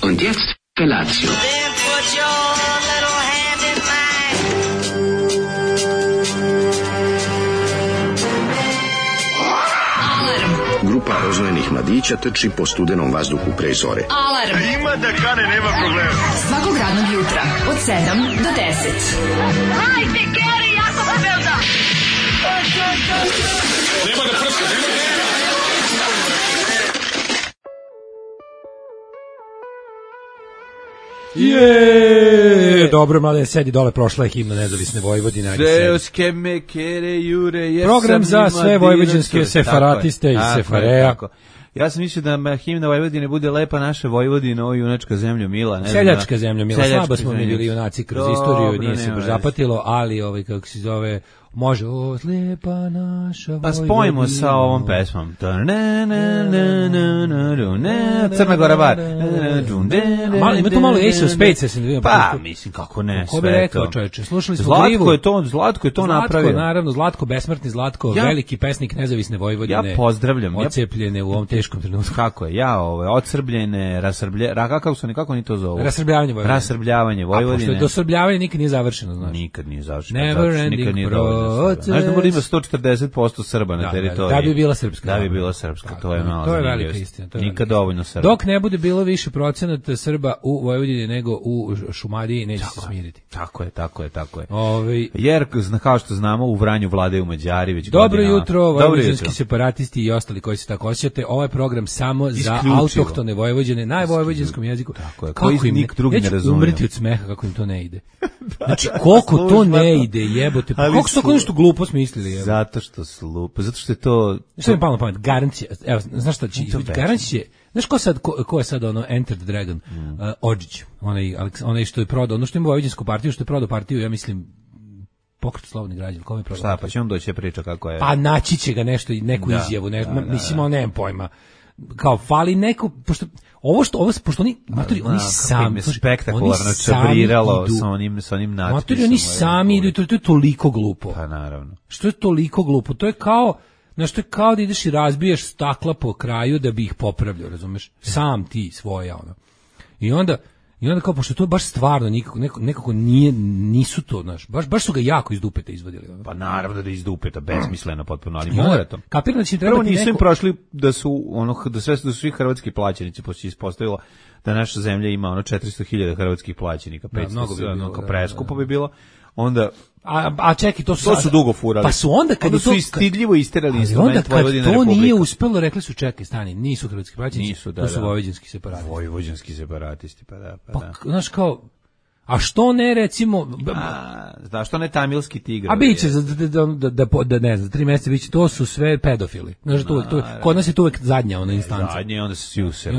Und jetzt Felatio. Then put your little hand in mine. Grupa rozvojenih mladića trči po studenom vazduhu pre zore. Alarm. Ima da kane, nema problema. Svakog radnog jutra od 7 do 10. Hajde, Geri, jako se velda. Nema da prska, nema da... Dobro, mlade, sedi dole, prošla je himna Nezavisne Vojvodine. Seoske mekere jure. Program za sve vojvođanske sefaratiste iz Sefareja. Ja sam mislio da himna Vojvodine bude lepa naša Vojvodina, ovo junačka zemlja mila. Ne Seljačka zemlja mila, slabo smo mi zemlja. bili junaci kroz istoriju, nije se nema baš veze. zapatilo, ali kako se zove, može, o, slijepa naša Vojvodina. Pa spojimo sa ovom pesmom. Crna Gora bar. Ima to malo Ace of Spades, ja sam da vidim. Pa, mislim, kako ne, Ko bi sve rekao, to. čoveče, slušali smo Grivu. Zlatko je to napravio. Naravno, Zlatko, besmrtni Zlatko, veliki pesnik Nezavisne Vojvodine. Ja pozdravljam. Ocepljene u ovom teškom trenutku. Kako je? odsrbljene, kako oni to zovu? Rasrbljavanje Vojvodine. Rasrbljavanje A pošto Vojvodine. je dosrbljavanje nikad nije završeno, znaš. Nikad nije završeno. Never Nikad ending nije dovoljno Srba. proces. Znaš da mora ima 140% Srba na teritoriji. Da bi bila srpska. Da bi bila srpska, to je malo To je zanimljivo. velika istina. Nikad dovoljno Srba. Dok ne bude bilo više procenata Srba u Vojvodini nego u Šumadiji, neće se smiriti. Tako je. Ovaj Jer, kao što znamo, u Vranju vladaju Mađari već Dobro godinama. jutro, vojvođanski separatisti i ostali koji se tako osjećate. Ovaj program samo za Isključivo. autohtone Vojvođane, najvojvođanskom jeziku. Tako je, koji nik drugi ne razumiju. Umreti od smeha kako im to ne ide. Znači, koliko to ne ide, jebote. Pa koliko su to nešto glupo smislili, jebote. Zato što je to... Što mi palo na pamet? Garancija. Evo, znaš šta će izbiti? Garancija će... Znaš ko je sad ono Enter the Dragon? Odžić. Onaj što je prodao, ono što ima vojvođansku partiju, što je prodao partiju, ja mislim, Pokret slobodnih građana, kome je prodao? Šta, pa će on doći priča kako je... Pa naći će ga nešto, neku izjavu, mislim, on nemam pojma. Kao, fali neko, pošto oni, matori, oni sami... spektakularno čabriralo sa onim natpisom. Matori, oni sami idu, to je toliko glupo. Pa naravno. Što je toliko glupo? To je kao... Znaš, to je kao da ideš i razbiješ stakla po kraju da bi ih popravljao, razumeš? Sam ti svoja, ono. I onda kao, pošto to baš stvarno nekako nisu to, znaš, baš su ga jako iz dupeta izvadili. Ono. Pa naravno da iz dupeta, besmisleno potpuno, ali mora to. Kapiram da će Prvo trebati nisu im neko... prošli da su svi hrvatski plaćenici, pošto se ispostavilo da naša zemlja ima 400.000 hrvatskih plaćenika, 500, kao preskupo bi bilo. Onda A čekaj, to su dugo furali. Pa su onda kad su stidljivo isterali instrument Vojvodine Republike. Onda kad to nije uspelo, rekli su čekaj, stani, nisu hrvatski plaćenici, to su vojvođanski separatisti. Vojvođanski separatisti, pa da. Znaš kao, a što ne recimo... Zašto ne tamilski tigar? A biće, da ne znam, 3 mjeseca biće, to su sve pedofili. Znaš, kod nas je to uvek zadnja ona instanca. Zadnja, onda se sjuse.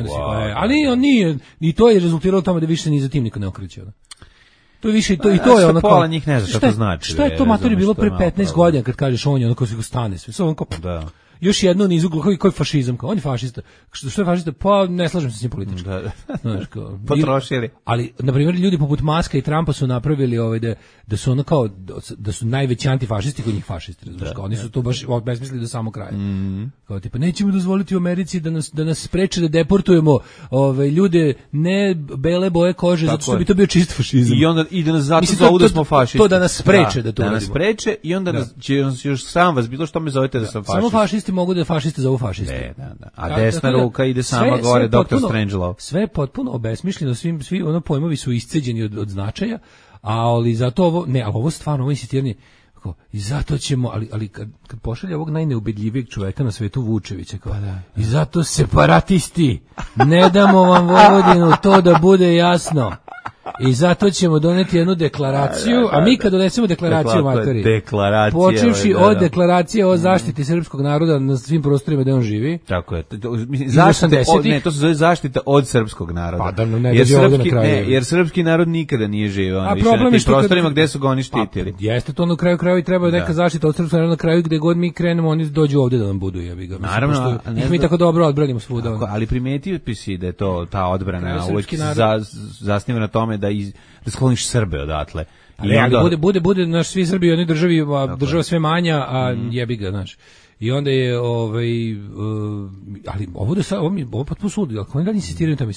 Ali on nije, i to je rezultiralo tome da više ni za tim niko ne okreće. To je više i to je ono kao pola njih ne zna šta to znači. Šta je to matori bilo pre 15 godina kad kažeš on je ono ko se stane sve. Samo kao da. Još jedno niz ugla koji fašizam, kao on je fašista. Što je fašista? Pa ne slažem se s njim politički. Znaš, kao potrošili. Ali na primjer ljudi poput Maska i Trumpa su napravili da su ono kao da su najveći antifašisti kod njih fašisti, razumiješ? Kao oni su to baš besmislili do samog kraja. Kao tipa nećemo dozvoliti u Americi da nas spreče da deportujemo ljude ne bele boje kože zato što bi to bio čist fašizam. I onda ide nas zato zovu da smo fašisti. To da nas spreče da to da nas spreče i onda će još sam vas bilo što me zovete da sam fašist. Samo fašisti mogu da fašisti zovu fašisti. Da. A desna ruka ide sama gore, Dr. Strangelove. Sve je potpuno obesmišljeno, svi ono pojmovi su isceđeni od značaja, ali zato ali ovo stvarno, ovo insistiranje, i zato ćemo, ali kad pošalje ovog najneubedljivijeg čoveka na svetu Vučevića, kao, i zato separatisti, ne damo vam Vojvodinu, to da bude jasno. I zato ćemo doneti jednu deklaraciju, a mi kad donesemo deklaraciju, matori, počevši od deklaracije o zaštiti srpskog naroda na svim prostorima gde on živi. Tako je. To se zove zaštita od srpskog naroda. Pa da ne dođe ovde na kraju. Jer srpski narod nikada nije živio na tim prostorima gde su ga oni štitili. Jeste to na kraju i treba neka zaštita od srpskog naroda na kraju gde god mi krenemo, oni dođu ovde da nam budu, jebi ga. Naravno, mi tako dobro odbranimo svuda. Ali primetio si da je to ta odbrana uvek zasniva na tome da skloniš Srbe odatle. Ali bude naš svi Srbi u jednoj državi, država sve manja, a jebi ga, znaš. I onda je ali ovo da sad ovo potpuno suludo, ako oni dalje insistiraju na tome,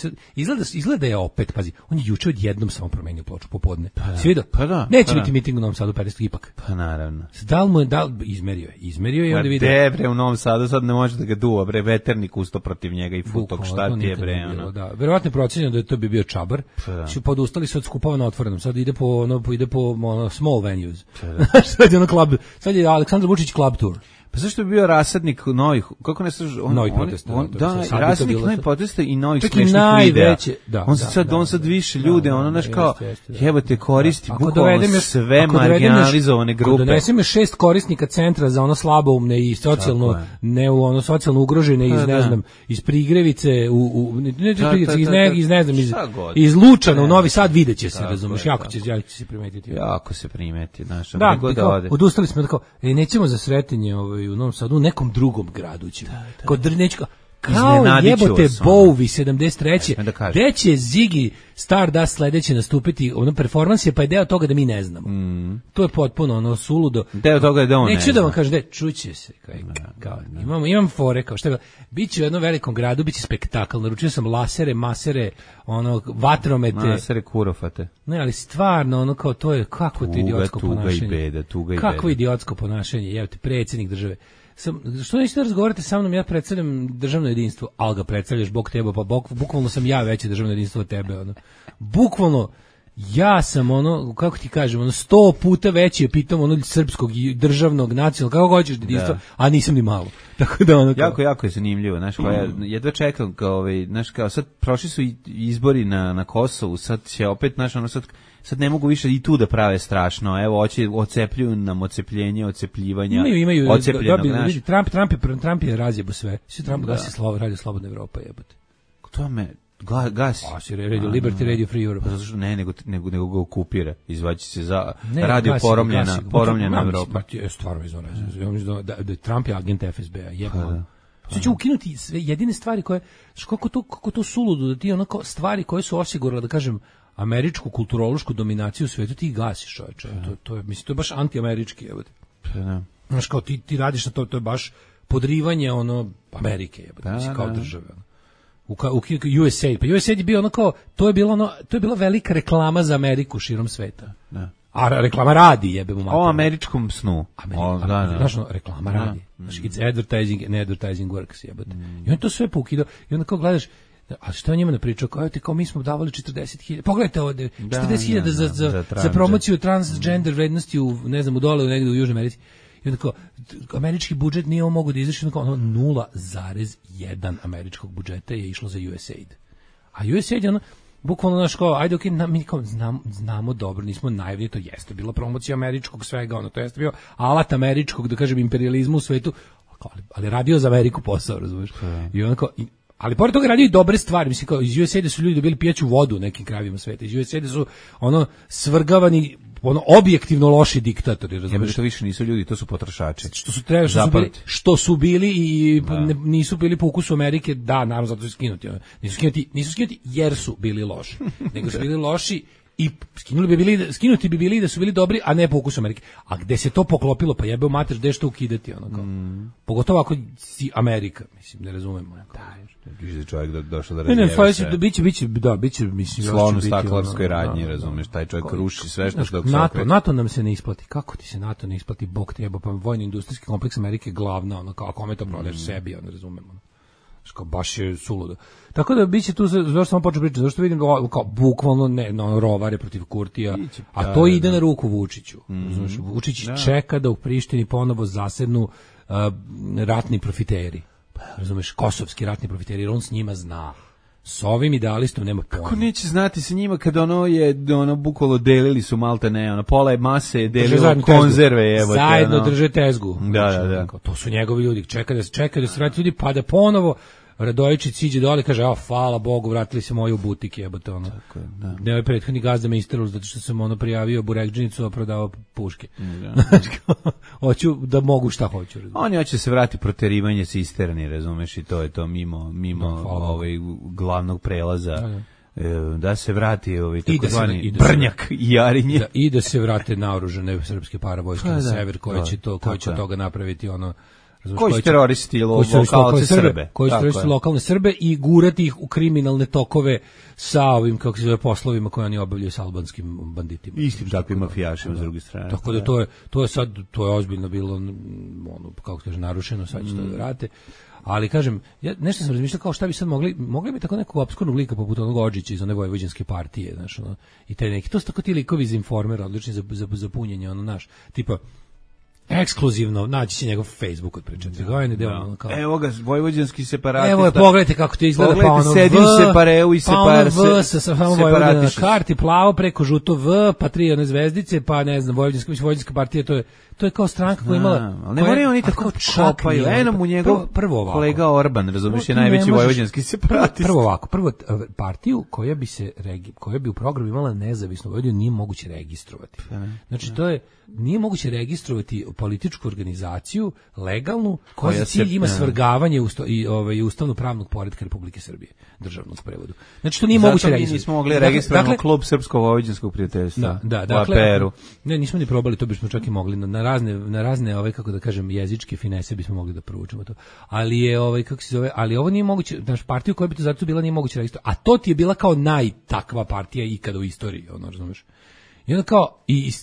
izgleda je opet, pazi, on je juče odjednom samo promenio ploču popodne. Si vidio? Pa da. Neće biti miting u Novom Sadu 50 ipak. Pa naravno. Izmerio je, onda vidio. Bre, u Novom Sadu sad ne može da ga duva, bre, veternik usto protiv njega i futok, šta ti je, bre, ono. Da, verovatno je procenjeno da to bi bio čabar. Su podustali se od skupova na otvorenom. Sad ide po small venues. Sad je ono club, sad je Aleksandar Vučić club tour. Pa zašto bi bio rasadnik novih, kako ne slaže, novih protesta. Da, rasadnik novih protesta i novih smešnih videa. On sad više ljude, ono naš kao, jebate, koristi bukvalno sve marginalizovane grupe. Donesem je 6 korisnika centra za ono slaboumne i socijalno, socijalno ugrožene iz, ne znam, iz Prigrevice, iz Lučana u Novi Sad, videće se, razumeš, jako će se primetiti. Jako se primeti, znaš, da, odustali smo tako, nećemo za sretenje u Novom Sadu, u nekom drugom gradu ćemo. Kao jebote Bowie 73. Gde će Ziggy Stardust sledeće nastupiti, ono performans je, pa je deo toga da mi ne znamo. To je potpuno suludo. Deo toga je da on ne zna. Neću da vam kažem, čuće se. Imam fore, kao šta biće u jednom velikom gradu, biće spektakl. Naručio sam lasere, masere, vatromete. Masere, kurofate. Ne, ali stvarno, kao to je, kakvo to idiotsko ponašanje. Tuga i beda. Kakvo idiotsko ponašanje, jevte, predsjednik države. Što nećete da razgovarate sa mnom, ja predstavljam državno jedinstvo, ali ga predstavljaš Bog tebe, pa bukvalno sam ja veće državno jedinstvo od tebe, bukvalno, ja sam kako ti kažem, 100 puta veći je pitam srpskog državnog nacionalnog, kako hoćeš jedinstva, a nisam ni malo. Tako da jako je zanimljivo, znaš, jedva čekam, znaš, kao sad prošli su izbori na Kosovu, sad će opet, znaš, sad ne mogu više i tu da prave strašno. Evo, ocepljuju nam ocepljenje, ocepljivanja. Trump je razjebo sve. Svi Trump gasi radio Slobodna Evropa, jebote. To me gasi. Radio Liberty, Radio Free Europe. Pa zato što nego ga okupira. Izvaći se za radio poromljena Evropa. Stvarno izvano. Da Trump je agent FSB-a, jebno. Sve će ukinuti sve jedine stvari koje, kako to suludo, da ti stvari koje su osigurale, da kažem, američku kulturološku dominaciju u svijetu, ti gasiš, čoveče. To je baš antiamerički, jebote. Znaš, kao ti radiš na to je baš podrivanje Amerike, jebote, mislim, kao države. USAID, pa USAID je bio to je bila velika reklama za Ameriku širom sveta. A reklama radi, jebe mu mater. O američkom snu. Znaš, reklama radi. Znači, it's advertising and advertising works, jebote. I on to sve pokidao. I onda kao gledaš, a što je njima napričao, kao mi smo davali 40.000, pogledajte ovde, 40.000 za promociju transgender vrednosti u, ne znam, u dole, negde u Južnoj Americi. I onda kao, američki budžet nije ovo mogu da izraši, 0,1 američkog budžeta je išlo za USAID. A USAID je bukvalno naš kao, ajde, mi kao znamo dobro, nismo naivni, to jeste bila promocija američkog svega, to jeste bio alat američkog, da kažem, imperializmu u svetu, ali radio za Ameriku posao, razumiješ? I onda kao, ali pored toga radio i dobre stvari, mislim, kao iz USAID-a su ljudi dobili pijaću vodu u nekim krajevima sveta, iz USAID-a su svrgavani objektivno loši diktatori, razumiješ? Što više nisu ljudi, to su potrošači. Što su bili i nisu bili po ukusu Amerike, da, naravno, zato su skinuti. Nisu skinuti jer su bili loši, nego su bili loši i skinuti bi bili da su bili dobri, a ne po ukusu Amerike. A gde se to poklopilo, pa jebe u mater, gde što ukidati, pogotovo ako si Amerika, mislim, ne razumemo. Viš čovjek došao da razjeve sve. Biće, mislim, slon u staklarskoj radnji, razumeš, taj čovjek ruši sve što dok se NATO nam se ne isplati. Kako ti se NATO ne isplati, bog te jeba, pa vojno-industrijski kompleks Amerike je glavna, kao kome to prodaješ sebi, razumemo. Kao baš je suludo. Tako da biće tu, zašto sam počeo pričati, zašto vidim kao bukvalno rovare protiv Kurtija, a to ide na ruku Vučiću. Vučić čeka da u Prištini ponovo zasednu ratni profiteri. Razumeš, kosovski ratni profiteri, jer on s njima zna. S ovim idealistom nema pojma. Kako neće znati sa njima kad bukvalno delili su malte ne, pola je mase je delilo konzerve, zajedno drže tezgu. Da. To su njegovi ljudi, čeka da se vrati ljudi, pa da ponovo Radojičić siđe dole i kaže, hvala Bogu, vratili se moji u butik, jebote, Tako je, da. Ne, ovaj prethodni gazda me isterao zato što sam prijavio burekdžinicu, a prodavao puške. Hoću da mogu šta hoću. Oni hoće se vrati proterivanje cisterni, razumeš, i to je to mimo glavnog prelaza. Da se vrati takozvani Brnjak i Jarinje. I da se vrate naoružane srpske paravojske na sever, koje će toga napraviti Koji su teroristi lokalne Srbe. Koji su teroristi lokalne Srbe i gurati ih u kriminalne tokove sa ovim, kako se zove, poslovima koje oni obavljaju sa albanskim banditima. Istim takvim mafijašima s druge strane. Tako da to je ozbiljno bilo, ono, kako kaže, narušeno, sad će to da vrate. Ali kažem, ja nešto sam razmišljao kao šta bi sad mogli bi tako nekog opskurnog lika poput onog Odžića iz one vojvođanske partije, znaš, ono, i taj neki, to su tako ti likovi iz Informera, odlični za punjenje, ono, naš, tipa, ekskluzivno, naći će njegov Facebook od pričati. Evo ga, vojvođanski separatista. Evo je, pogledajte kako to izgleda, pa ono sedi u separeu i V sa samo Vojvodina na karti, plavo preko žuto V, pa 3 one zvezdice, pa ne znam, vojvođanska partija, to je kao stranka koja imala... Ali ne moraju oni tako čopaju. Eno mu njegov kolega Orban, razumiješ, je najveći vojvođanski separatist. Prvo partiju koja bi u programu imala nezavisnu Vojvodinu nije moguće registrovati. Znači, nije moguće registrovati političku organizaciju legalnu koja za cilj ima svrgavanje i ustavno-pravnog poretka Republike Srbije, državnog prevodu. Znači, to nije moguće registrovati. Zato mi nismo mogli registrovati klub Srpsko-vojvođanskog prijateljstva. Dakle, ne, nismo ni probali, to bismo čak i mogli na razne kako da kažem, jezičke finese bismo mogli da proučimo to. Ali je kako se zove, ali ovo nije moguće, naš partiju koja bi to zato bila nije moguće registrovati. A to ti je bila kao najtakva partija ikada u istoriji, ono, razumeš? I onda kao,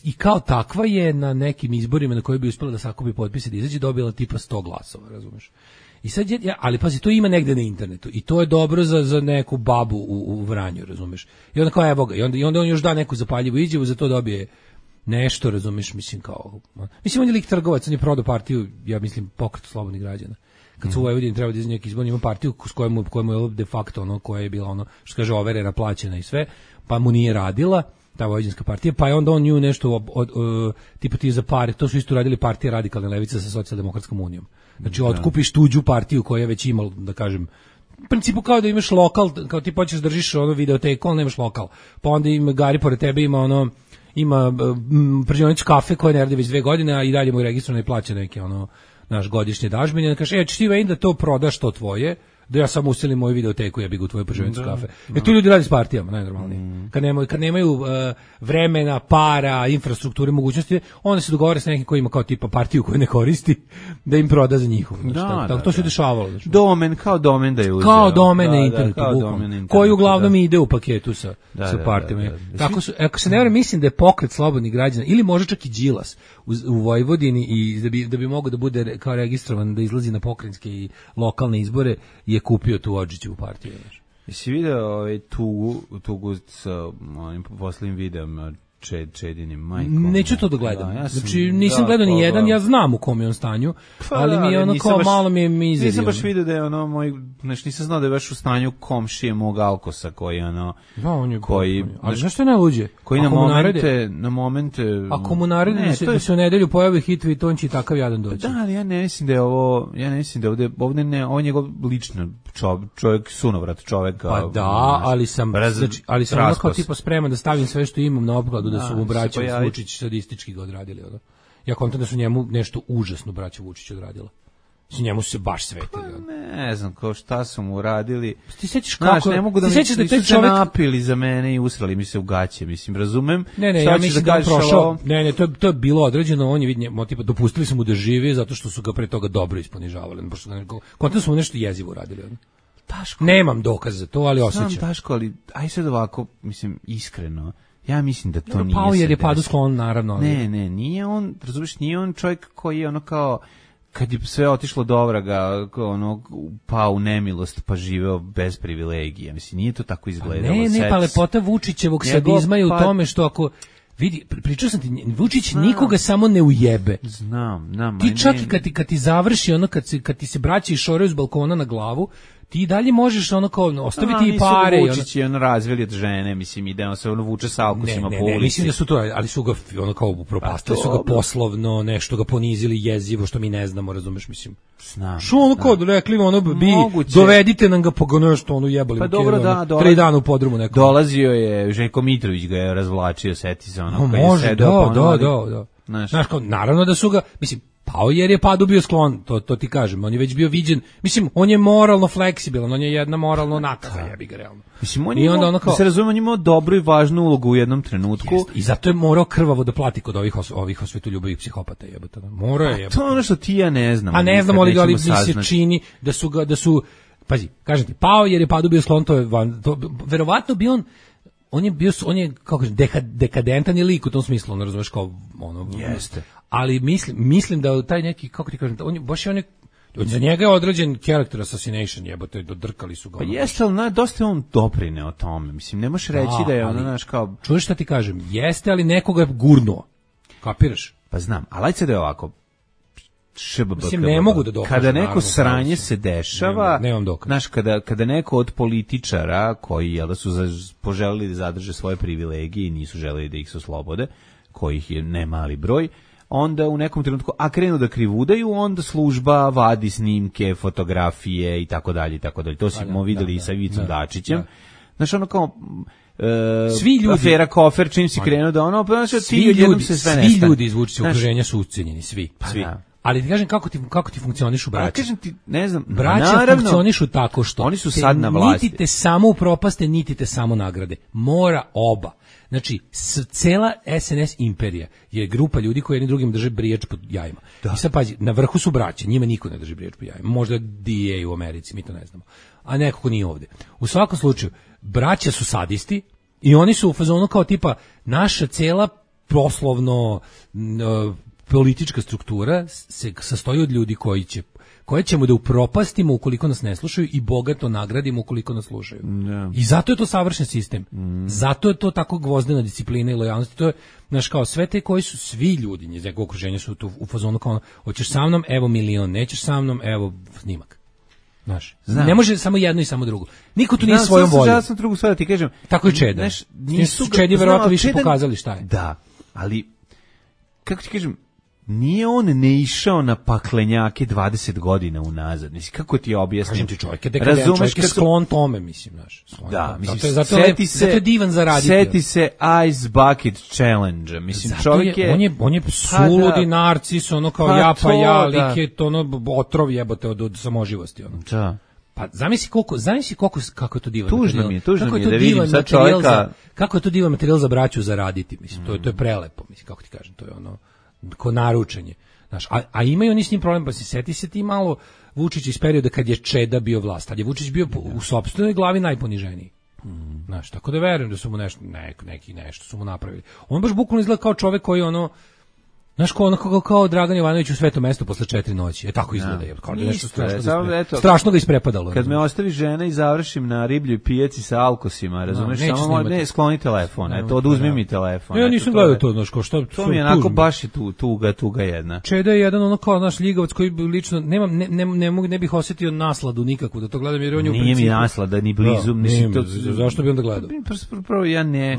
i kao takva je na nekim izborima na koje bi uspjela da sakupi potpise da izađe dobila tipa 100 glasova, razumeš? I sad ali pazi, to ima negde na internetu i to je dobro za neku babu u Vranju, razumeš? I onda kao, evo ga, i onda on još da neku zapaljivu izjavu, za to dobije nešto, razumeš, mislim kao... Mislim, on je lik trgovac, on je prodao partiju, ja mislim, Pokret slobodnih građana. Kad su u Vojvodini treba da izađe neki izbor, ima partiju s kojemu je de facto ono, koja je bila ono, što kaže, overena, plaćena i sve, pa mu nije radila ta vojvođanska partija, pa je onda on nju nešto tipa ti za pare, to su isto radili partija Radikalne levice sa Socijaldemokratskom unijom. Znači, otkupiš tuđu partiju koja je već imala, da kažem, u principu kao da imaš lokal, kao ti počeš držiš ono videoteku, ali nemaš lokal. Pa onda ima Gari pored tebe, ima pržionicu kafe koja ne radi već 2 godine, a i dalje mu je registrovano i plaća neke naš godišnje dažbine. Kaže, ćeš ti da to prodaš to tvoje, da ja samo uselim moju videoteku, ja bih u tvoju pržionicu kafe. Tu ljudi radi s partijama, najnormalnije. Kad nemaju vremena, para, infrastrukture, mogućnosti, onda se dogovore sa nekim koji ima kao tipa partiju koju ne koristi, da im proda za njihovu. Tako to se dešavalo. Domen, kao domen da je uzeo. Kao domen na internetu, koji uglavnom ide u paketu sa partijama. Ako se ne vrem, mislim da je Pokret slobodnih građana, ili može čak i Đilas u Vojvodini, i da bi mogao da bude kao registrovan, da izlazi na pokrajinske i lokalne izbore, je kupio tu Odžićevu partiju. Jesi video tugu sa onim poslednjim videom Čedinim majkom? Neću to da gledam. Znači, nisam gledao ni jedan, ja znam u kom je on stanju, ali mi je ono kao malo mi je mizeri. Nisam baš vidio da je ono moj, znači nisam znao da je baš u stanju komšije mog Alkosa koji ono... Da, on je... Ali znaš što je najluđe? Koji na momente... Ako mu naredi da se u nedelju pojavi hitvi, to on će i takav jadan doći. Da, ali ja ne mislim da je ovo, ovde ne, ovo je njegov lično čovjek, sunovrat čovjek. Pa da, ali sam ono kao tipa spreman da stavim sve što imam na opkladu, da su mu braća Vučić sadistički ga odradili. Ja kontam da su njemu nešto užasno braća Vučić odradila. Su njemu se baš svetili. Ne znam šta su mu uradili. Ti sećaš kako? Ne mogu da nisu se napili za mene i usrali mi se u gaće, mislim, razumem. Ne, ja mislim da on prošao. Ne, to je bilo određeno, on je vidio, tipa dopustili su mu da živi zato što su ga pre toga dobro isponižavali. Kontam su mu nešto jezivo uradili. Daško. Nemam dokaz za to, ali osjećam. Znam, Daško, ali aj sad ovako, mislim, iskreno. Ja mislim da to nije. Pao jer je padu sklon, naravno. Ali... Ne, nije on, razumiješ, nije on čovjek koji je ono kao, kad je sve otišlo dobro ga, ono, pao u nemilost, pa živeo bez privilegija. Mislim, nije to tako izgledalo. Ne, pa lepota Vučićevog sadizma je u tome što ako... Vidi, pričao sam ti, Vučić nikoga samo ne ujebe. Znam. Ti čak i kad ti završi ono, kad ti se braća išoraju s balkona na glavu, ti dalje možeš ono kao ostaviti i pare. Vučić je ono razveli od žene, mislim, ide on se ono vuče sa alkusima po ulici. Mislim da su to, ali su ga ono kao upropastili, su ga poslovno, nešto ga ponizili jezivo, što mi ne znamo, razumeš, mislim. Znam. Što ono kao rekli, ono bi, dovedite nam ga po nešto, ono jebali. Pa dobro, da, 3 dana u podrumu nekom. Dolazio je, Željko Mitrović ga je razvlačio, seti se ono. Može, da. Znaš, kao, naravno da su ga, mislim, Pao jer je padu bio sklon, to ti kažem, on je već bio viđen, mislim, on je moralno fleksibilan, on je jedna moralno nakaza, jebi ga realno. Mislim, on je imao, da se razumemo, on je imao dobru i važnu ulogu u jednom trenutku. Jest, i zato je morao krvavo da plati kod ovih osvetoljubivih psihopata, jebote. Morao je, jebote. To je ono što ti ja ne znam. A ne znamo ali mi se čini da su, pazi, kažem ti, pao jer je padu bio sklon, verovatno bi on je kako kažem, dekadentan je lik u tom smislu, on razumeš kao ono. Jeste. Ali mislim da taj neki, kako ti kažem, on je za njega je određen character assassination, jebote, dodrkali su ga. Pa jeste, ali dosta je on doprineo tome. Mislim, ne možeš reći da je ono, znaš, kao... Čuješ šta ti kažem? Jeste, ali nekoga je gurnuo. Kapiraš? Pa znam, ali ajde da je ovako. Mislim, ne mogu da dokažem. Kada neko sranje se dešava, nemam dokaz. Znaš, kada neko od političara koji jel da su poželili da zadrže svoje privilegije i nisu želeli da ih se oslobode, kojih je ne mali broj, onda u nekom trenutku, a krenu da krivudaju, onda služba vadi snimke, fotografije i tako dalje i tako dalje. To smo videli i sa Ivicom Dačićem. Znaš, ono kao svi ljudi, afera Kofer, čim si krenuo da ono, svi ljudi iz Vučićevog okruženja su ucenjeni, svi. Ali ti kažem kako ti funkcionišu braća. Kažem ti, ne znam, braća funkcionišu tako što oni su sad na vlasti. Niti te samo upropaste, niti te samo nagrade. Mora oba. Znači, cela SNS imperija je grupa ljudi koji jedni drugim drže brijač pod jajima. Da. I sad pazi, na vrhu su braće, njima niko ne drži brijač pod jajima. Možda DA u Americi, mi to ne znamo. A neko ko nije ovde. U svakom slučaju, braća su sadisti i oni su u fazonu kao tipa naša cela poslovno politička struktura se sastoji od ljudi koje ćemo da upropastimo ukoliko nas ne slušaju i bogato nagradimo ukoliko nas slušaju. Yeah. I zato je to savršen sistem. Zato je to tako gvozdena disciplina i lojalnost. To je, znaš, kao sve te koji su svi ljudi iz nekog okruženja su tu u fazonu kao hoćeš sa mnom, evo milion, nećeš sa mnom, evo snimak. Znaš, ne može samo jedno i samo drugo. Niko tu nije svojom voljom. Ja sam drugu stvar da ti kažem. Tako je Čeda. Nisu Čedi verovatno više pokazali šta je. Da, ali kako ti kažem, nije on ne išao na paklenjake 20 godina unazad. Mislim, kako ti objasnim? Kažem ti, čovjek je dekadent, čovjek je sklon tome, mislim, znaš. Da, mislim, zato je divan za raditi. Seti se Ice Bucket Challenge. Mislim, čovjek je... On je suludi narcis, ono kao ja, lik je to ono otrov jebote od samoživosti. Ono. Da. Pa zamisli kako je to divan materijal. Tužno mi je da vidim sad čovjeka... Kako je to divan materijal za braću zaraditi, mislim. To je prelepo, mislim, kako ti kažem, to je ono... ko naručenje. Znaš, a imaju oni s njim problem, pa se seti se ti malo Vučić iz perioda kad je Čeda bio vlast, ali je Vučić bio u sopstvenoj glavi najponiženiji. Znaš, tako da verujem da su mu nešto su mu napravili. On baš bukvalno izgleda kao čovek koji ono, znaš, kao Dragan Jovanović u Svetom mestu posle 4 noći. Tako izgleda, jer kao nešto strašno ga isprepadalo. Kad me ostavi žena i završim na ribljoj pijaci sa alkosima, razumeš, samo ne skloni telefon, eto, oduzmi mi telefon. Ja nisam gledao to, znaš, što to mi je onako baš je tuga jedna. Čeda je jedan ono kao naš ljigavac koji lično ne bih osetio nasladu nikakvu da to gledam, jer on je u principu. Nije mi naslada ni blizu, mislim to. Zašto bi onda gledao? Prvo ja ne.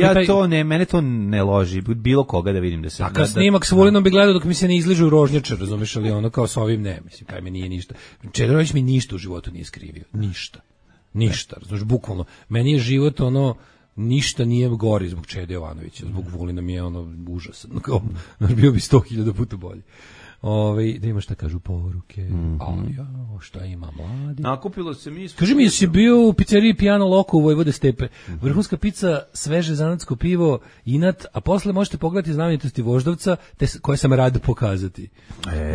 Ja to ne, mene to ne loži, bilo koga da vidim da se. S Vulinom bi gledao dok mi se ne izližu rožnjače, razumiješ, ali ono kao sa ovim ne, mislim, kaj mi nije ništa. Čedović mi ništa u životu nije skrivio, ništa, razumiješ, bukvalno. Meni je život ono, ništa nije gori zbog Čede Jovanovića, zbog Vulina mi je ono užasan, kao, bio bi 100.000 puta bolje. Da ima šta kažu poruke, šta ima mladi. Nakupilo se mi... Kaži mi, jesi bio u pizzeriji Piano Loco u Vojvode Stepe. Vrhunska pizza, sveže zanatsko pivo, inat, a posle možete pogledati znamenitosti Voždovca, koje sam rad pokazati.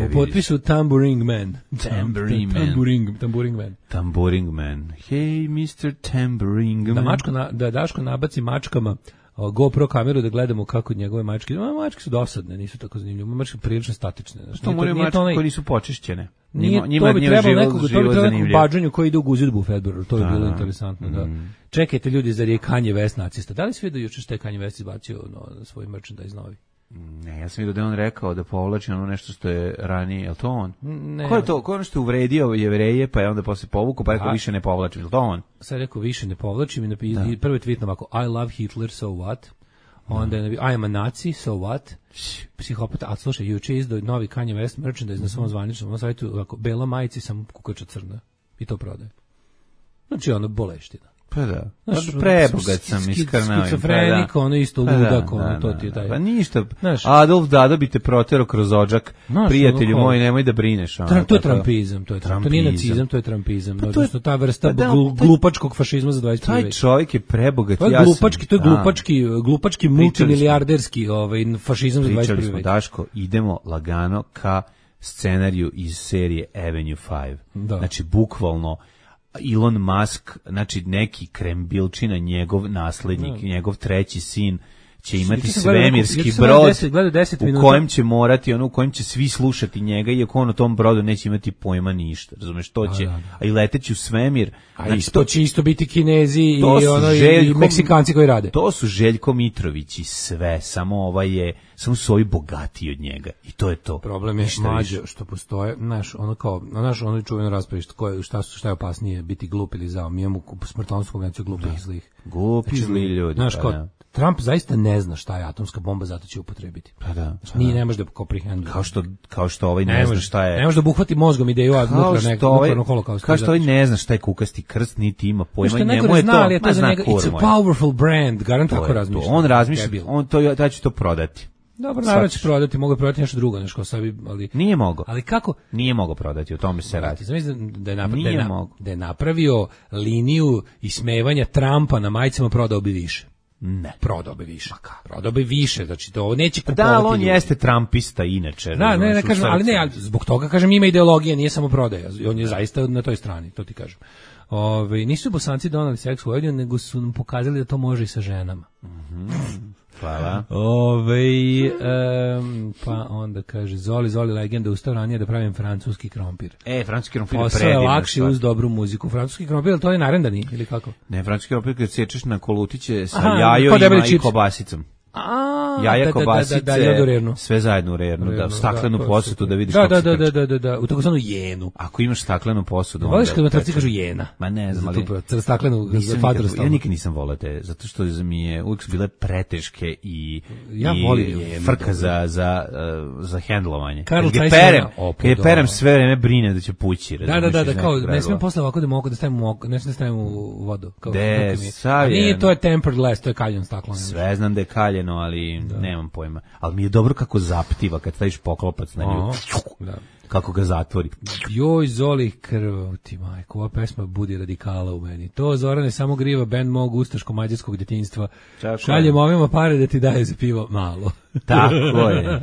U potpisu Tambourine Man. Tambourine Man. Hey, Mr. Tambourine Man. Da Daško nabaci mačkama GoPro kameru da gledamo kako njegove mačke. Mačke su dosadne, nisu tako zanimljive. Mačke prilično statične. To moraju mačke koje nisu počišćene. To bi trebalo nekog bađanju koji ide u Guzidbu u Fedboru. To bi bilo interesantno. Da. Čekajte ljudi, zar je Kanye West nacista? Da li si vidio juče što je Kanye West izbacio na svoj merchandise novi? Ne, ja sam vidio da je on rekao da povlači ono nešto što je ranije, je li to on? Ne. Ko je to? Ko je ono što je uvredio Jevreje, pa je onda posle povukao, pa rekao više ne povlačim, je li to on? Sad rekao više ne povlačim i prvi tweet ovako, I love Hitler, so what? Onda je I am a Nazi, so what? Psihopata, a slušaj, juče izdao novi Kanye West merchandise na svom zvaničnom sajtu, ovako, bela majici, sam kukača crna. I to prodaje. Znači ono boleština. Pa da. Znaš, Prebogat sam iskrnao. skizofrenik, ono isto ludak, ono, to ti je taj. Pa ništa. Znaš, Adolf Dado bi te protero kroz odžak. Znaš, Prijatelju ono, moj, nemoj da brineš. To je trampizam, to nije nacizam, to je trampizam. Pa to je- Odnosno ta vrsta pa da, glupačkog fašizma za 21. Taj vek. čovjek je prebogat. To je glupački multimilijarderski fašizam za 21. Pričali smo, vek. Daško, idemo lagano ka scenariju iz serije Avenue 5. Da. Znači, bukvalno, Elon Musk, znači neki krembilčina, njegov naslednik, njegov treći sin, će imati Juče sam gledao svemirski neku- juče sam brod gledao 10 u minuta. kojem će morati, u kojem će svi slušati njega, iako on u tom brodu neće imati pojma ništa, razumeš, to će, a i leteći u svemir, A znači, isto će isto biti Kinezi i to su ono i Željko- Meksikanci koji rade. To su Željko Mitrović i sve, samo su ovi bogatiji od njega i to je to. Problem je Ništa mlađe više. što postoje, ono čuveno raspravi šta je opasnije biti glup ili zao. Mi imamo smrtonosnu konvenciju glupih i zlih. Glupi, zli ljudi. Znaš, pa kao, da. Trump zaista ne zna šta je atomska bomba, zato će upotrebiti. Pa da. Nije, ne može da komprehenduje. Kao što ovaj ne zna šta je. Ne može da obuhvati mozgom ideju nuklearnog holokausta. Kao što ovaj ne zna šta je kukasti krst, niti ima pojma, Što je njemu najgore je zna, to, ali je to za zna njega, kur it's a moj. powerful brand, garant To tako je to. razmišlja. On razmišlja, Debil. taj će to prodati. Dobro, naravno će prodati, mogu prodati nešto drugo, nešto sabi, ali Nije mogao. ali kako? Nije mogao prodati, o tome se radi. Znam Nije mogao. da je napravio liniju ismevanja Trumpa na majicama, prodao bi više. Ne. Prodao bi više. Prodao bi više, znači to neće Pa kupovati da, ali on ljudi. jeste trumpista inače. Da, razumeš, ne u kažem, ali srcu. ne, ali zbog toga kažem ima ideologija, nije samo prodaja. On je zaista na toj strani, to ti kažem. Nisu Bosanci donali seks u Vojvodinu, nego su nam pokazali da to može i sa ženama. Hvala. Pa onda kaže Zoli legenda ustao ranije da pravim francuski krompir. Francuski krompir je Posao je predivna lakši stvar. uz dobru muziku. Francuski krompir, to je narendani ili kako? Ne, francuski krompir kad sečeš na kolutiće sa Aha, kao jajojima debeli i čips. kobasicom. A, Jaja, kobasice, da, u rernu. sve zajedno u rernu, da, staklenu to je posudu super. da vidiš kako se krči. Da, u takozvanu jenu. Ako imaš staklenu posudu, Voliš onda kad matarci peče. kažu jena? Ma ne znam, ali Staklenu za ja fatorstvo. nikad nisam volao te, zato što mi je uvijek su bile preteške i volim jenu, frka dobro. za hendlovanje. Karl Kad je Zeiss perem, jena, kad je perem sve vreme brine da će pući. Da, razumeš, iz kao nekog ne smijem razloga. posle ovako da mogu da stavim u vodu. Kao, De, ruke mi je. sav A nije, je- to je tempered glass, to je kaljan staklo. Sve znam da je kaljeno, ali nemam pojma. Ali mi je dobro kako zaptiva kad staviš poklopac na nju. Da. Kako ga zatvori. Joj, Zoli, krv ti majko, ova pesma budi radikala u meni. To, Zorane, samo griva bend mog ustaško-mađarskog djetinjstva. Tako Šaljem je. ovima pare da ti daje za pivo malo. Tako je.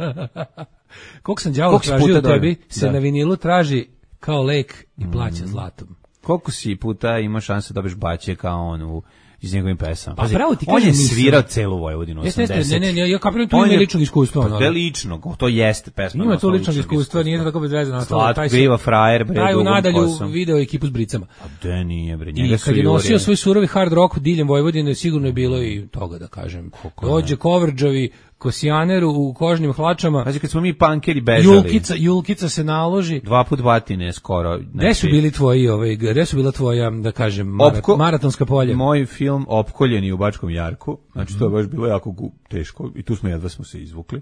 Koliko sam đavo Koliko si tražio puta u tebi, dobio? se Da. na vinilu traži kao lek i plaća zlatom. Koliko si puta ima šanse da dobiješ baće kao on iz njegovim pesama? Pa Pazi, pravo ti on kažem, je nisam. svirao celu Vojvodinu, Jeste, 80. ne, ja kapiram tu On ima je- ličnog iskustva. Pa ono. gde ličnog? To jeste pesma. Ima na tu osnovu ličnog iskustva, nije to tako bez veze nastalo. Slatko griva frajer, bre, Taj u dugom nadalju kosom. video ekipu s bricama. Pa gde nije, bre, I njega su kad je nosio jurili. svoj surovi hard rock diljem Vojvodine, sigurno je bilo i toga, da kažem. Dođe Kovrđavi, Kosijaner u kožnim hlačama, Pazi, kad smo mi pankeri bežali, Julkica se naloži. 2 put batine skoro. Gde su bili tvoji, gde su bila tvoja, da kažem, maratonska polja? Moj film Opkoljeni u Bačkom Jarku, znači to je baš bilo jako teško i tu jedva smo se izvukli,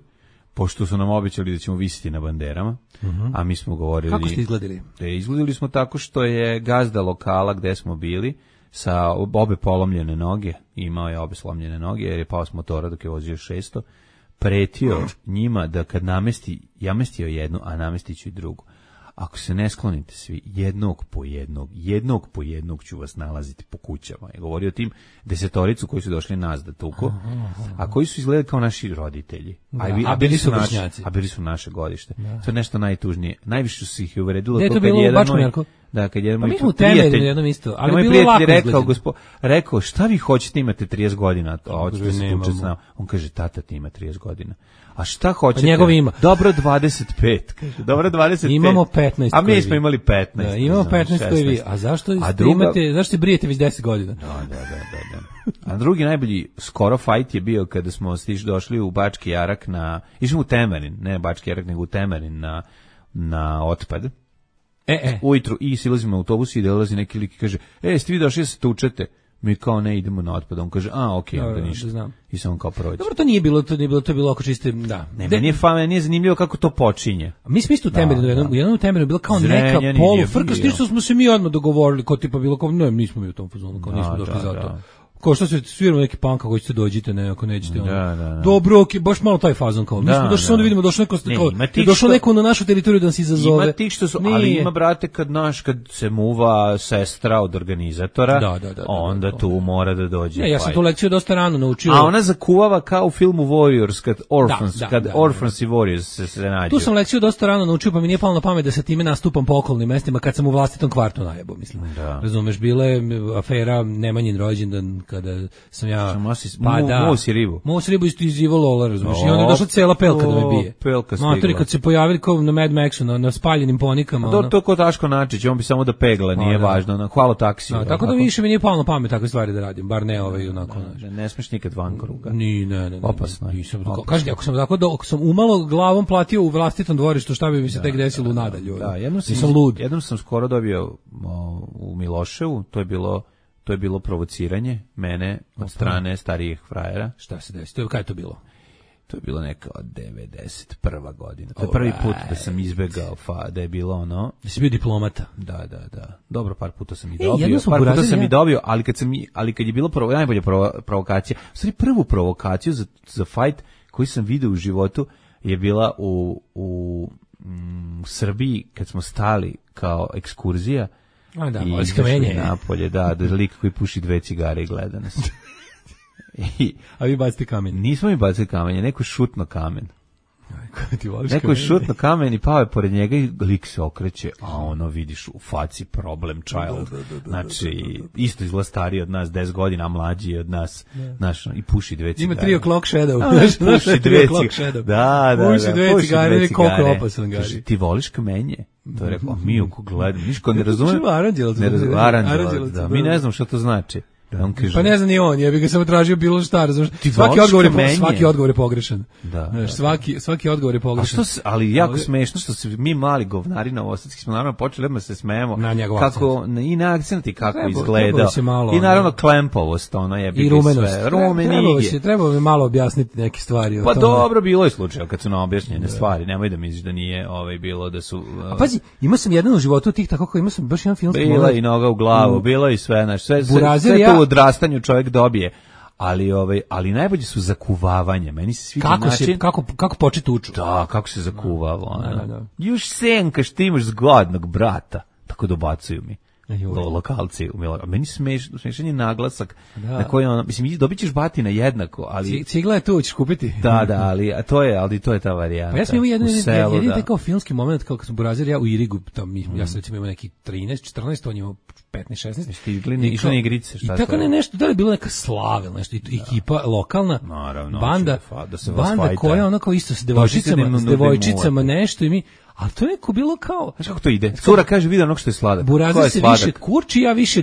pošto su nam obećali da ćemo visiti na banderama, a mi smo govorili... Kako ste izgledali? Izgledali smo tako što je gazda lokala gde smo bili sa obe polomljene noge, imao je obe slomljene noge jer je pao s motora dok je vozio 600, pretio njima da kad namestio jednu, a namestit ću i drugu. Ako se ne sklonite svi, jednog po jednog ću vas nalaziti po kućama. Je govorio o tim 10 koji su došli nas da tuku, a koji su izgledali kao naši roditelji. A bili su vršnjaci. A bili su naše godište. To je nešto najtužnije. Najviše su ih uvredilo. Gde je to bilo u Bačkom Jarku? Da, kad jedan Pa moj mi smo u prijatelj, Temerinu jednom isto, ali moj bilo prijatelj lako rekao, šta vi hoćete, imate 30 godina, a hoćete se nemamo. tuče s nama. On kaže, tata ti ima 30 godina. A šta hoćete? Pa njegov ima. Dobro 25, kaže. Dobro 25. Imamo 15 A mi koji smo vi. imali 15. Da, imamo znaš, 15 koji vi. 16. A zašto druga- zašto se brijete već 10 godina? Da. A drugi najbolji skoro fight je bio kada smo došli u Bački Jarak išli u Temerin, ne Bački Jarak, nego u Temerin na otpad. Ujutru i silazimo u autobus i dolazi neki lik i kaže, ste vi došli da se tučete? Mi kao ne idemo na otpad. On kaže, okej, onda ništa. Da znam. I samo kao prođe. Dobro, to nije bilo oko čiste, da. Ne, meni je zanimljivo kako to počinje. Mi smo isto u Temerinu, u jednom Temerinu bilo kao neka polufrka, s tim što smo se mi odmah dogovorili, kao tipa bilo kao, ne, nismo mi u tom fazonu, kao nismo došli za to. Kao što se sviramo neki punk, ako ćete dođite, ne, ako nećete. Dobro, baš malo taj fazon, kao. Mi smo došli, samo da vidimo, došlo neko na našu teritoriju da nas izazove. Ima tih što su, ali ima, brate, kad se muva sestra od organizatora, onda tu mora da dođe. Ja sam tu lekciju dosta rano naučio. A ona zakuvava kao u filmu Warriors, kad Orphans i Warriors se nađu. Tu sam lekciju dosta rano naučio, pa mi nije palo na pamet da se time nastupam po okolnim mestima kad sam u vlastitom kvartu najebo, mislim. Razumeš, bila je afera Nemanjin rođendan, kada sam ja Mous ribu iz Ivo Lola, razumiješ, i onda je došla cela pelka da me bije. Matori, kad se pojavili kao na Mad Maxu, na spaljenim ponikama. To je ko Daško Načić, on bi samo da pegla, nije važno, hvala taksiju. Tako da više mi nije palo na pamet takve stvari da radim, bar ne onako. Ne smiješ nikad van kruga. Ne. Opasno. Kažete, ako sam umalo glavom platio u vlastitom dvorištu, šta bi mi se tek desilo nadalje? Da, jednom sam skoro dobio u Miloševu, to je bilo provociranje mene od strane starijih frajera. Šta se desi? Kada je to bilo? To je bilo neka od 91. godina. To je prvi put da sam izbegao, da je bilo ono... Da si bio diplomata. Da. Dobro, par puta sam i dobio. Ali kad je bilo najbolja provokacija, u stvari prvu provokaciju za fight koju sam vidio u životu je bila u Srbiji, kad smo stali kao ekskurzija, i izašli napolje, da lik koji puši 2 cigare i gleda nas. A vi bacite kamen? Nismo mi bacili kamen, neko je šutno kamen. Neko je šutno kamen i pao je pored njega i lik se okreće, a ono vidiš u faci problem child. Znači, isto izgleda stariji od nas 10 godina, a mlađi od nas, i puši 2 cigare. Ima 3 o'clock shadow. Puši 2 cigare. Da. Puši 2 cigare, koliko je opasan gari. Ti voliš kamenje? To je rekao, mi oko gledam, niško ne razumem. Aranđelac, da, mi ne znam što to znači. Pa ne znam ni on, ja bih ga samo tražio bilo šta, razumiješ. Svaki odgovor je pogrešan. Svaki odgovor je pogrešan. Ali jako smešno što se mi mali govnari novosadski smo naravno počeli da se smejemo kako i na akcenti kako izgleda. I naravno klempovost, ono je i rumenost. Trebalo bi malo objasniti neke stvari. Pa dobro, bilo je slučaj kad su nam objašnjene stvari. Nemoj da misliš da nije bilo da su. A pazi, imao sam jedan u životu tih tako kao imao sam baš jedan filmski moment. Bila i noga u glavu, bilo i sve, sve u odrastanju čovjek dobije, ali najbolje su zakuvavanje. Meni se sviđa način kako početi uču. Da, kako se zakuvalo. Još senkaš, ti imaš zgodnog brata. Tako dobacuju mi lokalci. Meni smešan je naglasak na koji mislim, dobit ćeš batina jednako, ali cigla je tu, ćeš kupiti. Da, ali to je ta varijanta. Pa ja sam imao jedan kao filmski moment kao kad sam Burazir, ja u Irigu, ja sam recimo imao neki 13, 14, on je imao 15, 16. Stigli, išli na igrice, šta i tako nešto, da li je bilo neka slava, nešto, ekipa lokalna, banda koja ona kao isto s devojčicama nešto i mi, ali to je neko bilo kao... Znaš kako to ide? Cura kaže, vidi onog što je sladak. Burazir se više kurči, ja više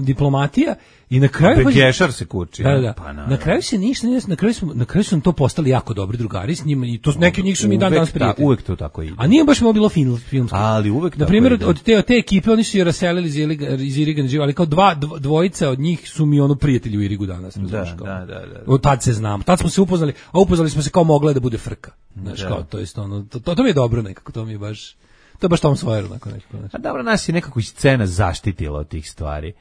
diplomatija i na kraju... Begešar se kurči. Da. Na kraju se ništa, na kraju su to postali jako dobri drugari s njima i to neki njih su mi dan danas prijatelji. Uvek to tako ide. A nije baš bilo filmski. Ali uvek tako ide. Naprimjer, od te ekipe oni su je raselili iz Iriga, ali kao dvojica od njih su mi prijatelji u Irigu danas. Da. Od tad se znam. Tad smo se upoznali, a upoznali smo se kao mogla da bude frka. Znaš, kao, to je to mi je dobro nekako, to je baš Tom Sawyer onako nekako. A dobro, nas je nekako i scena zaštitila od tih stvari.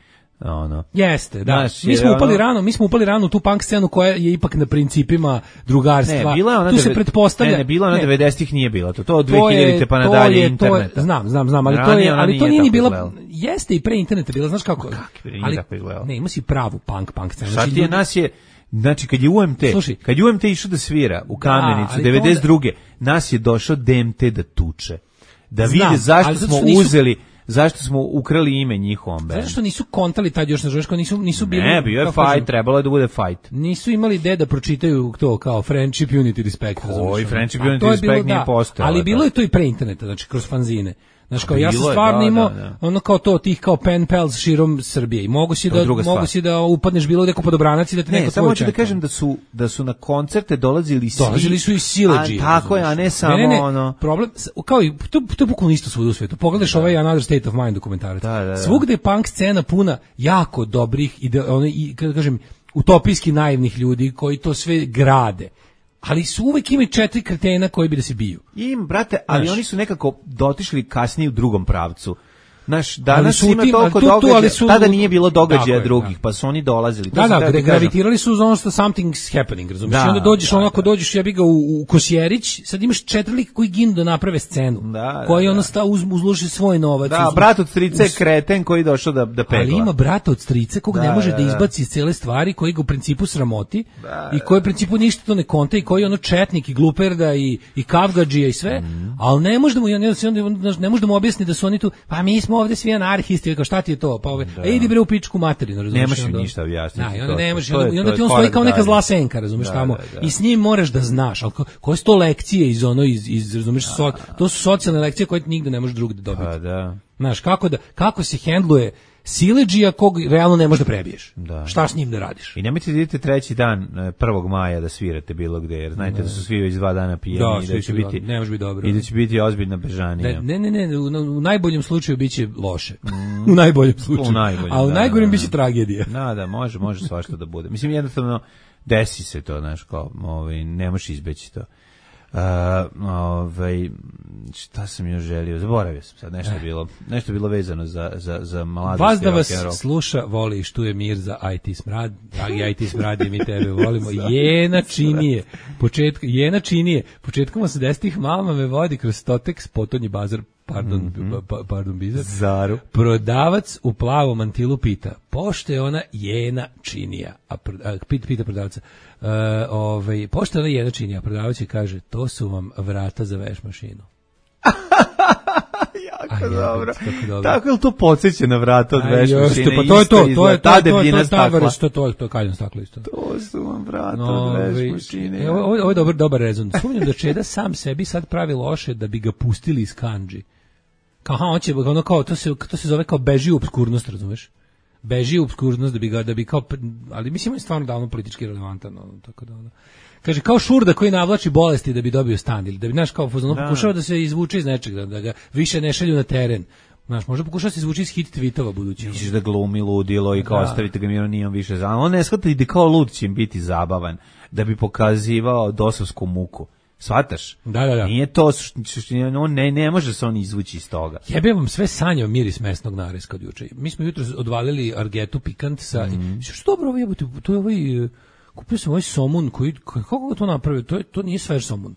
Jeste, da. Mi smo upali rano u tu punk scenu koja je ipak na principima drugarstva. Tu se pretpostavlja. Ne, bila ona 90-ih nije bila. To od 2000-te pa nadalje interneta. Znam, ali to nije ni bila. Jeste i pre interneta bila, znaš kako? Ne, ima si pravu punk scenu. Znači, kad je UMT išao da svira u Kamenicu 92. nas je došao DMT da tuče. Da vide zašto smo ukrali ime njihovom bendu. Zato što nisu kontali tad još na Žeško, nisu bili... Ne, bio je fight, trebalo je da bude fight. Nisu imali ideje da pročitaju to kao Friendship, Unity, Respect. Friendship, Unity, Respect nije postojalo. Ali bilo je to i pre interneta, znači kroz fanzine. Znaš, kao ja sam Bilo je, stvarno da, imao da. ono kao to, tih kao pen pals širom Srbije i mogu si To je da druga stvar. mogu si da upadneš bilo gde kod obranac i da te Ne, neko samo tvoj hoću da čeka. kažem da su na koncerte dolazili svi. Dolazili su i siledžije. A, tako je, a ne samo ono... Problem, kao i, to je bukvalno isto svuda u svetu. Pogledaš ovaj Another State of Mind dokumentarac. Da. Svugde je punk scena puna jako dobrih i kada kažem, utopijski naivnih ljudi koji to sve grade. Ali su uvek imaju 4 kretena koji bi da se biju. Brate, ali Znaš. oni su nekako dotišli kasnije u drugom pravcu. Znaš, Ali danas su ima tim- toliko ali tu- događaja, ali su- tada nije bilo Tako događaja je, drugih, da. pa su oni dolazili. To Da, sam da, teo ti kažem. gravitirali su za ono što something's happening, razumiješ? Da, I onda dođeš da, onako, dođeš, ja bi ga u Kosjerić, sad imaš 4 lika koji ginu da naprave scenu, Da, koji da. ono uzloži svoj novac. Da, brat od strice je kreten koji je došao da pegla. Ali ima brata od strice koga ne Da, može da, da da. izbaci iz cele stvari, koji ga u principu sramoti i koji u principu ništa to ne konta i koji je ono četnik i gluperda i kavgadžija i sve, ali ne može da mu, ne može da mu objasni da su oni tu, pa mi smo ovde svi anarhisti, kao šta ti je to, pa idi bre u pičku materinu, razumiješ? Nemaš mi ništa objasniti. Da, i onda To- ne možeš, to je- i onda to ti je on stoji korak kao neka dalje. zla senka, razumiješ, Da, tamo, da. i s njim moraš da znaš, ali koje su to lekcije iz razumiješ, to su socijalne lekcije koje nigde ne možeš drugde dobiti. Pa da. Znaš, kako se hendluje siledžija kog realno ne možeš da prebiješ. Da. Šta s njim da radiš? I nemojte da idete 3. dan 1. maja da svirate bilo gde, jer znajte da su svi već 2 dana pijeni Da, i svi da će su, biti, ne može biti dobro. i da će biti ozbiljna bežanija. Ne, u najboljem slučaju biće loše. U najboljem slučaju. U najboljem, a u da, najgorem da. biće tragedija. Da, može svašta da bude. Mislim, jednostavno, desi se to, znaš, kao, ne možeš izbeći to. Šta sam još želio? Zaboravio sam sad, nešto je bilo vezano za mladost. Vas da i vas rock'n'roll. sluša, voli i štuje mir za IT smrad. Dragi IT smradi, mi tebe volimo. Jena činije. Početkom 80-ih mama me vodi kroz Stotex, potonji bazar, pardon, bizar. Zaru. Prodavac u plavom mantilu pita, pošto je ona jena činija, pita prodavca, pošto je ona jena činija, a prodavac je kaže, to su vam vrata za veš mašinu. Jako dobro. kako dobro. Tako je to podsjeća na vrata od veš mašine? Pa to je to, Ta debljina stakla. to je kaljno staklo isto. To su vam vrata od veš mašine. Ovo je dobar rezon. Sumnjam da Čeda sam sebi sad pravi loše da bi ga pustili iz kandži. Kao, hoće, ono kao, to se zove kao beži u obskurnost, razumeš? Beži u obskurnost da bi kao, ali mislim on je stvarno davno politički relevantan, tako da ono. Kaže, kao Šurda koji navlači bolesti da bi dobio stan, ili da bi, znaš, kao pokušava da se izvuče iz nečega, da ga više ne šalju na teren. Znaš, možda pokušava se izvući iz hit tweetova budući. Misliš da glumi ludilo i kao ostavite ga mirom, nije on više zabavan. On ne shvata da kao lud će im biti zabavan, da bi pokazivao dosovsku muku. Shvataš? Da. Nije to, on ne može se on izvući iz toga. Jebe vam sve sanjao miris mesnog nareska od juče. Mi smo jutro odvalili argetu pikant sa... Što dobro ovo jebote, to je kupio sam ovaj somun koji, kako ga to napravio? To nije svež somun.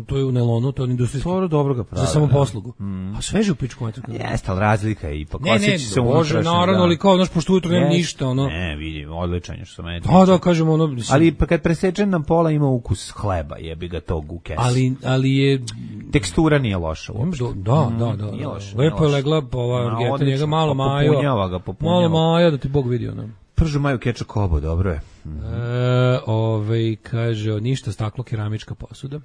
To je u nelonu, to je industrijski. To dobro ga pravi. Za samoposlugu. A sveže u pičku materku. Jeste, ali razlika je ipak. Ne, može, naravno, ali kao, znaš, pošto ujutro nema ništa, ono. Ne, vidim, odličan je što me. Da, kažemo, ono. Ali pa kad presečen nam pola ima ukus hleba, jebi ga tog u kesi. Ali je... Tekstura nije loša uopšte. Da. Nije loša. Lepo je legla ova argeta, njega malo majo. Malo majo, da ti Bog vidi, ono. Pržu maju keča kobo, dobro je. Kaže, ništa, staklo, keramička posuda.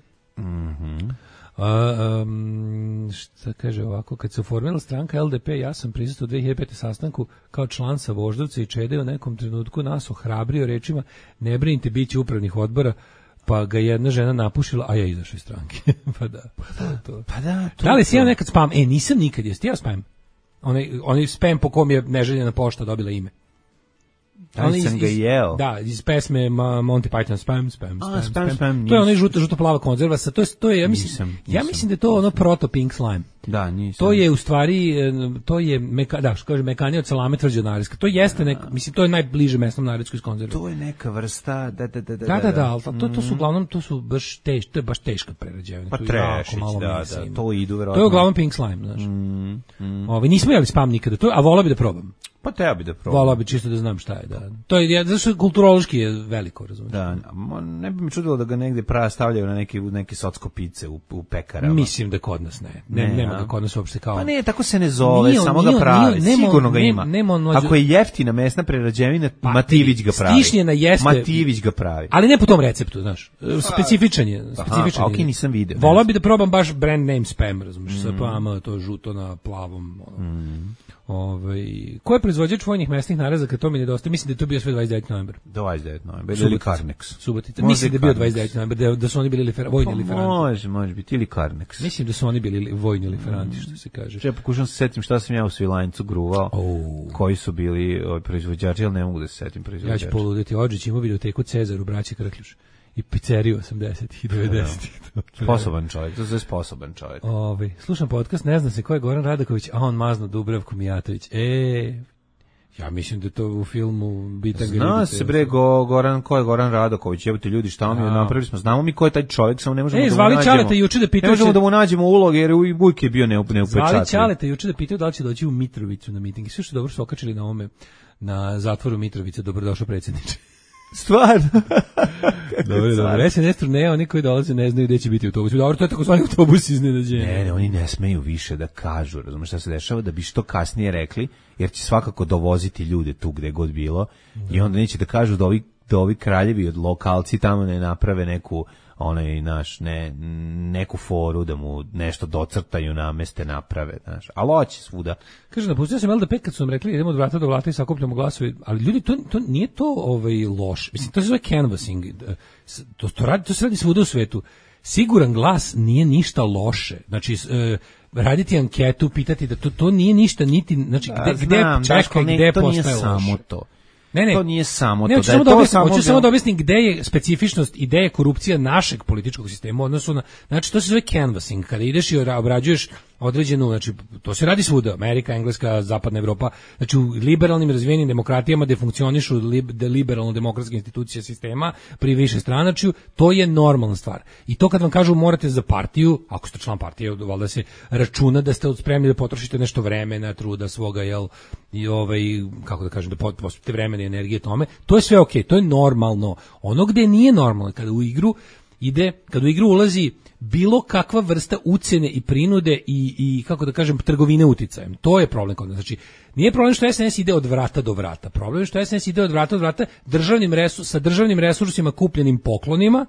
Šta kaže ovako, kad se oformila stranka LDP, ja sam prisustvovao 2005. sastanku kao član sa Voždovca i Čede u nekom trenutku nas ohrabrio rečima, ne brinite, bit će upravnih odbora, pa ga jedna žena napušila, a ja izašao iz stranke. Pa da. Da li si ja nekad spam? Nisam nikad, jesi ti ja spam? Onaj spam po kom je neželjena pošta dobila ime. Ali sam ga jeo. Da, iz pesme Monty Python, spam. Spam. To je onaj žuto-plava konzerva, to je, ja mislim da je to ono proto Pink Slime. Da, nisam. To je u stvari, to je, što kaže, mekanija od salame tvrđe od nareska. To jeste, mislim, to je najbliže mesnom naresku iz konzerva. To je neka vrsta, Da, ali to su uglavnom, to je baš teška prerađevina. Pa trešić, da, to idu verovatno. To je uglavnom Pink Slime, znaš. Nismo jeli spam nikada, a volao bi da probam. Pa treba bi da probam. Volao bi čisto da znam šta je. da. To je zato što kulturološki je veliko, razumiješ. Da, ne bi mi čudilo da ga negde stavljaju na neke socko pice u pekarama. Mislim da kod nas nema ga kod nas uopšte kao. Pa ne, tako se ne zove, samo ga pravi. Sigurno ga ima. Ako je jeftina mesna prerađevina, Mativić ga pravi. Stišnjena jeste. Mativić ga pravi. Ali ne po tom receptu, znaš. Specifičan je. Okej, nisam video. Volao bi da probam baš brand name spam, razumiješ, sa plama, to žuto na plavom. Ko je proizvođač vojnih mesnih narezaka, to mi nedostaje. Mislim da je to bio sve 29. novembar. 29. novembar, ili Carnex. Subotica. Mislim da je bio 29. novembar, da su oni bili vojni liferanti. Može biti, ili Carnex. Mislim da su oni bili vojni liferanti, što se kaže. Ja pokušam se setim šta sam ja u Svilajncu gruvao, koji su bili proizvođači, ali ne mogu da se setim proizvođači. Ja ću poluditi, Odžić ima videoteku Cezar u Braći Krkljuš. I pizzeriju 80-ih i 90-ih. Sposoban čovjek, to je sposoban čovjek. Slušam podcast, ne zna se ko je Goran Radaković, a on mazno Dubravko Mijatović. Ja mislim da to u filmu Bitan ga zna se bre Goran, ko je Goran Radaković, jebote ljudi, šta mi napravili smo, znamo mi ko je taj čovjek, samo ne možemo da mu nađemo. Zvali Ćaleta juče da pitaju. Ne možemo da mu nađemo ulog jer uvijek je bio neupečatljiv. Zvali Ćaleta juče da pitaju da li će doći u Mitrovicu na miting. Sve što dobro su okačili na ovome, na zatvoru Mitrovice, dobrodošao predsjedniče. Stvarno. Dobro. SNS turneja, oni koji dolaze ne znaju gde će biti autobus. Dobro, to je takozvani autobus iznenađenja. Ne, oni ne smeju više da kažu, razumiješ šta se dešava, da bi što kasnije rekli, jer će svakako dovoziti ljude tu gde god bilo, i onda neće da kažu da ovi kraljevi od lokalci tamo ne naprave neku neku foru da mu nešto docrtaju, nameste, naprave, znaš. Ali hoće svuda. Kaže, napustio sam LDP kad su nam rekli idemo od vrata do vrata i sakupljamo glasove, ali ljudi, to nije to loš. Mislim, to se zove canvassing. To se radi svuda u svetu. Siguran glas nije ništa loše. Znači, raditi anketu, pitati da to nije ništa, niti, znači, gde postaje samo loše. To. Ne. To nije samo to. Hoću samo da objasnim gde je specifičnost i gde je korupcija našeg političkog sistema u odnosu na, znači to se zove canvassing, kada ideš i obrađuješ određenu, znači to se radi svuda, Amerika, Engleska, Zapadna Evropa, znači u liberalnim razvijenim demokratijama gde funkcionišu liberalno-demokratske institucije sistema pri višestranačju, to je normalna stvar. I to kad vam kažu morate za partiju, ako ste član partije, valjda se računa da ste spremni da potrošite nešto vremena, truda svoga, i kako da kažem, da posvetite vremena i energije tome, to je sve okej, to je normalno. Ono gde nije normalno, kada u igru ulazi bilo kakva vrsta ucjene i prinude i kako da kažem, trgovine uticajem. To je problem kod nas. Znači, nije problem što SNS ide od vrata do vrata. Problem je što SNS ide od vrata do vrata sa državnim resursima kupljenim poklonima,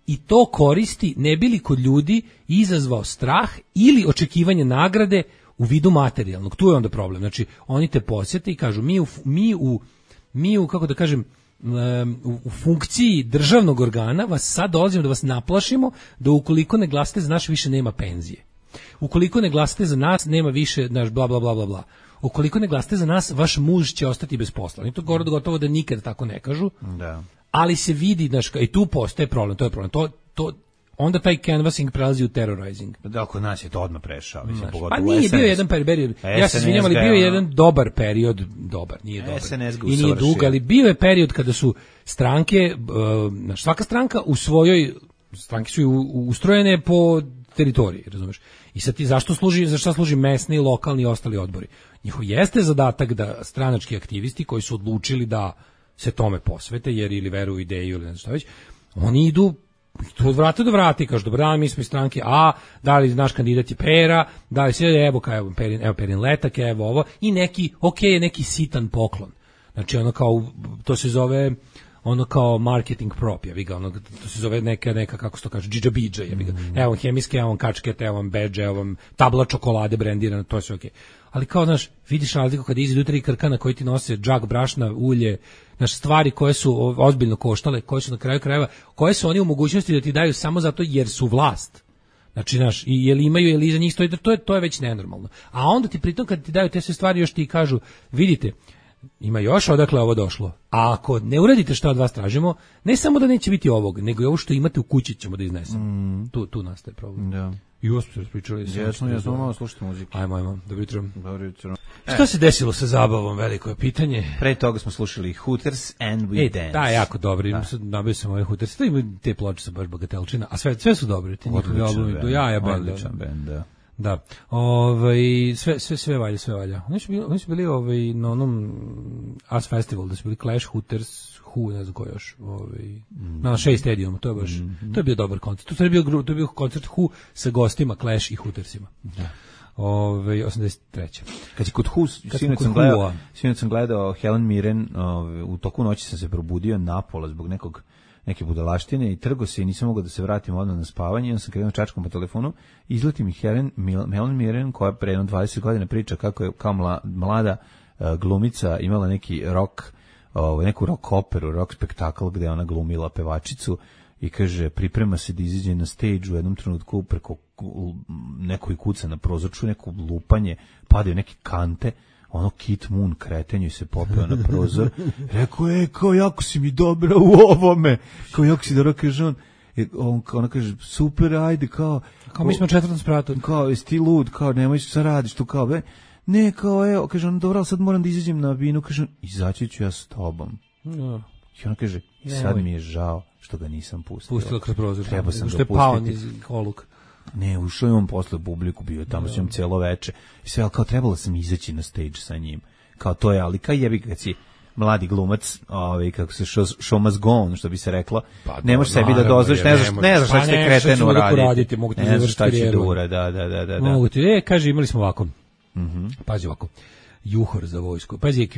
i to koristi ne bi li kod ljudi izazvao strah ili očekivanje nagrade u vidu materijalnog. Tu je onda problem. Znači, oni te posjete i kažu mi u kako da kažem, u funkciji državnog organa vas sad dolazimo da vas naplašimo da ukoliko ne glasate za nas više nema penzije. Ukoliko ne glasate za nas nema više naš bla bla bla bla bla. Ukoliko ne glasate za nas vaš muž će ostati bez posla. I to gotovo da nikad tako ne kažu. Da. Ali se vidi, znaš, i tu postaje problem, to je problem. Onda taj canvassing prelazi u terrorizing. Da, kod nas je to odmah prešao. Pa nije bio jedan period, ja se izvinjam, ali bio je jedan dobar period, nije dobar. I nije dug, ali bio je period kada su stranke, svaka stranka u svojoj, stranke su ustrojene po teritoriji, razumeš? I sad ti za šta služi mesni, lokalni i ostali odbori? Njihov jeste zadatak da stranački aktivisti koji su odlučili da se tome posvete, jer ili veruju u ideju ili ne znam šta već, oni idu od vrata do vrata i kažu, dobro dan, mi smo iz stranke A, da li naš kandidat je Pera, da li sve, evo Perin letak, evo ovo, i neki sitan poklon. Znači ono kao, to se zove ono kao marketing prop, to se zove neka kako se to kaže, džidžabidža, evo hemijske, evo kačkete, evo badge, evo tabla čokolade brendirana, to je sve okej. Ali kao, znaš, vidiš razliku kada izađu 3 krkana koji ti nose džak brašna, ulje, naš stvari koje su ozbiljno koštale, koje su na kraju krajeva, koje su oni u mogućnosti da ti daju samo zato jer su vlast. Znači, znaš, jel imaju, jel iza njih stoji, to je već nenormalno. A onda ti pritom kad ti daju te sve stvari još ti kažu, vidite, ima još odakle ovo došlo. A ako ne uradite šta od vas tražimo, ne samo da neće biti ovog, nego i ovo što imate u kući ćemo da iznesemo. Tu nastaje problem. Da. I ovo smo se raspričali. Jesmo malo slušati muziku. Ajmo. Dobro jutro. Šta se desilo sa zabavom, veliko je pitanje. Pre toga smo slušali Hooters and We Dance. Da, jako dobri. Nabio sam ove Hooters. Te ploče su baš bagatelčina, a sve su dobri. Ti njihovi albumi do jaja benda. Odličan bend, da. Da. Sve valja. Oni su bili na onom As Festival, da su bili Clash, Hooters, Who, ne znam ko još, na Shea Stadiumu, to je bio dobar koncert. To je bio koncert Who sa gostima Clash i Hootersima. Da. 83. Kad je kod Who, sinoć sam gledao Helen Mirren, u toku noći sam se probudio napola zbog neke budalaštine i trgo se i nisam mogao da se vratim odmah na spavanje, onda sam krenuo čačkom po telefonu, izleti mi Helen Mirren, koja pre 20 godina priča kako je kao mlada glumica imala neki neku rock operu, rock spektakl gde ona glumila pevačicu i kaže, priprema se da izađe na stage u jednom trenutku preko nekoj kuca na prozorču, neko lupanje, padaju neke kante, ono Kit Moon kretenju se popeo na prozor, rekao, kao jako si mi dobra u ovome, kao jako si dobro, kaže ona kaže, super, ajde, kao mi smo 4. spratu. Kao, jesi ti lud, kao, nemoj šta radiš tu, kao, ne, kao, evo, kaže on, dobro, ali sad moram da izađem na binu, kaže on, izaći ću ja s tobom. No. I ona kaže, sad mi je žao što ga nisam pustio. Pustila kroz prozor. Treba sam što je pao niz oluka. Ne, ušao je on posle publiku, bio tamo s njom celo veče. I sve, ali kao trebalo sam izaći na stage sa njim. Kao to je, ali kao jebi kad si mladi glumac, kako se show must go on, što bi se reklo, ne možeš sebi da dozvoliš, ne znaš šta će kretenu raditi. Ne znaš šta će dura, da. Mogu ti, kaže, imali smo ovako. Pazi ovako. Juhor za vojsku. Pazi,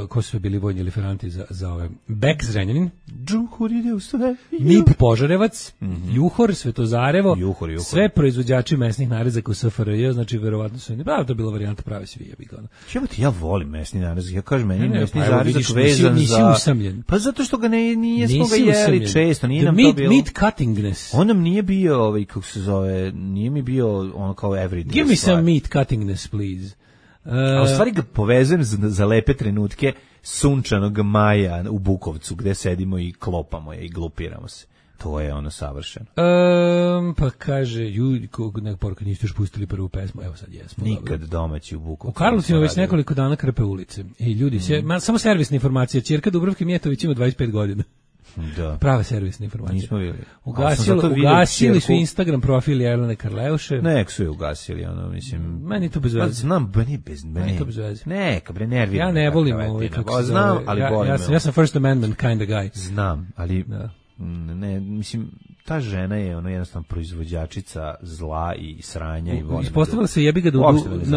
ko su sve bili vojni liferanti za ove. Bek Zrenjanin. Juhor ide u sve. MIP Požarevac. Juhor, Svetozarevo. Juhor. Sve proizvođači mesnih narezaka u SFRJ, znači verovatno su to je bila varijanta prave svi. Ja volim mesni narezak. Ja kažem, meni mesni narezak vezan nisi usamljen. Pa zato što ga nije smo ga jeli često, nije nam to bilo. Meat cuttingness. On nam nije bio, kako se zove, nije mi bio ono kao everyday. Give me some meat cuttingness, please. A u stvari ga povezujem za lepe trenutke sunčanog maja u Bukovcu gde sedimo i klopamo je i glupiramo se. To je ono savršeno. Pa kaže, neka poruka, niste još pustili prvu pesmu, evo sad jesmo. Nikad domaći u Bukovcu. U Karlovcima već nekoliko dana krpe ulice. I ljudi, samo servisna informacija, ćerka Dubravke Mijetović ima 25 godina. Da. Prave servisne informacije. Nismo vidjeli. Ugasili su Instagram profil Jelene Karleuše. Nek su je ugasili, ono, mislim. Meni to bez veze. Znam, meni to bez veze. Neka, bre, nervira. Ja ne volim kako znam, ali volim. Ja sam First Amendment kind of guy. Znam, ali ne, mislim, ta žena je ono jednostavno proizvođačica zla i sranja i volim. Ispostavila se jebi ga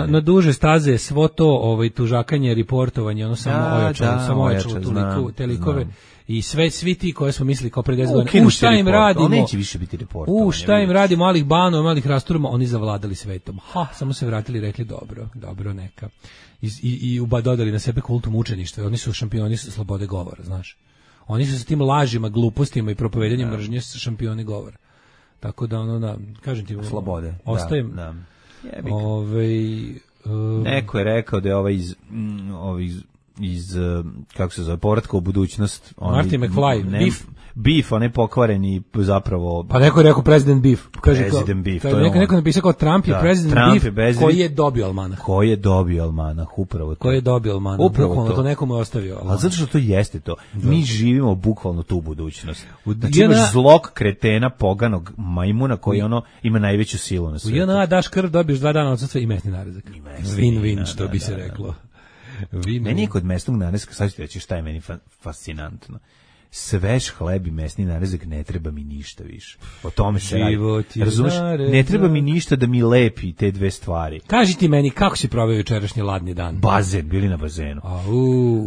na duže staze svo to tužakanje, reportovanje, ono samo ojačalo te likove. I svi ti koje smo mislili kao pre 10 godina, šta im radimo? Neće više biti reportovanje. Šta im radimo, malih banova, malih rasturama, oni zavladali svetom. Samo se vratili i rekli dobro, neka. I dodali na sebe kultu mučeništva. Oni su šampioni slobode govora, znaš. Oni su sa tim lažima, glupostima i propovedanjem mržnje šampioni govora. Tako da, kažem ti, slobode. Ostajem. Neko je rekao da je iz kako se zove, povratka u budućnost. Martin McFly, Beef, on je pokvareni zapravo. Pa neko je rekao President Beef. President Beef. Neko napisao kao Trump je President Beef koji je dobio almanah. Upravo to. Koji je dobio almanah. Upravo to nekomu je ostavio. Ali zato što to jeste to. Mi živimo bukvalno tu budućnost. Znači imaš zlog kretena, poganog majmuna koji ima najveću silu na svijetu. U JNA daš krv, dobiješ 2 dana odsustva i mesni narezak. Win-win, što bi se reklo. Meni je kod mesnog narezka, sad ću ti reći šta je meni fascinantno. Svež hleb i mesni narezak ne treba mi ništa više. O tome se radi. Razumeš? Ne treba mi ništa da mi lepi te dve stvari. Kaži ti meni kako si proveo jučerašnji ladni dan? Bazen, bili na bazenu.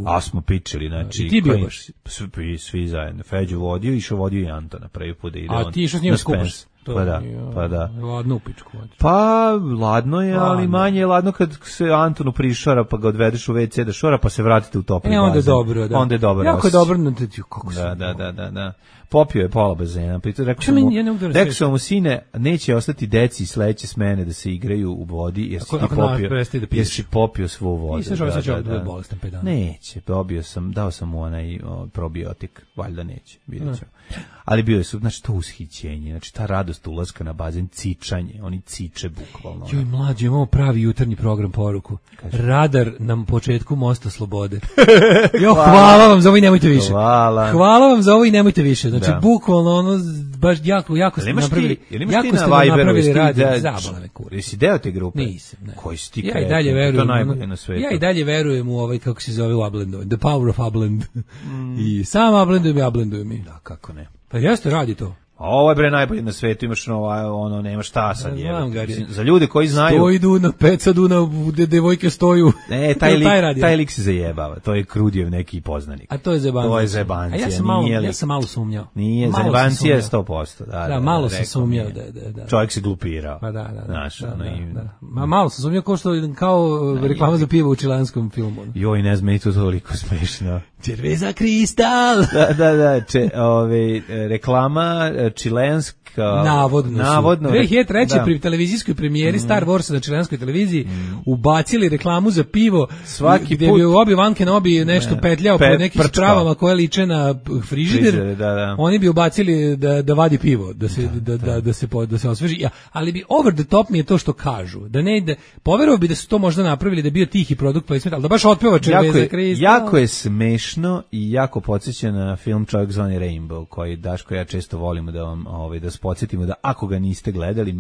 A smo pičili, znači. I ti bio baš? Svi zajedno. Feđu vodio, išao vodio i Antona prvi put da ide on. A ti išao s njima skupaš? Pa da. Ladno u pičku. Pa, ladno je, ali manje je ladno kad se Antonu prišora, pa ga odvedeš u WC da šora, pa se vratite u topli bazen. Onda je dobro, da. Onda je dobro. Jako je dobro, kako se... Da. Popio je pola bazena. Rekao sam mu, sine, neće ostati deci sledeće smene da se igraju u vodi, jer si popio svu vodu. Neće, dao sam mu onaj probiotik, valjda neće, vidjet ćemo. Ali bio je, znači, to ushićenje, znači, ta radost ulaska na bazen, cičanje, oni ciče bukvalno. Joj, mlađe, imamo pravi jutarnji program poruku. Radar na početku Mosta Slobode. Jo, hvala vam za ovo i nemojte više. Hvala vam za ovo i nemojte više. znači bukvalno ono baš jako ste napravili. Jako ste napravili radi zabavne kure. Jesi deo te grupe? Nisam, ne. Koji si ti Ja i dalje verujem. To najbolje na svetu. Ja i dalje verujem u ovaj kako se zove u Ablendu, The Power of Ablend. I sam ablendujem mi. Da, kako ne. Pa jeste radi to. A ovo je bre najbolje na svetu, imaš ono, nema šta sad je. Znam, Za ljude koji znaju. Stoji Duna, peca Duna, devojke stoju. Ne, taj lik se zajebava, to je Krudijev neki poznanik. A to je zebancija. To je zebancija. A ja sam malo sumnjao. Nije, zebancija je 100%. Da, malo sam sumnjao. Da. Čovjek se glupirao. Pa da. Znaš, Malo sam sumnjao kao reklama za pivo u čilanskom filmu. Joj, ne znam, to toliko smešno. Cerveza Kristal. Da, reklama čilenska. Navodno. 2003. pri televizijskoj premijeri Star Wars na čilenskoj televiziji ubacili reklamu za pivo svaki gdje bi Obi-Wan Kenobi nešto petljao po nekim stravama koje liče na frižider. Da. Oni bi ubacili da vadi pivo, da se osveži. Ali bi over the top mi je to što kažu. Da ne ide, poverovao bi da su to možda napravili da je bio tihi produkt placement, ali da baš otpeva Cerveza Kristal. Jako je smešno i jako podsjeća na film Čovjek zvani Rainbow, koji Daško ja često volimo da vam da podsjetimo da ako ga niste gledali,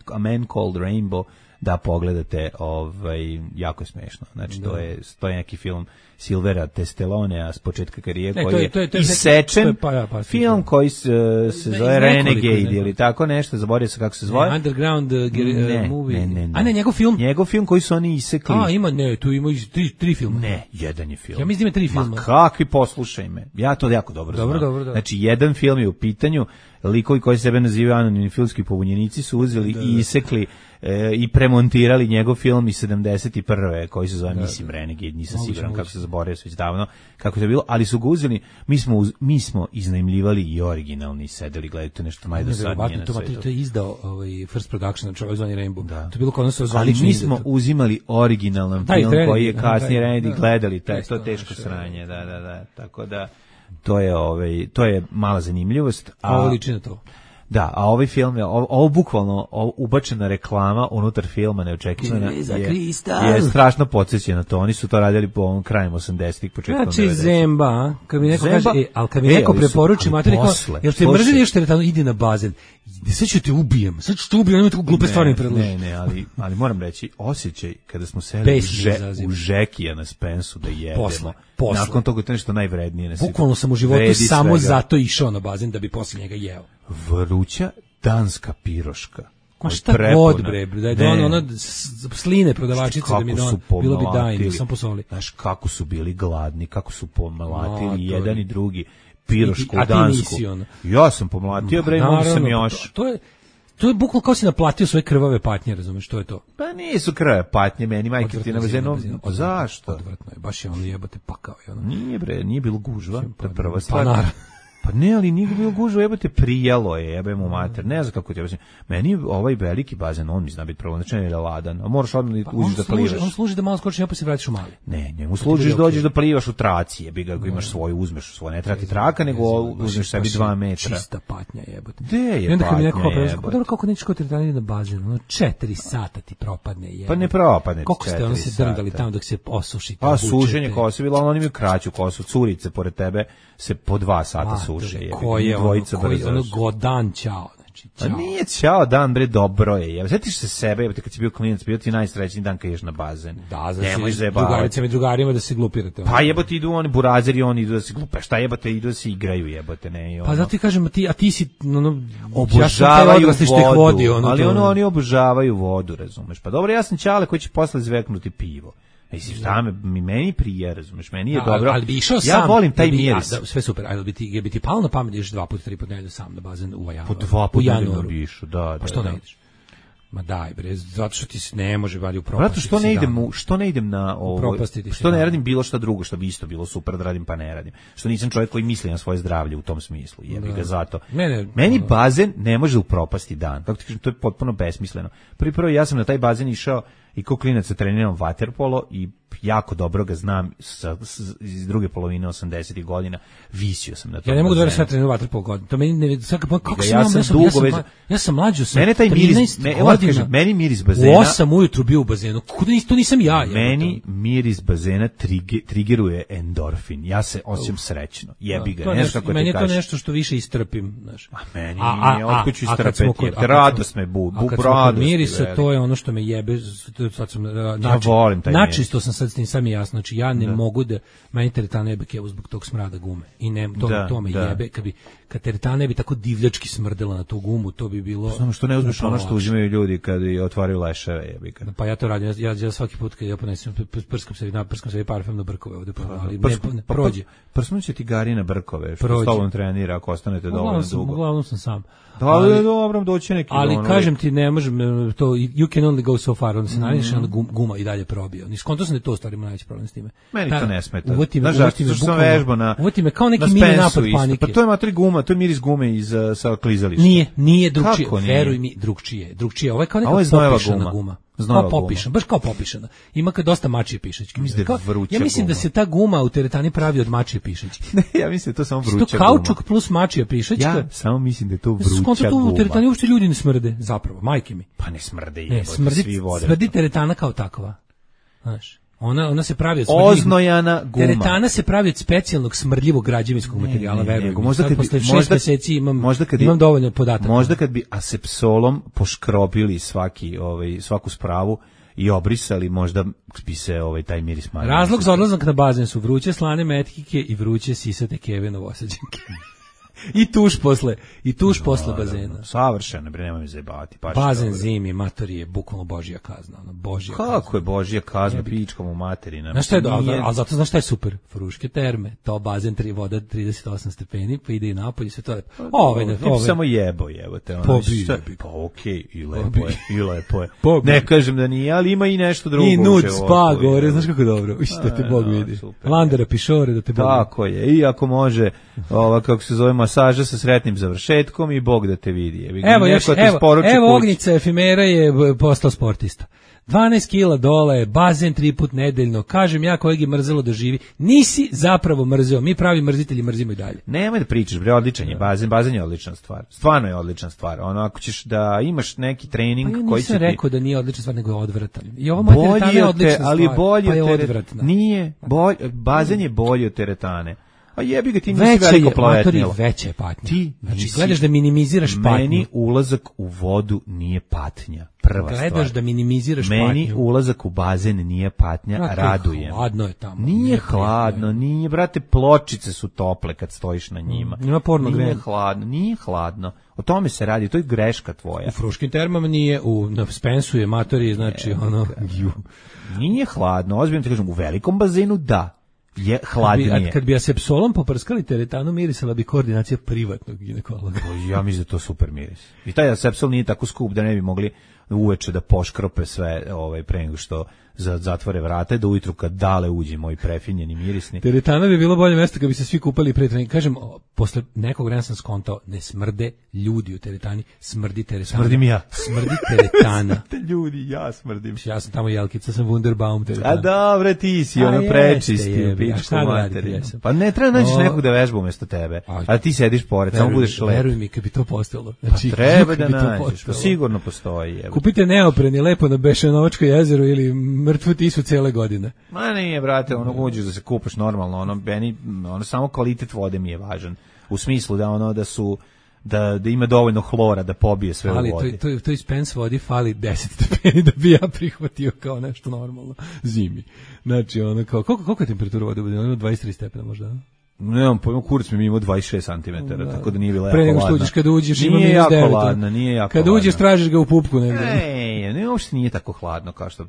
A Man Called Rainbow, da pogledate, jako je smešno. Znači to je neki film Silvera Testelonea s početka karijere koji je isečen, film koji se zove Renegade ili tako nešto, zaboravio se kako se zove. Underground movie. A ne, njegov film? Njegov film koji su oni isekli. Tu ima tri filma. Ne, jedan je film. Ja mislim da ima 3 filma. Ma kakvi, poslušaj me. Ja to jako dobro znam. Dobro. Znači jedan film je u pitanju, likovi koji sebe nazivaju anonimni filmski pobunjenici su uzeli i isekli i premontirali njegov film iz 71. koji se zove mislim Renegade, nisam siguran kako se zaboravio već davno kako je bilo, ali su ga uzeli, mi smo iznajmljivali i originalni, sedeli gledajte nešto najdosadnije na svetu. To je izdao First Production, Čovjek zvani Rainbow. To je bilo kod nas ali mi smo uzimali originalan film koji je kasnije Renegade gledali, to je teško sranje, da, tako da to je mala zanimljivost. Ovo liči na to. Da, a ovaj film je, ovo bukvalno ubačena reklama unutar filma neočekivana je strašno podsjeća na to. Oni su to radili po ovom krajem 80-ih, početkom 90-ih. Znači zemba, kad mi neko kaže, ali kad mi neko preporuči materi, jel te mrzili još teretano, idi na bazen. Sad ću te ubijem, nema tako glupe stvari mi predloži. Ne, ali moram reći, osjećaj kada smo seli u Žekija na Spensu da jedemo. Posle. Nakon toga to je nešto najvrednije na svijetu. Bukvalno sam u životu samo zato išao na bazen da bi posle njega jeo. Vruća danska piroška. Ma šta god bre, da je ono sline prodavačice da mi bilo bi dajno, sam posoli. Znaš kako su bili gladni, kako su pomlatili jedan i drugi pirošku dansku. Ja sam pomlatio bre, mogu sam još. To je bukvalno kao si naplatio svoje krvave patnje, razumeš, što je to? Pa nisu krvave patnje, meni majke ti na bazenu. Zašto? Odvratno je, baš je ono jebote pakao. Nije bre, nije bilo gužva, to je prva stvar. Pa ne, ali nije bilo gužva, jebote, prijalo je, jebemo mater, ne znam kako ti objasnim. Meni ovaj veliki bazen, on mi zna biti pravonačan ili ladan, a moraš odmah uđeš da plivaš. On služi da malo skočiš, pa se vratiš u mali. Ne, njemu služiš, dođeš da plivaš u traci, jebi ga, ako imaš svoju, uzmeš svoje, ne trati traka, nego uzmeš sebi 2 metra. Čista patnja, jebote. Gde je patnja, jebote? Dobro, kako nećeš kod teretani na bazen, 4 sata ti propadne, jebote. Pa ne propadne. Koliko ste ono se drndali tamo dok se osuši? Pa sušenje kose, bilo oni imaju kraću kosu, curice pored tebe se po 2 sata suše, jebi. Ono godan ćao, znači ćao. A nije ćao dan, bre, dobro je. Sjetiš se sebe, kad si bio klinac, bio ti najsrećniji dan kad ješ na bazen. Da, znači drugaricama i drugarima da se glupirate. Pa jebote, idu oni burazeri, oni idu da se glupe. Šta jebote, idu da se igraju, jebote, ne. Pa zato ti kažem, a ti si obožavaju vodu, ali oni obožavaju vodu, razumeš. Pa dobro, ja sam ćale koji će posle zveknuti pivo. Mislim, šta meni prije, razumeš, meni je dobro. Ali bi išao sam. Ja volim taj miris. Sve super, ali bi ti palo na pamet ideš 2 puta 3 puta nedelju sam na bazen u januaru. Po 2 puta nedelju bi išao, da. Pa što ne ideš? Ma daj bre, zato što ti se ne može vadi u propasti. Zato što ne idem na ovo, što ne radim bilo šta drugo što bi isto bilo super da radim pa ne radim. Što nisam čovjek koji misli na svoje zdravlje u tom smislu, jebi ga zato. Meni bazen ne može upropasti dan. Kako ti kažem, to je potpuno besmisleno. Prvo ja sam na taj bazen išao i ko klinac treniram vaterpolo i jako dobro ga znam iz druge polovine 80-ih godina. Visio sam na to. Ja ne mogu da verujem sad treniram vaterpolo godina. To meni kako ja sam mlađo sa mene taj miris, meni miris bazena. U 8 ujutru bio u bazenu. To nisam ja. Meni miris bazena trigeruje endorfin. Ja se osjećam srećno. Jebi ga, nešto kako ti kažeš. Meni je to nešto što više istrpim, znaš. A meni nije, otkud ću istrpeti. Radost me budi, radost. Mirisa, to je ono što me jebe. Sad sam načisto sam sad s tim sam jasno. Znači ja ne mogu da meni teretana jebe kevu zbog tog smrada gume. I ne, to me jebe. Kad teretana ne bi tako divljački smrdela na tu gumu, to bi bilo... Znamo što ne uzmeš ono što uzimaju ljudi kad otvaraju leševe, jebi ga. Pa ja to radim, ja svaki put kad ja ponesem, prskam se parfem na brkove ovde, ali ne prođe. Prsnuće ti Gari na brkove, što s tobom trenira, ako ostanete dovoljno dugo. Uglavnom sam sam. Da, dobro, doći neki... Ali kažem ti, ne možem, to, you can only go so far, onda se naviš, onda guma i dalje probio. Niskonto sam da je to stvarimo najveći problem s time. Meni to ne smeta. Uvoti me kao neki mini napad panike. Pa to je matri guma, to je miris gume sa klizališta. Nije drugčije, veruj mi, drugčije. Ovo je kao neka popišana guma. Baš kao popišana. Ima kad dosta mačije pišačke. Ja mislim da se ta guma u teretani pravi od mačije pišačke. Ne, ja mislim da je to samo vruća guma. To kaučuk plus mačija pišačka. Ja samo mislim da je to vruća guma. U teretani uopšte ljudi ne smrde, zapravo, majke mi. Pa ne smrde, smrdi teretana kao takva. Znaš. Ona se pravi od oznojana guma. Teretana se pravi od specijalnog smrdljivog građevinskog materijala, verujem. Možda kad posle 6 meseci imam dovoljno podataka. Možda kad bi asepsolom poškropili svaku spravu i obrisali, možda bi se taj miris manji. Razlog za odlazak na bazen su vruće slane metkike i vruće sisate keve Novosađanke. I tuš posle bazena. Savršeno, bre, nemoj me zajebavati. Bazen zimi, matori je bukvalno božja kazna. Kako je božja kazna, pičkom u materina? Znaš šta je dobro, ali zato znaš šta je super? Fruške terme, to bazen, voda 38 stepeni, pa ide i napolje, sve to je... Ti samo jebo te. Pa okej, i lepo je. Ne kažem da nije, ali ima i nešto drugo. I nud spa gore, znaš kako dobro. Da te Bog vidi. Landera pišore, da te Bog vidi. Tako je, i ako može, kako se zove, masaža sa sretnim završetkom i Bog da te vidi. Evo Ognica Efimera je postao sportista. 12 kila dole, bazen 3 put nedeljno. Kažem ja kojeg je mrzelo da živi. Nisi zapravo mrzeo. Mi pravi mrzitelji mrzimo i dalje. Nemoj da pričaš, bre, odličan je bazen. Bazen je odlična stvar. Stvarno je odlična stvar. Ako ćeš da imaš neki trening koji će ti... Pa ja nisam rekao da nije odlična stvar, nego je odvratan. I ovo moja teretana je odlična stvar, pa je odvratna. Nije. Bazen je bolji od teretane. A jebi ga, ti nisi veliko plavetnilo. Veća je patnja. Znači, gledaš da minimiziraš patnju. Meni ulazak u vodu nije patnja. Prva stvar. Gledaš da minimiziraš patnju. Meni ulazak u bazen nije patnja, radujem. Hladno je tamo. Nije hladno, nije, brate, pločice su tople kad stojiš na njima. Ima porno grejanje. Nije hladno. O tome se radi, to je greška tvoja. U Fruškim termama nije, na Spensu je matori, znači Nije hladno, ozbiljno ti kažem, u velikom bazenu da. Je hladnije. Kad bi asepsolom poprskali teretanu, mirisala bi koordinacija privatnog ginekologa. Ja mislim da to super miris. I taj asepsol nije tako skup da ne bi mogli uveče da poškrope sve pre nego što zatvore vrata, da ujutru kad dale uđe moj prefinjeni mirisni. Teretana bi bilo bolje mesto kad bi se svi kupali pre treninga. Kažem, posle nekog vremena sam skontao, ne smrde ljudi u teretani, smrdi teretana. Smrdim ja. Smrdi teretana. Smrde ljudi, ja smrdim. Ja sam tamo jelkica, sam Wunderbaum teretana. A dobro, ti si prečisti u pičku materiju. Pa ne treba naći nekog da vežba umesto tebe, a ti sediš pored, samo budeš lep. Veruj mi, kad bi to postalo. Znači, treba da nađeš, sigurno postoji. Kupite neopreni lepo na Bešanovačko jezero ili mrtvu tisu cele godine. Ma nije, brate, uđeš da se kupaš normalno, samo kvalitet vode mi je važan. U smislu da ima dovoljno hlora da pobije sve u vodi. Ali to iz Spence vodi fali 10 stepeni da bi ja prihvatio kao nešto normalno zimi. Znači, koliko je temperatura vode? Ima 23 stepena možda, Nemam pojma, kurac mi imao 26 cm, tako da nije bila jako hladna. Pre nego što uđeš, kada uđeš ima minus 9. Nije jako kada uđeš, tražiš ga u pupku negdje. Ne, uopšte nije tako hladno kao što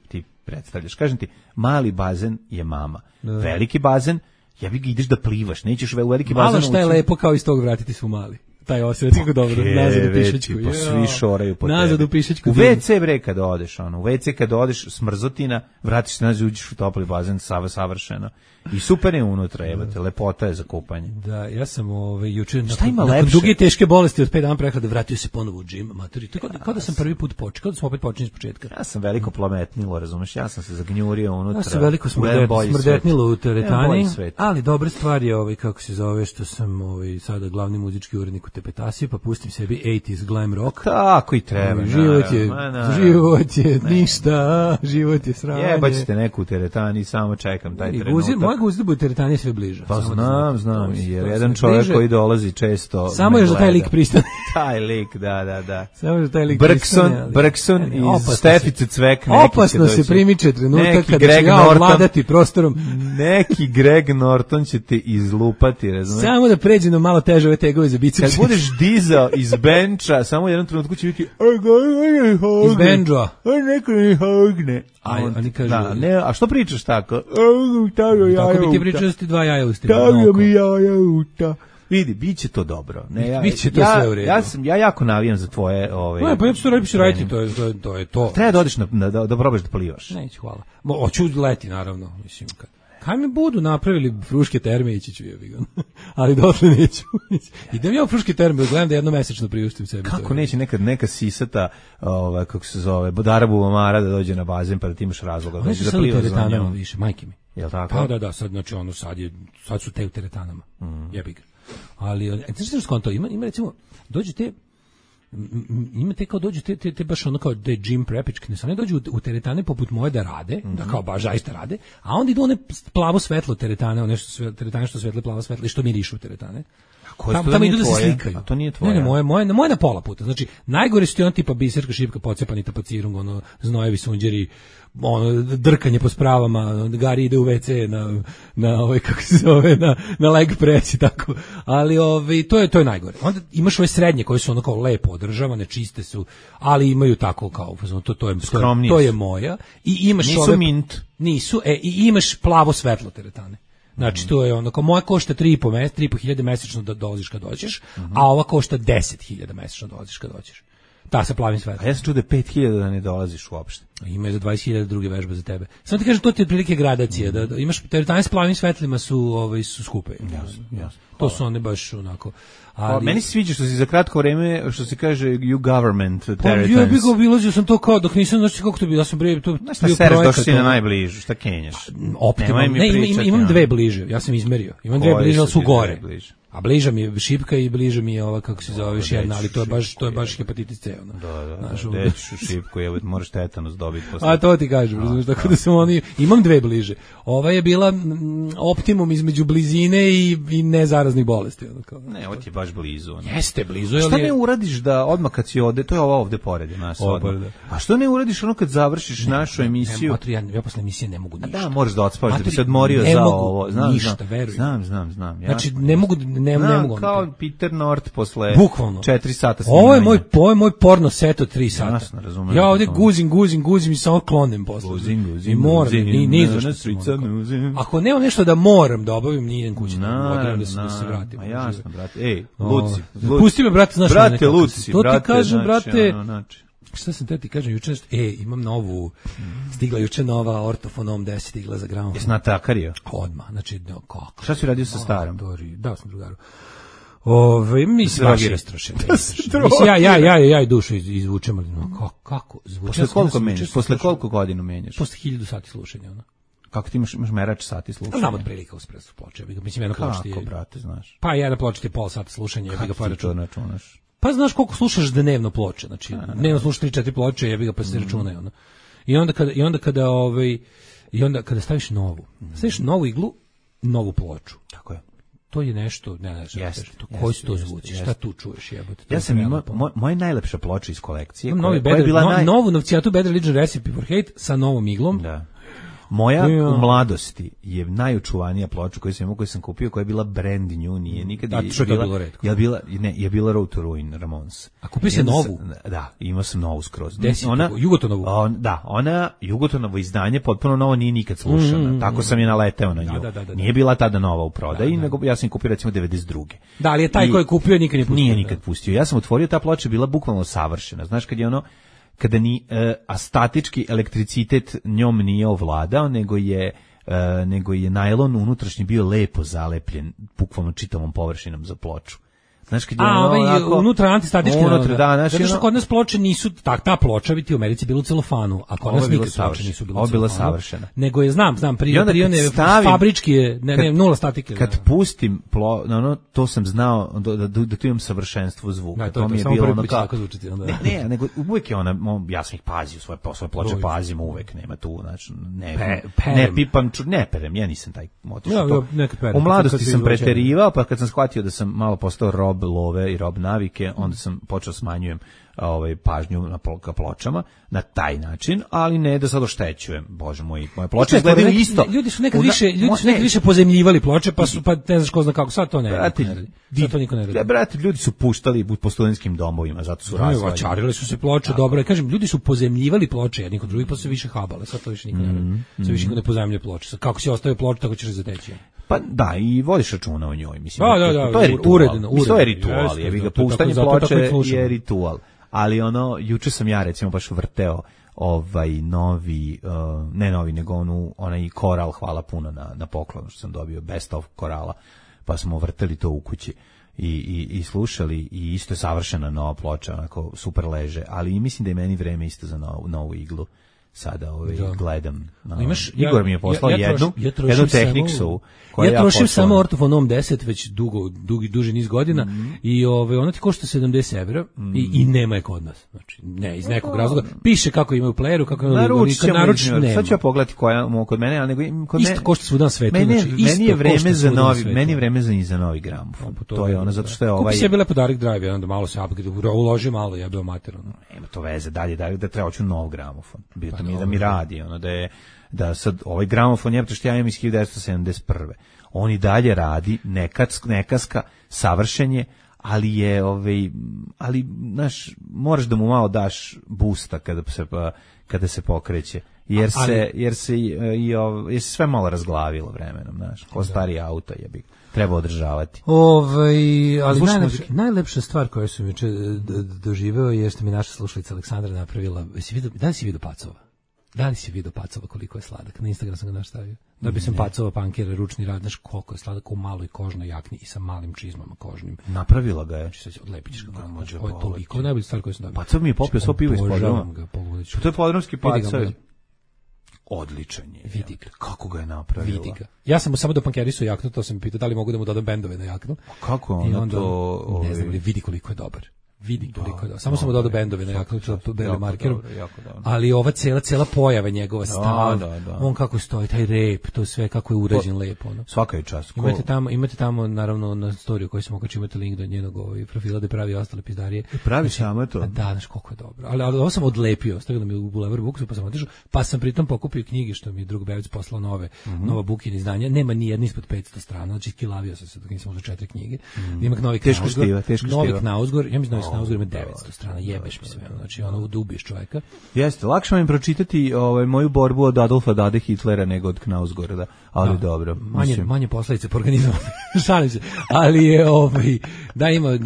ti predstavljaš. Kažem ti, mali bazen je mama. Veliki bazen, ja bih ga ideš da plivaš, nećeš u veliki bazen ući. Malo šta je lepo kao iz tog vratiti su mali. taj osjećaj kako dobro, nazad u pišačku. Pa svi šoraju po tebi. Nazad u pišačku. U WC bre kad odeš, ono, u WC kad odeš smrzotina, vratiš se nazad, uđeš u topli bazen, savršeno. I super je unutra, jebate, lepota je za kupanje. Da, ja sam juče nakon duge i teške bolesti od 5 dana prehlade vratio se ponovo u džim, maturi. Kao da sam prvi put počeo, kao da smo opet počeli iz početka. Ja sam veliko plometnilo, razumeš, ja sam se zagnjurio unutra. Ja sam veliko smrdetnilo u teretani, ali dobra stvar je kako se zove, što sam sada glavni muzički urednik u Tepetasi, pa pustim sebi 80s glam rock. Tako i treba. Život je ništa, život je sranje. Jebaćete neku u teretani, samo čekam taj trenutak. Moja guzda u teretani sve bliže. Pa znam, jer jedan čovjek koji dolazi često. Samo je za taj lik pristane. Taj lik, da. Samo je za taj lik Brkson iz Stefice Cvek. Opasno se primiče trenutak kada će ja ovladati prostorom. Neki Greg Norton će te izlupati, razumiješ? Samo da pređe na malo teže ove tegove za biceps. Kad budeš dizao iz benča, samo u jednom trenutku će biti iz benča. Neko ne hogne. Oni kažu, a što pričaš tako? Tako bi ti pričao da ste dva jaja ustima. Tako mi jaja uta. Vidi, biće to dobro. Biće to sve u redu. Ja jako navijam za tvoje... Pa ja ću to raditi, to je to. Treba da odeš da probaš da plivaš. Neću, hvala. Hoću leti, naravno. Mislim, kaj mi budu napravili Fruške terme, ići ću je. Ali dotle neću. Idem ja u Fruške terme, gledam da jednomesečno priuštim sebi. Kako neće nekad neka sisata, kako se zove, Bodara Bubamara da dođe na bazen pa da ti imaš razloga. Oni su sad u teretanama više, majke mi. Jel tako? Da, sad, znači sad su te u teretanama. Jebi ga. Ali, znaš što skonto, ima recimo, imate kao dođu te baš ono kao da je gym prepičke, ne samo dođu u teretane poput moje da rade, da kao baš zaista rade, a onda idu one plavo svetlo teretane, nešto teretane što svetle plavo svetlo i što mirišu teretane. Tamo idu da se slikaju. A to nije tvoje. Ne, moje na pola puta. Znači, najgore su ti on tipa biserka, šipka, pocepani tapacirung, ono, znojevi sunđeri, ono, drkanje po spravama, Gari ide u WC na kako se zove, na leg press i tako. Ali to je najgore. Onda imaš ove srednje koje su ono kao lepo održavane, čiste su, ali imaju tako kao, to je moja. I imaš nisu mint. Nisu, i imaš plavo svetlo teretane. Znači, to je ono, kao moja košta 3.500 mesečno da dolaziš kad dođeš, a ova košta 10.000 mesečno da dolaziš kad dođeš. Ta sa plavim svetlom. A ja sam čuo da 5.000 da ne dolaziš uopšte. Ima za 20.000 druge vežbe za tebe. Samo ti kažem, to ti je otprilike gradacija, da imaš teretane s plavim svetlima su skupe. Jasno. To su one baš onako. Ali meni se sviđa što si za kratko vreme, što se kaže you government territories. Ja bih obilazio sam to kao dok nisam, znači kako to bi, ja sam bre to bio projekt. Došao si na najbližu, šta kenješ? Optimalno. Imam dve bliže, ja sam izmerio. Imam dve bliže, ali su gore. A bliža mi je šipka i bliža mi je ova, kako se zove, još jedna, ali to je baš hepatitis C. Da, dećeš u šipku, moraš tetanus dobiti posle. A to ti kažem, razumiješ, tako da sam imam dve bliže. Ova je bila optimum između blizine i nezaraznih bolesti. Ne, ovo ti je baš blizu. Jeste blizu. Šta ne uradiš da odmah kad si ovde, to je ova ovde pored nas odmah. A što ne uradiš ono kad završiš našu emisiju? Ja posle emisije ne mogu ništa. Da, moraš da odspavaš, da bi se odmorio za ovo. Znam. Znači, ne mogu kao Peter North posle bukvalno 4 sata snimanja. Ovo je moj porno set od 3 sata. Jasno, razumem. Ja ovdje guzim i samo klonem posle. Guzim. Ni zašto. Ako nema nešto da moram da obavim, nije idem kući. Da se vratim. Jasno, brate. Luci. Pusti me, brate, znaš. Brate, Luci. To ti kažem, brate. Šta sam te ti kažem, juče, imam novu, stigla juče nova Ortofonom 10, stigla za gramofon. Jesi natakario? Odmah, znači, kako? Šta si radio sa starom? Da, sam drugaru. Mislim, baš je rastrašen. Ja i dušu izvučem, ali kako? Posle koliko godina menjaš? Posle 1000 sati slušanja, ono. Kako ti imaš merač sati slušanja? Znam od prilika uz presu ploče. Mislim, jedna ploča ti je... Kako, brate, znaš? Pa jedna ploča ti je pola sata slušanja. Kako ti to računaš? Pa znaš koliko slušaš dnevno ploče, znači dnevno slušaš 3-4 ploče, jebi ga pa se računaju, ono. I onda kada staviš novu iglu, novu ploču. Tako je. To je nešto, ne znam, koji su to zvuci, šta tu čuješ, jebote. Ja sam imao moja najlepša ploča iz kolekcije, koja je bila novu Novcijatu Bad Religion Recipe for Hate sa novom iglom. Da. Moja u mladosti je najučuvanija ploča koju sam kupio, koja je bila brand new, nije nikad A što je to bilo retko? Je bila Road to Ruin Ramones. A kupio si novu? Da, imao sam novu skroz. Ona Jugotonovu. Da, ona Jugotonovo izdanje potpuno novo, nije nikad slušana. Tako sam je naleteo na nju. Nije bila tada nova u prodaji, nego ja sam kupio recimo 92. Da, ali je taj koji je kupio nikad ne pustio. Nije nikad pustio. Ja sam otvorio, ta ploča je bila bukvalno savršena. Znaš, kada ni statički elektricitet njom nije ovladao, nego je najlon unutrašnji bio lepo zalepljen bukvalno čitavom površinom za ploču. Znaš, kad je unutra antistatički. Zato što kod nas ploče nisu, ta ploča bi ti u Americi bilo u celofanu, a kod nas nikad ploče nisu bilo u celofanu. Ovo je bila savršena. Nego je, znam, prione fabrički je, nula statike. Kad pustim to sam znao da tu imam savršenstvo zvuka. To mi je bilo ono kao... Ne, nego uvek je ona, ja sam ih pazio, svoje ploče pazim uvek, nema tu, znači, ne pipam, ne perem, ja nisam taj motiv. U mladosti sam preterivao, pa kad sam shvatio da sam malo postao rob love i rob navike, onda sam počeo smanjujem pažnju na pločama na taj način, ali ne da sad oštećujem. Bože moj, moje ploče izgledaju isto. Ljudi su nekad više pozemljivali ploče, pa ne znaš ko zna kako. Sad to ne radi. Sad to niko ne radi. Brate, ljudi su puštali po studentskim domovima, zato su razvaljeni. Vačarili su se ploče, dobro. Kažem, ljudi su pozemljivali ploče jedni kod drugih, pa su se više habale. Sad to više niko ne radi. Sad više niko ne pozemljuje ploče. Kako si ostavio ploču, tako ćeš zateći. Pa da, i vodiš računa o njoj, mislim. Da, to je ritual. Uredno. To je ritual, puštanje ploče je ritual. Ali juče sam ja recimo baš vrteo novi, ne novi, nego onaj koral, hvala puno na poklonu što sam dobio, best of korala, pa smo vrteli to u kući i slušali, i isto je savršena nova ploča, onako super leže, ali mislim da je meni vreme isto za novu iglu. Sada gledam. Igor mi je poslao jednu Technicsu. Ja trošim samo Ortofonom 10 već duži niz godina i ona ti košta 70 evra i nema je kod nas. Znači, ne, iz nekog razloga. Piše kako imaju u playeru, kako imaju naručiti. Sad ću ja pogledati koja kod mene, ali kod mene... Isto košta svuda na svetu. Meni je vreme za novi gramofon. To je ono, zato što je ovaj... Kupi sebi lepo Direct Drive, onda malo se uloži malo, ja bih omaterano. Nema to veze, dalje da treba hoću nov gramofon. Mi da mi radi, da sad ovaj gramofon je, što ja imam iz 1971. On i dalje radi, nekaska, savršen je, ali je, ali, znaš, moraš da mu malo daš busta kada se pokreće, jer se sve malo razglavilo vremenom, znaš, ko stari auto treba održavati. Ali najlepša stvar koju sam juče doživeo je što mi naša slušalica Aleksandra napravila. Da li si vidio Pacova? Da li si vidio Pacova koliko je sladak? Na Instagram sam ga nastavio. Da bi sam Pacova pankera, ručni rad, znaš koliko je sladak, u maloj kožnoj jakni i sa malim čizmama kožnim. Napravila ga je. Odlepićeš ga kako može. Ovo je toliko, najbolji stvar koju sam dobio. Pacov mi je popio svo pivo iz podruma. To je podrumski Pacov. Odličan je. Vidi ga. Kako ga je napravila? Vidi ga. Ja sam mu samo do pankerisu jaknu, to sam mi pitao da li mogu da mu dodam bendove na jaknu. Kako ona to... Ne znam, vidi koliko je dobar. Vidi koliko je dobar. Samo sam mu dodao bendove na jaknu, belim markerom. Ali ova cela pojava njegova stav, on kako stoji, taj rep, to sve kako je urađen lepo. Svaka je čast. Imate tamo, naravno, na storiju koju sam okačio, imate link do njenog profila da pravi ostale pizdarije. Pravi samo to? Da, znaš koliko je dobro. Ali ovo sam odlepio, stavila mi u Bulevar Buksu, pa sam otišao, pa sam pritom pokupio knjige što mi je drug Bevic poslao nova Bukina izdanja. Nema ni jedna ispod 500 strana, znači kilavio sam se dok nisam uzeo 4 knjige. Ima Novi Knausgor, ja mislim da Knausgor ima 900 strana, jebeš mi sve, znači ono da ubiješ čovjeka. Jeste, lakše vam im pročitati moju borbu od Adolfa Dade Hitlera nego od Knausgorda, ali dobro. Manje posledice po organizmu, šalim se, ali je da ima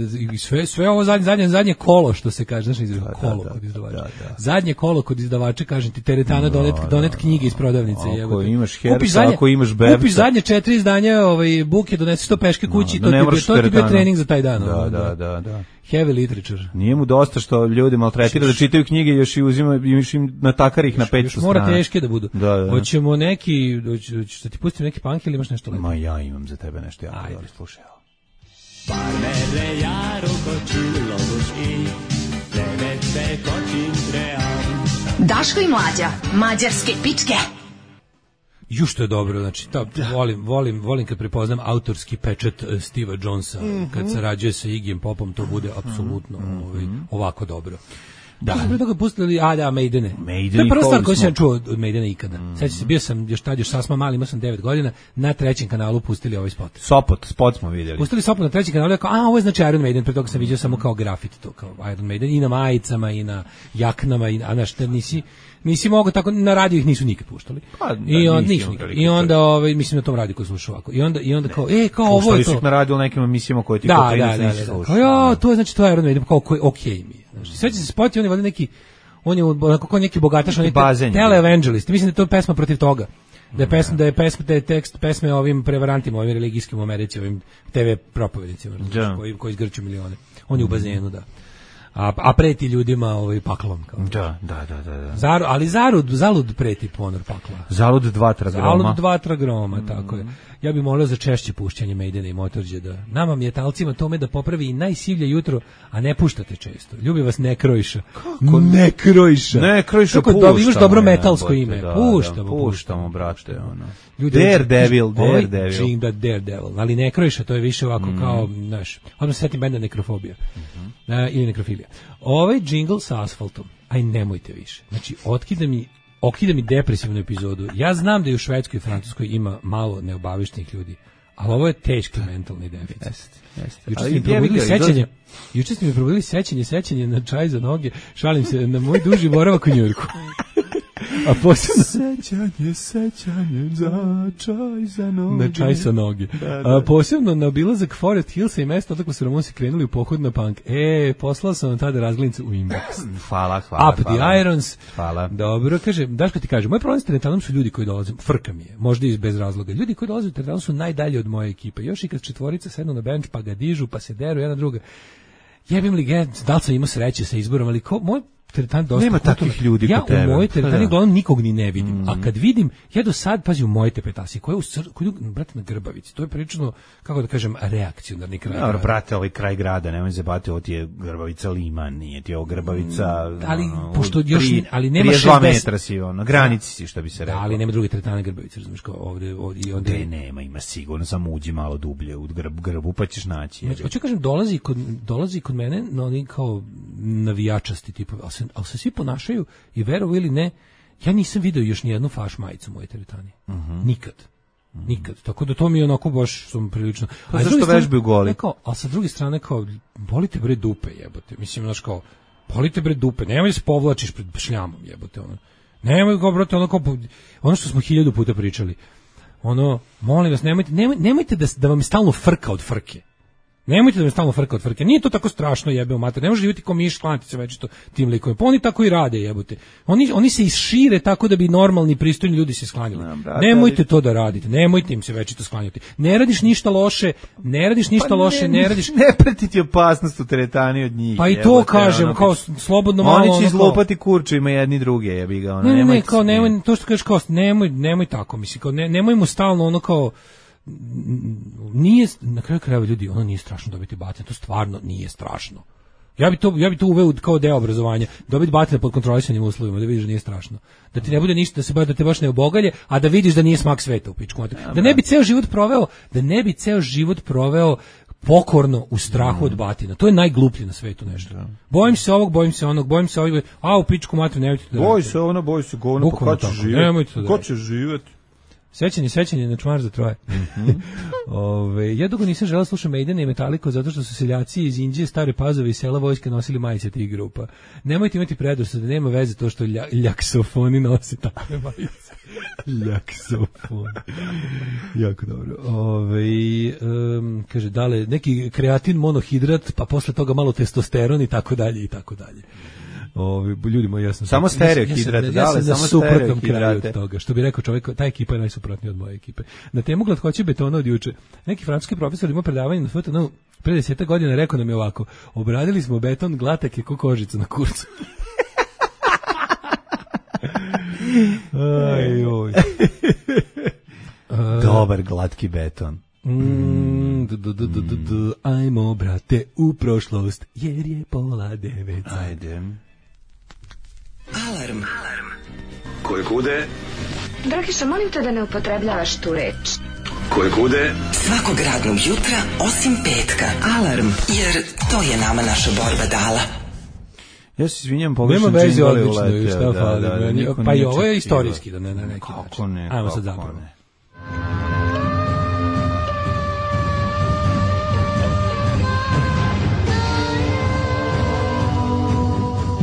sve ovo zadnje kolo što se kaže, znaš izraz, kolo kod izdavača. Zadnje kolo kod izdavača, kažem ti, teretana donet knjige iz prodavnice. Ako imaš Herca, ako imaš Bebca. Kupiš zadnje 4 izdanja Buke, donesi to peške kući, to ti bio trening za taj dan. Da. Heavy literature. Nije mu dosta što ljudi maltretira da čitaju knjige, još i im natakar ih na 500 strana. Mora teške da budu. Hoćemo neki, što ti pustim neki punk ili imaš nešto lepo? Ma ja imam za tebe nešto jako dobro, slušaj. Daško i Mlađa, mađarske pičke. Što je dobro, znači volim kad prepoznam autorski pečat Steva Jonesa, kad sarađuje sa Iggyjem Popom, to bude apsolutno ovako dobro. Da. Pre toga pustili, Maidene. Maiden To je prva i stvar koju Holy sam čuo od Maidena ikada. Sećam se, bio sam još sasma mali, imao sam 9 godina, na trećem kanalu pustili ovaj spot. Spot smo vidjeli. Pustili Sopot na trećem kanalu, kao, ovo je znači Iron Maiden, pre toga sam vidio samo kao grafit to, kao Iron Maiden, i na majicama, i na jaknama, a znaš, nisi mogao tako, na radiju ih nisu nikad puštali. I onda mislim na tom radiju koji slušao ovako. I onda kao, kao ovo je to. Puštali su ih na radiju u nekim emisijama koje ti kao nisi slušao. Kao, to je znači to je Iron Maiden, kao okej mi je. Znači, sveća se spot i on je valjda neki, on je onako kao neki bogataš, on je teleevangelist. Mislim da je to pesma protiv toga. Da je tekst pesme ovim prevarantima, ovim religijskim u Americi, ovim TV propovednicima, koji izgrću milione. On je u bazenu, da. A preti ljudima paklom. Kao. Da. Ali zalud preti ponor pakla. Zalud 2 tragroma. Zalud 2 tragroma, tako je. Ja bih molio za češće puštanje Maidena i Motorheada. Da nama metalcima tome da popravi i najsivlje jutro, a ne puštate često. Ljubi vas Nekrojša. Kako? Nekrojša. Nekrojša puštamo. Kako imaš dobro metalsko ime. Puštamo, brate. Daredevil. Ali Nekrojša, to je više ovako kao, znaš, odmah se setim benda Nekrofobija. Ili Nekrofilija. Ovaj džingl sa asfaltom, aj nemojte više. Znači, okida mi depresivnu epizodu. Ja znam da i u Švedskoj i Francuskoj ima malo neobavištenih ljudi, ali ovo je teški mentalni deficit. Juče ste mi probudili sećanje na čaj za noge, šalim se, na moj duži boravak u Njujorku. A posebno sećanje za čaj za noge. Na čaj sa noge. A posebno na obilazak Forest Hillsa i mesta odakle su Ramonsi krenuli u pohod na punk. Poslao sam vam tada razglednicu u inbox. Hvala. Up the Irons. Hvala. Dobro, kaže, Daško ti kaže, moj problem s teretanom su ljudi koji dolaze, frka mi je, možda i bez razloga. Ljudi koji dolaze u teretanu su najdalji od moje ekipe. Još i kad četvorica sednu na bench pa ga dižu, pa se deru jedna druga. Jebim li ga, da li sam imao sreće sa izborom, ali moj teretan dosta nema takvih ljudi kod tebe. Ja u mojoj teretani uglavnom nikog ni ne vidim. A kad vidim, ja do sad, pazi, u moje tepetasi, koja je brate, na Grbavici, to je prilično, kako da kažem, reakcionarni kraj. Dobro, brate, ovaj kraj grada, nemoj se bati, ovo ti je Grbavica Liman, nije ti ovo Grbavica... ali, pošto još, ali nema 62 metra si, na granici si, što bi se rekao. Ali nema druge teretane Grbavice, razumiješ, kao ovde i onda... nema, ima sigurno, samo uđi malo dublje u Grbu, pa ćeš naći. Hoću kažem, dolazi kod mene, no oni kao navijačasti, tipa, ali se svi ponašaju i verovo ili ne, ja nisam video još ni jednu faš majicu u mojoj teretani. Nikad. Tako da to mi je onako baš sam prilično... Pa zašto vežbaju goli? Ali sa druge strane kao, bolite bre dupe, jebote. Mislim, znaš kao, bolite bre dupe, nemoj da se povlačiš pred šljamom, jebote. Nemoj kao, brate, ono što smo 1000 puta pričali. Molim vas, nemojte da vam je stalno frka od frke. Nemojte da me stalno frka od frke. Nije to tako strašno, jebe u mater. Ne može živjeti ko miš, klanti se večito tim likovima. Pa oni tako i rade, jebote. Oni se isšire tako da bi normalni, pristojni ljudi se sklanjali. Nemojte to da radite. Nemojte im se večito sklanjati. Ne radiš ništa loše, ne radiš... Ne preti ti opasnost u teretani od njih. Pa i to kažem, kao slobodno malo... Oni će izlupati kurču, ima jedni druge, jebi ga. Nemoj, to što kažeš kao, nemoj tako, mislim, kao, nemoj mu stalno ono kao... Nije, na kraju krajeva ljudi, ono nije strašno dobiti batine, to stvarno nije strašno. Ja bi to uveo kao deo obrazovanja, dobiti batine pod kontrolisanim uslovima, da vidiš da nije strašno. Da ti ne bude ništa, da te baš ne obogalje, a da vidiš da nije smak sveta u pičku. Da ne bi ceo život proveo pokorno u strahu od batina. To je najgluplje na svetu nešto. Bojim se ovog, bojim se onog, u pičku mater, nemojte da... Boj se govno, pa ko će živjeti? Sećanje na čmar za troje. Ja dugo nisam želeo slušati Maidena i Metallicu zato što su seljaci iz Inđije, Stare Pazove i sela Vojske nosili majice tih grupa. Nemojte imati predrasude, da nema veze to što ljaksofoni nose takve majice. Ljaksofon. Jako dobro. Kaže, dale, neki kreatin monohidrat, pa posle toga malo testosteron i tako dalje i tako dalje. Ljudi moji, ja sam samo stereohidrate, ja sam na suprotnom kraju od toga. Što bi rekao čovjek, ta ekipa je najsuprotnija od moje ekipe. Na temu glatkoće betona od juče. Neki francuski profesor ima predavanje na FTN pre 10 godina, rekao nam je ovako: obradili smo beton, glatak je ko kožica na kurcu. Oj. Dobar glatki beton. Ajmo, brate, u prošlost, jer je 8:30. Ajde. Alarm. Koje kude? Dragiša, molim te da ne upotrebljavaš tu reč. Koje kude? Svakog radnog jutra, osim petka. Alarm, jer to je nama naša borba dala. Ja se izvinjam, pogrešno nema veze, džingl je odlično, i uleteo, šta fali. niko Pa i nije ovo je očekivao. istorijski, da ne na neki Kako način. ne, Ajmo sad kako zapravo. ne.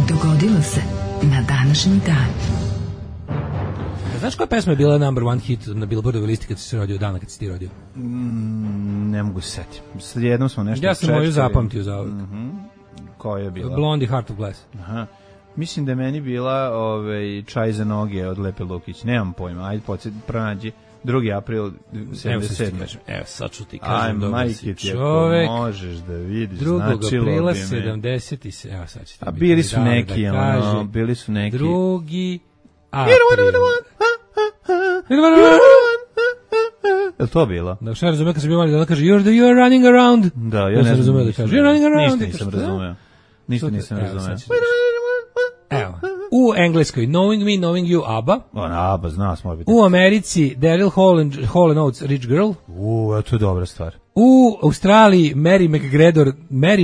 Dogodilo se na današnji dan. Znaš koja pesma je bila number one hit na Billboardovoj listi kad si se rodio, dana kad si ti rodio? Ne mogu se setiti. Sad jednom smo nešto Ja sam moju zapamtio za ovog. Koja je bila? Blondie Heart of Glass. Aha. Mislim da je meni bila Čaj za noge od Lepe Lukić. Nemam pojma. Ajde, pronađi. 2. april 77. Evo sad ću ti kažem, Aj, dobar si majke ti, ako čovek. možeš da vidiš, 2. značilo aprila bi me. 77. Evo sad ću ti A biti bili su dale neki, da kaže. ono, bili su neki. 2. april. Je to bilo? Da, šta razume kad sam bio mali, da ona kaže you're running around. Da, ja Ja ne sam razumeo da nisam kaže you're running around. Ništa nisam razumeo. Ništa nisam Evo, razumeo. sad ću- Evo, u Engleskoj Knowing Me, Knowing You, ABBA. Ona, ABBA, zna smo biti. U Americi Daryl Hall and Oates, Rich Girl. To je dobra stvar. U Australiji Mary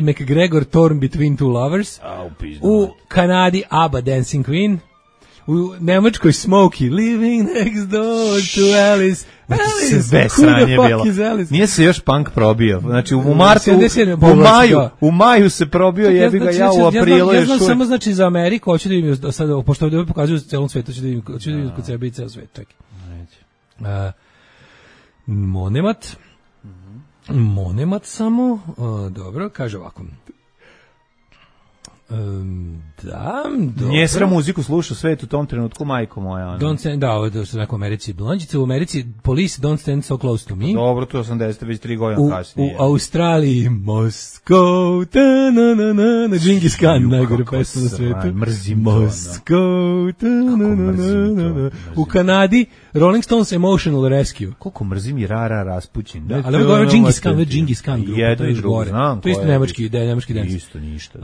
McGregor, Torn Between Two Lovers. U Kanadi ABBA, Dancing Queen. U Nemačkoj Smokey, Living Next Door to Alice. Alice, Sve who the sranje fuck bilo. is Alice? Nije se još punk probio. Znači u martu, 77, u maju se probio, jebi ga, ja u aprilu ja još znam uvijek. samo znači za Ameriku, hoću da vidim sad, pošto ovdje pokazuju celom svetu, hoću da vidim kod sebe i ceo svet, čekaj. Monemat samo, dobro, kaže ovako. Da, dobro. Nije sra muziku slušao svet u tom trenutku, majko moja. Ono. Don't stand, ovo je što rekao u Americi. Blonđice u Americi, Police Don't Stand So Close to Me. Dobro, to je 80, već 3 godina kasnije. U Australiji, Moscow, na Džingis Khan, najgore pesma na svetu. Mrzim to. Moscow, mrzim to. U Kanadi, Rolling Stones Emotional Rescue. Koliko mrzim i Rara Raspućin. Da, ali ovo je Džingis Khan grupa, jedno i drugo, znam. To je isto nemački dance. Isto ništa.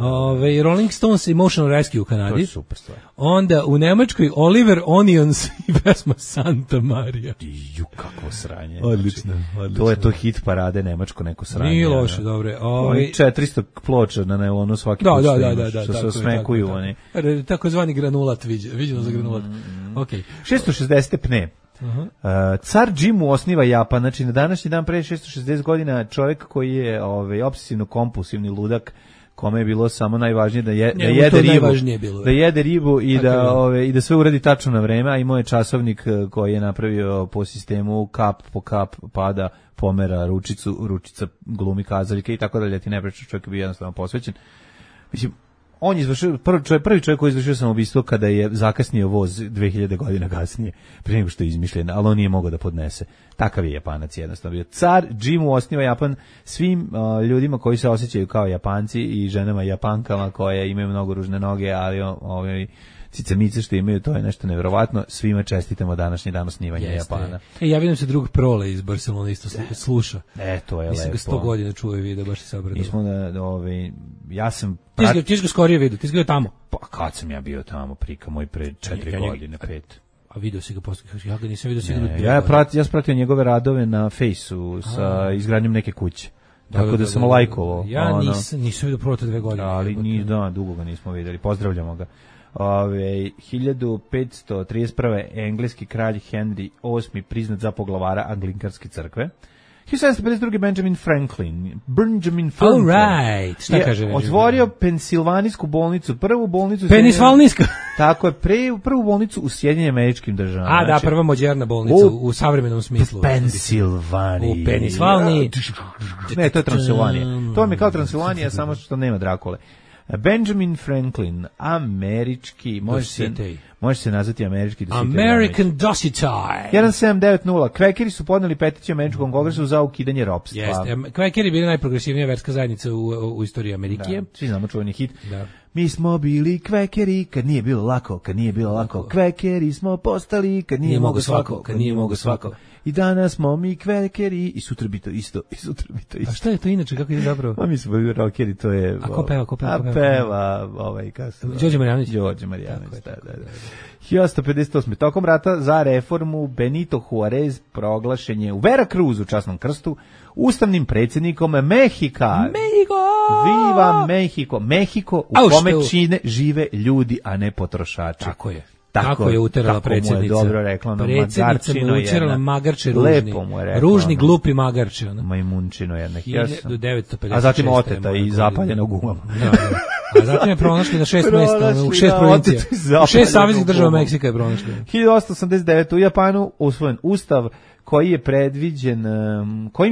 Rolling Stones Emotional Rescue u Kanadi. To je super stvar. Onda u Nemačkoj Oliver Onions i pesma Santa Maria. Ju, kakvo sranje. Odlično. To je to hit parade nemačko neko sranje. Nije loše, dobre. 400 ploča na nelonu svaki put. Da. Što se osmekuju oni. Takozvani granulat, viđeno za granulat. Okay. 660 pne. Car Jimu osniva Japan, znači na današnji dan pre 660 godina čovjek koji je obsesivno kompulsivni ludak, kome je bilo samo najvažnije da jede ribu i da sve uradi tačno na vreme, a imao je časovnik koji je napravio po sistemu kap po kap pada, pomera ručica glumi kazaljke i tako dalje, ti ne pričaš, čovjek je bio jednostavno posvećen. Mislim, on je izvršio, prvi čovjek koji je izvršio samoubistvo kada je zakasnio voz 2000 godina kasnije, prije nego što je izmišljen, ali on nije mogao da podnese. Takav je Japanac jednostavno bio. Car Jimu osniva Japan svim ljudima koji se osjećaju kao Japanci i ženama Japankama koje imaju mnogo ružne noge, ali cicamice što imaju, to je nešto nevjerovatno. Svima čestitamo današnji dan osnivanja Japana. Ja vidim se drug Prole iz Barcelona isto sluša. To je mislim lepo. Mislim ga 100 godina čuje video, baš se obradilo. Mi smo ja sam... Ti si ga skorije vidio, ti si ga tamo. Pa kad sam ja bio tamo, prika moj pre 4 godine, 5. A video si ga posle, ja ga nisam vidio sigurno. Ja sam pratio njegove radove na Fejsu sa izgradnjom neke kuće. Tako da sam lajkovao. Ja nisam vidio Prole 2 godine. Ali dugo ga nismo vidjeli, pozdravljamo ga. 1531. engleski kralj Henry VIII priznat za poglavara Anglikanske crkve. 1752. Benjamin Franklin. All right. Šta kaže? Otvorio Pensilvanijsku bolnicu, prvu bolnicu... Penisvalniska? Tako je, prvu bolnicu u Sjedinjenim Američkim Državama. A, da, prva moderna bolnica u savremenom smislu. U Pensilvaniji. U Penisvalniji. Ne, to je Transilvanija. To mi je kao Transilvanija, samo što nema Drakule. Benjamin Franklin, američki, može se nazvati američki American Dositaj. 1790. Kvekeri su podneli peticiju Američkom kongresu za ukidanje ropstva. Jeste, Kvekeri bili najprogresivnija verska zajednica u istoriji Amerike. Svi znamo čuveni hit. Da. Mi smo bili kvekeri kad nije bilo lako, Kvekeri smo postali kad nije mogo svako. I danas smo mi kvekeri i sutra bi to isto. A šta je to inače, kako je zapravo? A mi smo bili rockeri, to je... A ko peva? A peva, Đorđe Marjanović. Da. 1858. Tokom rata za reformu Benito Juarez proglašen je u Veracruzu, časnom krstu, ustavnim predsjednikom Mehika. Mexico! Viva Mexico! Mexico u kome žive ljudi, a ne potrošači. Tako je. Tako je uterala predsjednica. Tako mu je dobro rekla. Predsjednica mu je uterala magarče ružni. Lepo mu je rekla. Ružni, glupi magarče. Majmunčino jedna. 1956. A zatim oteta i zapaljena u gumama. A zatim je pronašli na 6 mjesta, u 6 provincija. U 6 saveznih država Meksika je pronašli. 1889. u Japanu usvojen ustav kojim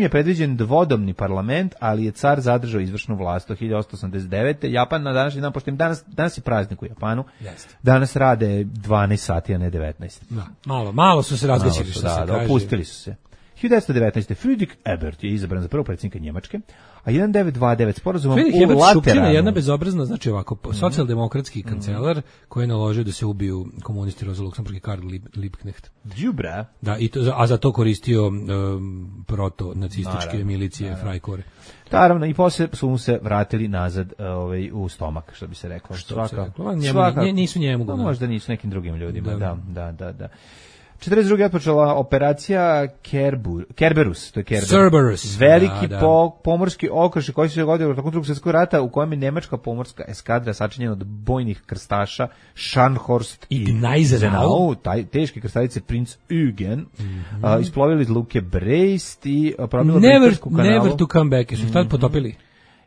je predviđen dvodomni parlament, ali je car zadržao izvršnu vlast do 1889. Japan na današnji dan, pošto im danas je praznik u Japanu, danas rade 12 sati, a ne 19. Malo su se razgaćili, što se kaže. Opustili su se. 1919. Friedrich Ebert je izabran za prvog predsjednika Njemačke, a 1929 sporazumom u Lateranu. Jedna bezobrazna, znači ovako, socijaldemokratski kancelar koji je naložio da se ubiju komunisti Rosa Luxemburg i Karl Liebknecht. Đubre. Da, a za to koristio proto-nacističke milicije Freikorps. Naravno, i posle su mu se vratili nazad u stomak, što bi se reklo. Nisu njemu. Možda nisu nekim drugim ljudima, da. 42. je otpočela operacija Kerberus, to je Cerberus. Veliki pomorski okršaj koji se dogodio tokom Drugog svjetskog rata, u kojem je nemačka pomorska eskadra sačinjena od bojnih krstaša Scharnhorst i Gneisenau, teške krstavice Prinz Eugen, isplovili iz luke Brest i probili Britansku kanalu. Never to come back, su tad potopili.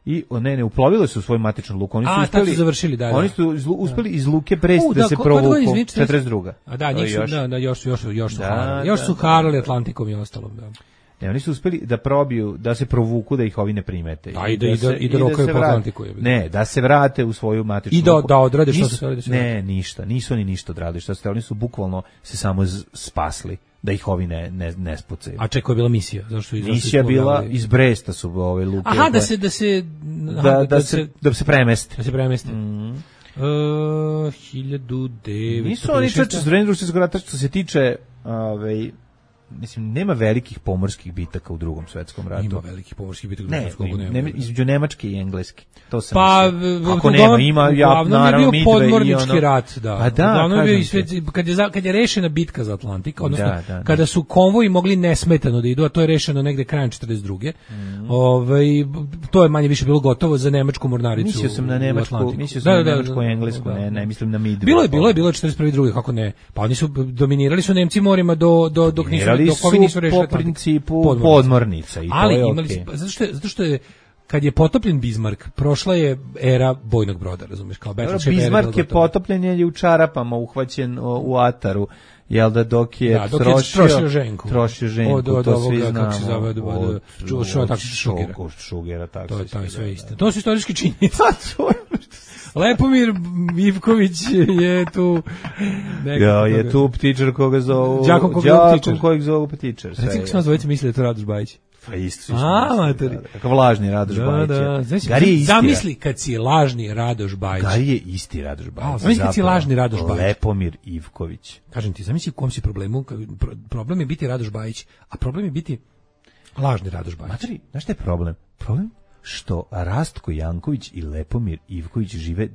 I ne uplovili su u svoju matičnu luku. Oni su završili, da. Oni su uspeli iz luke Brest da se provuku 42. A da, još su harali Atlantikom i ostalom, da. Ne, oni su uspeli da probiju, da se provuku, da ih ovi ne primete. I da rokaju po Atlantiku. Ne, da se vrate u svoju matičnu luku. I da odrade što se radi. Ne, ništa. Nisu oni ništa odradili. Oni su bukvalno se samo spasli da ih ovi ne spucaju. A čekaj, je bila misija? Misija bila iz Bresta su ove luke. Aha, da se premeste. Da se premeste. 1900. Nisu oni čače s vremena Drugog svjetskog rata što se tiče mislim, nema velikih pomorskih bitaka u Drugom svetskom ratu. Ima velikih pomorskih bitaka u Drugom svetskom ratu. Ne, između Nemačke i Engleske. To sam ako nema, ima naravno Midway podmornički rat, da. Pa da, kad je rešena bitka za Atlantik, odnosno kada su konvoji mogli nesmetano da idu, a to je rešeno negde krajem 42. To je manje više bilo gotovo za nemačku mornaricu. Mislio sam na nemačku i englesku, ne mislim na Midway. Bilo je 41. kako ne. Pa oni su dominirali su Nemci morima dok nisu po principu podmornica i to je okej. Zato što je kad je potopljen Bismarck, prošla je era bojnog broda, razumiješ, kao Bismarck je potopljen je u čarapama, uhvaćen u ataru, jel da dok je trošio ženku, to svi znamo, od Šugera, tako se sve isto. To su istorijski činjenice. Lepomir Ivković je tu. Je tu ptičar koga zovu. Đakom kojeg zovu ptičar. Reci kako sam zvojci misli da je to Radoš Bajić. Pa isto. Kakav lažni Radoš Bajić. Zamisli kad si lažni Radoš Bajić. Gari je isti Radoš Bajić. Zamisli kad si lažni Radoš Bajić. Lepomir Ivković. Kažem ti, zamisli u kom si problemu. Problem je biti Radoš Bajić, a problem je biti lažni Radoš Bajić. Materi, znaš šta je problem? Problem? Što Rastko Janković i Lepomir Ivković žive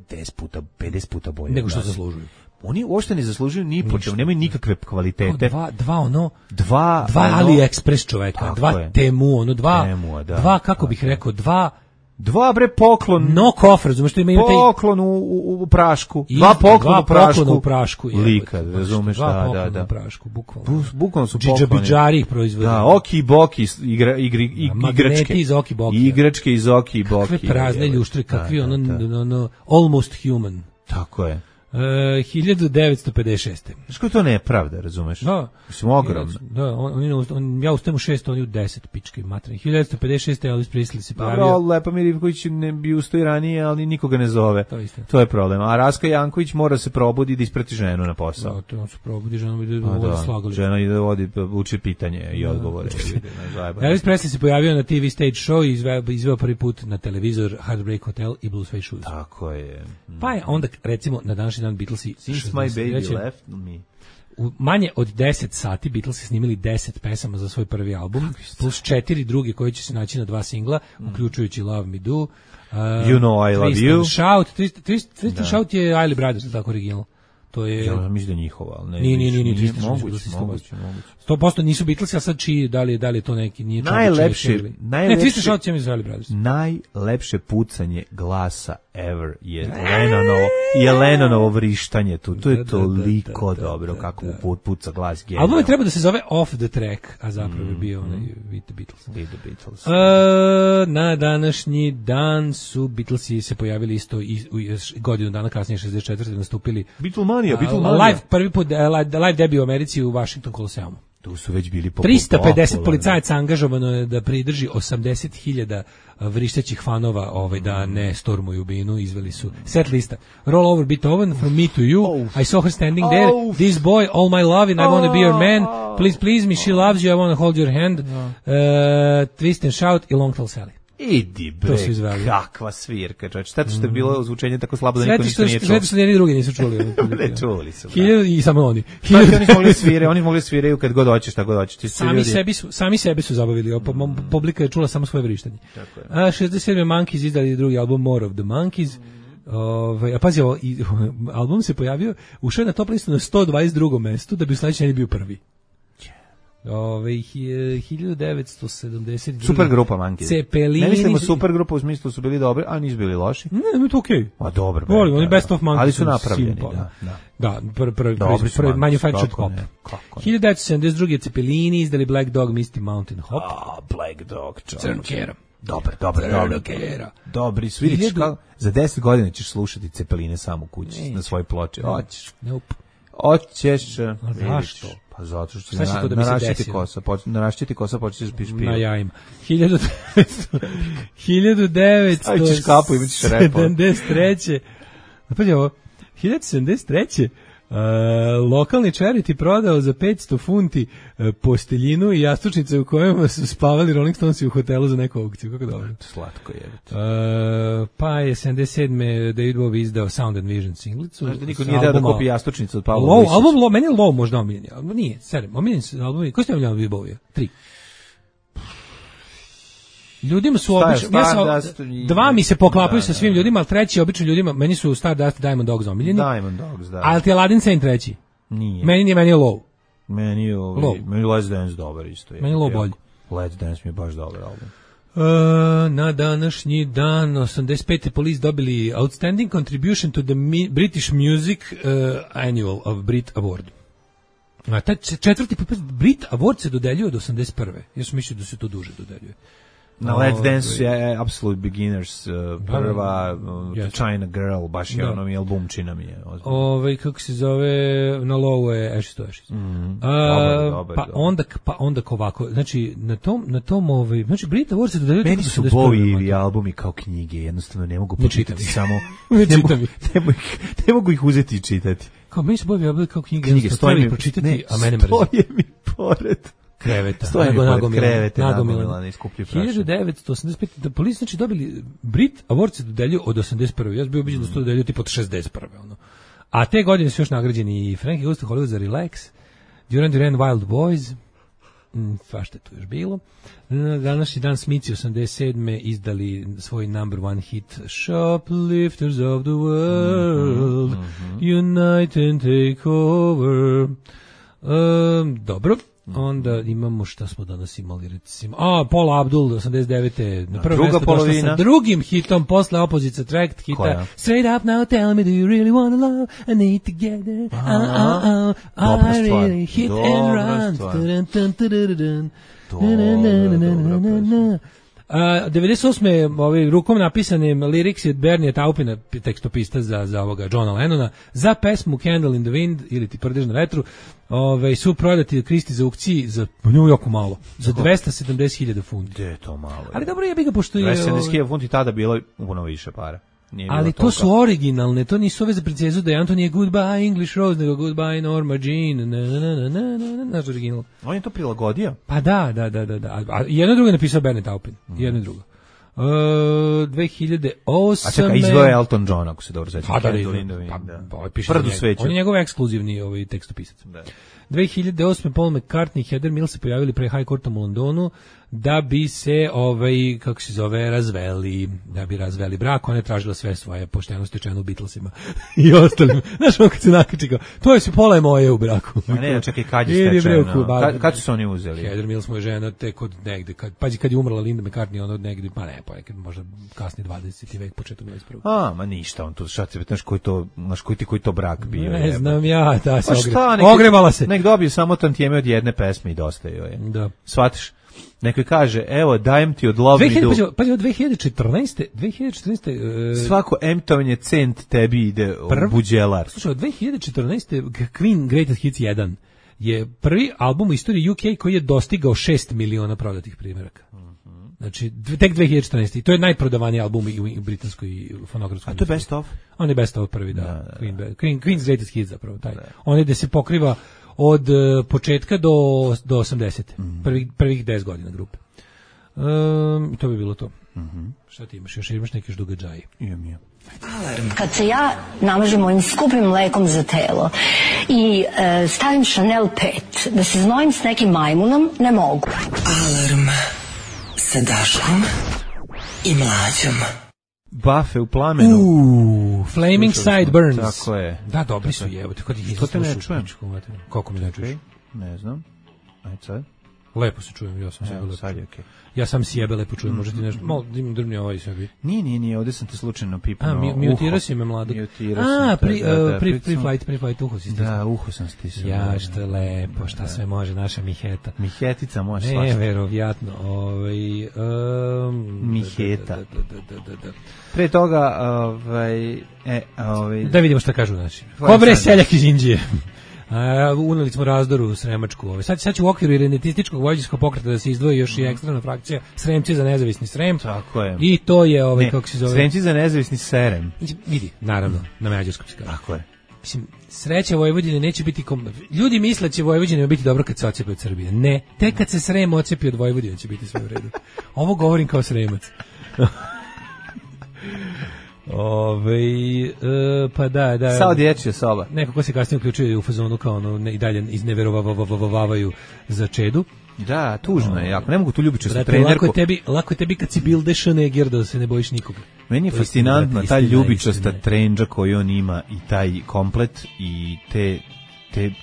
50 puta bolje nego što zaslužuju. Oni uopšte ne zaslužuju ni po čemu, nemaju nikakve kvalitete. Dva AliExpress čoveka, dva Temu, dva kako bih rekao, dva bre poklon. Knock off, razumeš što ima poklon u prašku. Dva poklona u prašku. Lika, razumeš, da. Poklon u prašku, bukvalno. Bukvalno su pokloni. Džidžabidžari ih proizvode. Da, Oki Boki igračke. Iz Oki Boki. Igračke iz Oki Boki. Kakve prazne ljuštre, kakvi almost human. Tako je. 1956. Znaš koji to nepravda, razumeš? Da. Mislim, ogromno. Da, ja ustajem u 6, oni u 10, pičke materine. 1956. Elvis Presley se pojavio. Dobro, Lepomir Ivković ne bi ustao i ranije, ali nikoga ne zove. To je problem. A Raska Janković mora se probudi da isprati ženu na posao. Da, to on se probudi, žena bi da vodi slagali. Žena ide uči pitanje i odgovore. Elvis Presley se pojavio na TV stage show i izveo prvi put na televizor Heartbreak Hotel i Blue Suede Shoes. Tako je. Pa je onda, recimo, na današnji dan Beatlesi Since my baby left me. U manje od 10 sati Beatlesi snimili 10 pesama za svoj prvi album, plus 4 druge koji će se naći na 2 singla, uključujući Love Me Do, You Know I Love You. Tristan Shout je Isley Brothers, tako original. To je... Ja mislim da je njihova, ali ne. Nije moguće. 100% nisu Beatlesi, a sad čiji, da li je to neki, nije najlepše pucanje glasa ever je Lennonovo vrištanje tu. To je toliko dobro kako puca glas genijalno. Album je treba da se zove Off the Track, a zapravo je bio onaj With the Beatles. Na današnji dan su Beatlesi se pojavili isto godinu dana kasnije, 64. nastupili Beatlemania. Prvi put live debut u Americi u Washington Coloseumu. Tu su već bili 350 policajaca angažovano je da pridrži 80.000 vrištećih fanova da ne stormuju binu, izveli su set lista. Roll over Beethoven, From Me to You, I Saw Her Standing There, This Boy, All My Lovin', I Wanna Be Your Man, Please Please Me, She Loves You, I Wanna Hold Your Hand, Twist and Shout i Long Tall Sally. Idi bre, kakva svirka, čovječ. Šteta što je bilo zvučenje tako slabo da niko ništa nije čuo. Sve što jedni drugi nisu čuli. Ne čuli su. I samo oni. Oni mogli sviraju kad god hoćeš, tako god hoćeš. Sami sebe su zabavili. Publika je čula samo svoje vrištanje. 67. Monkeys izdali drugi album More of the Monkeys. A pazi, album se pojavio, ušao je na top listu na 122. mestu, da bi u sledećoj nedelji bio prvi. 1972. Super grupa Monkeys. Cepelini. Ne mislimo super grupa u smislu su bili dobri, a nisu bili loši. Ne, to okej. A dobro. Volim, oni Best of Monkeys. Ali su napravljeni, da, prvi manufactured pop. 1972. Cepelini izdali Black Dog, Misty Mountain Hop. Black Dog, Crnkera. Dobri, vidiš kako za 10 godina ćeš slušati Cepeline samo u kući na svojoj ploči. Hoćeš. Zašto? Pa zato što narašćiti kosa počeš da piš pivo. Na jajima. 1973. Napolje ovo. 1973. Lokalni charity prodao za 500 funti posteljinu i jastučnice u kojima su spavali Rolling Stonesi u hotelu za neku aukciju. Kako dobro. Slatko je. Pa je 77. David Bowie izdao Sound and Vision singlicu. Znaš da niko nije dao da kupi jastučnicu od Pavla Low, album, meni je Low možda omiljeni. Nije, sedem. Omiljeni su albumi. Koji ste omiljeni David Bowie? 3. Ljudima su obično, dva mi se poklapaju sa svim ljudima, ali treći obično ljudima, meni su Stardust, Diamond Dogs omiljeni. Diamond Dogs, da. Ali ti je Aladdin Sane treći. Nije. Meni je Low. Meni je Let's Dance dobar isto. Meni je Low bolji. Let's Dance mi je baš dobar album. Na današnji dan 85. Police dobili Outstanding Contribution to the British Music Annual of Brit Award. A taj četvrti Brit Award se dodeljuje od 81. Ja sam mislio da se to duže dodeljuje. Na Let's Dance je Absolute Beginners, prva China Girl, baš je ono mi albumčina mi je. Kako se zove, na Low je Ashes to Ashes. Pa onda ovako, znači na tom znači Brit Award se dodeljuje. Meni su Bowie albumi kao knjige, jednostavno ne mogu počitati samo. Ne mogu ih uzeti i čitati. Kao meni su Bowie albumi kao knjige, stoji mi pročitati, a mene mrzi. Stoje mi pored kreveta. Nagomilani iskuplji prašan. 1985. Da Police znači dobili Brit Award se dodelju od 81. Ja sam bio ubeđen da se to dodelju tipa od 61. Ono. A te godine su još nagrađeni i Frankie Goes to Hollywood za Relax, Duran Duran Wild Boys, svašta je tu još bilo. Današnji dan Smici 87. izdali svoj number one hit Shoplifters of the World, Unite and Take Over. Dobro. Onda imamo šta smo danas imali recimo. Paula Abdul 89. Na prvo mjesto došla sa drugim hitom posle Opposite Tract hita. Straight up now tell me do you really want to love I need together. I really hit and run. 98. rukom napisane liriks od Bernie Taupina, tekstopista za ovoga Johna Lennona, za pesmu Candle in the Wind ili Ti prdež na vetru, su prodati Kristi za aukciji za nju jako malo, za 270.000 funti. Gde je to malo? Ali dobro je ga pošto je 270.000 funti tada bilo puno više para. Ali to su originalne, to nisu ove za princezu Dianu, to nije Goodbye English Rose, nego Goodbye Norma Jean, naš original. On je to prilagodio? Pa da. A jedno drugo je napisao Bernie Taupin, jedno drugo. 2008. A čekaj, izvoje Elton John, ako se dobro sećam. Prdu sveću. On je njegov ekskluzivni tekstopisac. 2008. Paul McCartney i Heather Mills se pojavili pre High Courtom u Londonu da bi se kako se zove razveli brak. Ona je tražila sve svoje pošteno stečeno u Beatlesima i ostalim. Znaš, on kad se nakači kao, to je se pola je moje u braku. A ne, čekaj, kad je stečeno? Kad su se oni uzeli? Heather Mills mu je žena tek od negde, kad je umrla Linda McCartney, ona od negde, pa ne, nekad možda kasni 20. vek, početak 21. Ma ništa, on tu šta se, znaš koji to brak bio. Ne znam ja, ta se ogrevala se. Nek dobije samo tantijeme od jedne pesme i dosta joj je. Da. Shvatiš? Neko kaže, evo, dajem ti od Lovely Do. Pa od 2014. Svako emitovanje cent tebi ide u buđelar. Slušaj, od 2014. Queen Greatest Hits 1 je prvi album u istoriji UK koji je dostigao 6 miliona prodatih primjeraka. Znači, tek 2014. I to je najprodavaniji album u britanskoj fonografskoj. A to je Best Of? On je Best Of prvi, da. Queen's Greatest Hits zapravo, taj. On je da se pokriva od početka do 80. Prvih 10 godina grupe. To bi bilo to. Šta ti imaš? Još imaš neke događaje? Imam. Kad se ja namažem ovim skupim mlekom za telo i stavim Chanel 5, da se znojim s nekim majmunom, ne mogu. Alarm sa Daškom i Mlađom. Bafe u plamenu. Flaming Sideburns. Tako je. Da, dobri su jevo. Što te ne čujem? Kako mi ne čuješ? Ne znam. Ajde sad. Lepo se čujem, ja sam sebe lepo čujem. Okay. Ja sam sjebe lepo čujem, možda ti nešto, malo drmni ovaj sebi. Nije, ovdje sam te slučajno pipnuo. Mutirao si me mladog. Pre-flight uho si stisao. Da, uho sam stisao. Ja, što je lepo, šta sve može naša Miheta. Mihetica može svašta. Neverovatno. Miheta. Pre toga, da vidimo šta kažu naši. Kobre seljak iz Indije. Uneli smo razdoru u Sremačku. Sad će u okviru irenetističkog vojvođanskog pokreta da se izdvoji još i ekstremna frakcija Sremci za nezavisni Srem. Tako je. I to je kako se zove. Sremci za nezavisni Serem. Vidi, naravno, na mađarskom se kaže. Tako je. Mislim, sreća Vojvodine neće biti ljudi misle će Vojvodina biti dobro kad se odcepi od Srbije. Ne, tek kad se Srem odcepi od Vojvodine će biti sve u redu. Ovo govorim kao Sremac. Pa da. Sao dječja soba. Neko ko se kasnije uključuje u fazonu kao i dalje izneverovavavavaju za Čedu. Da, tužno je jako. Ne mogu tu ljubičastu trenerku. Lako je tebi kad si Bilde Schneger da se ne bojiš nikog. Meni je fascinantna ta ljubičasta trendža koju on ima i taj komplet i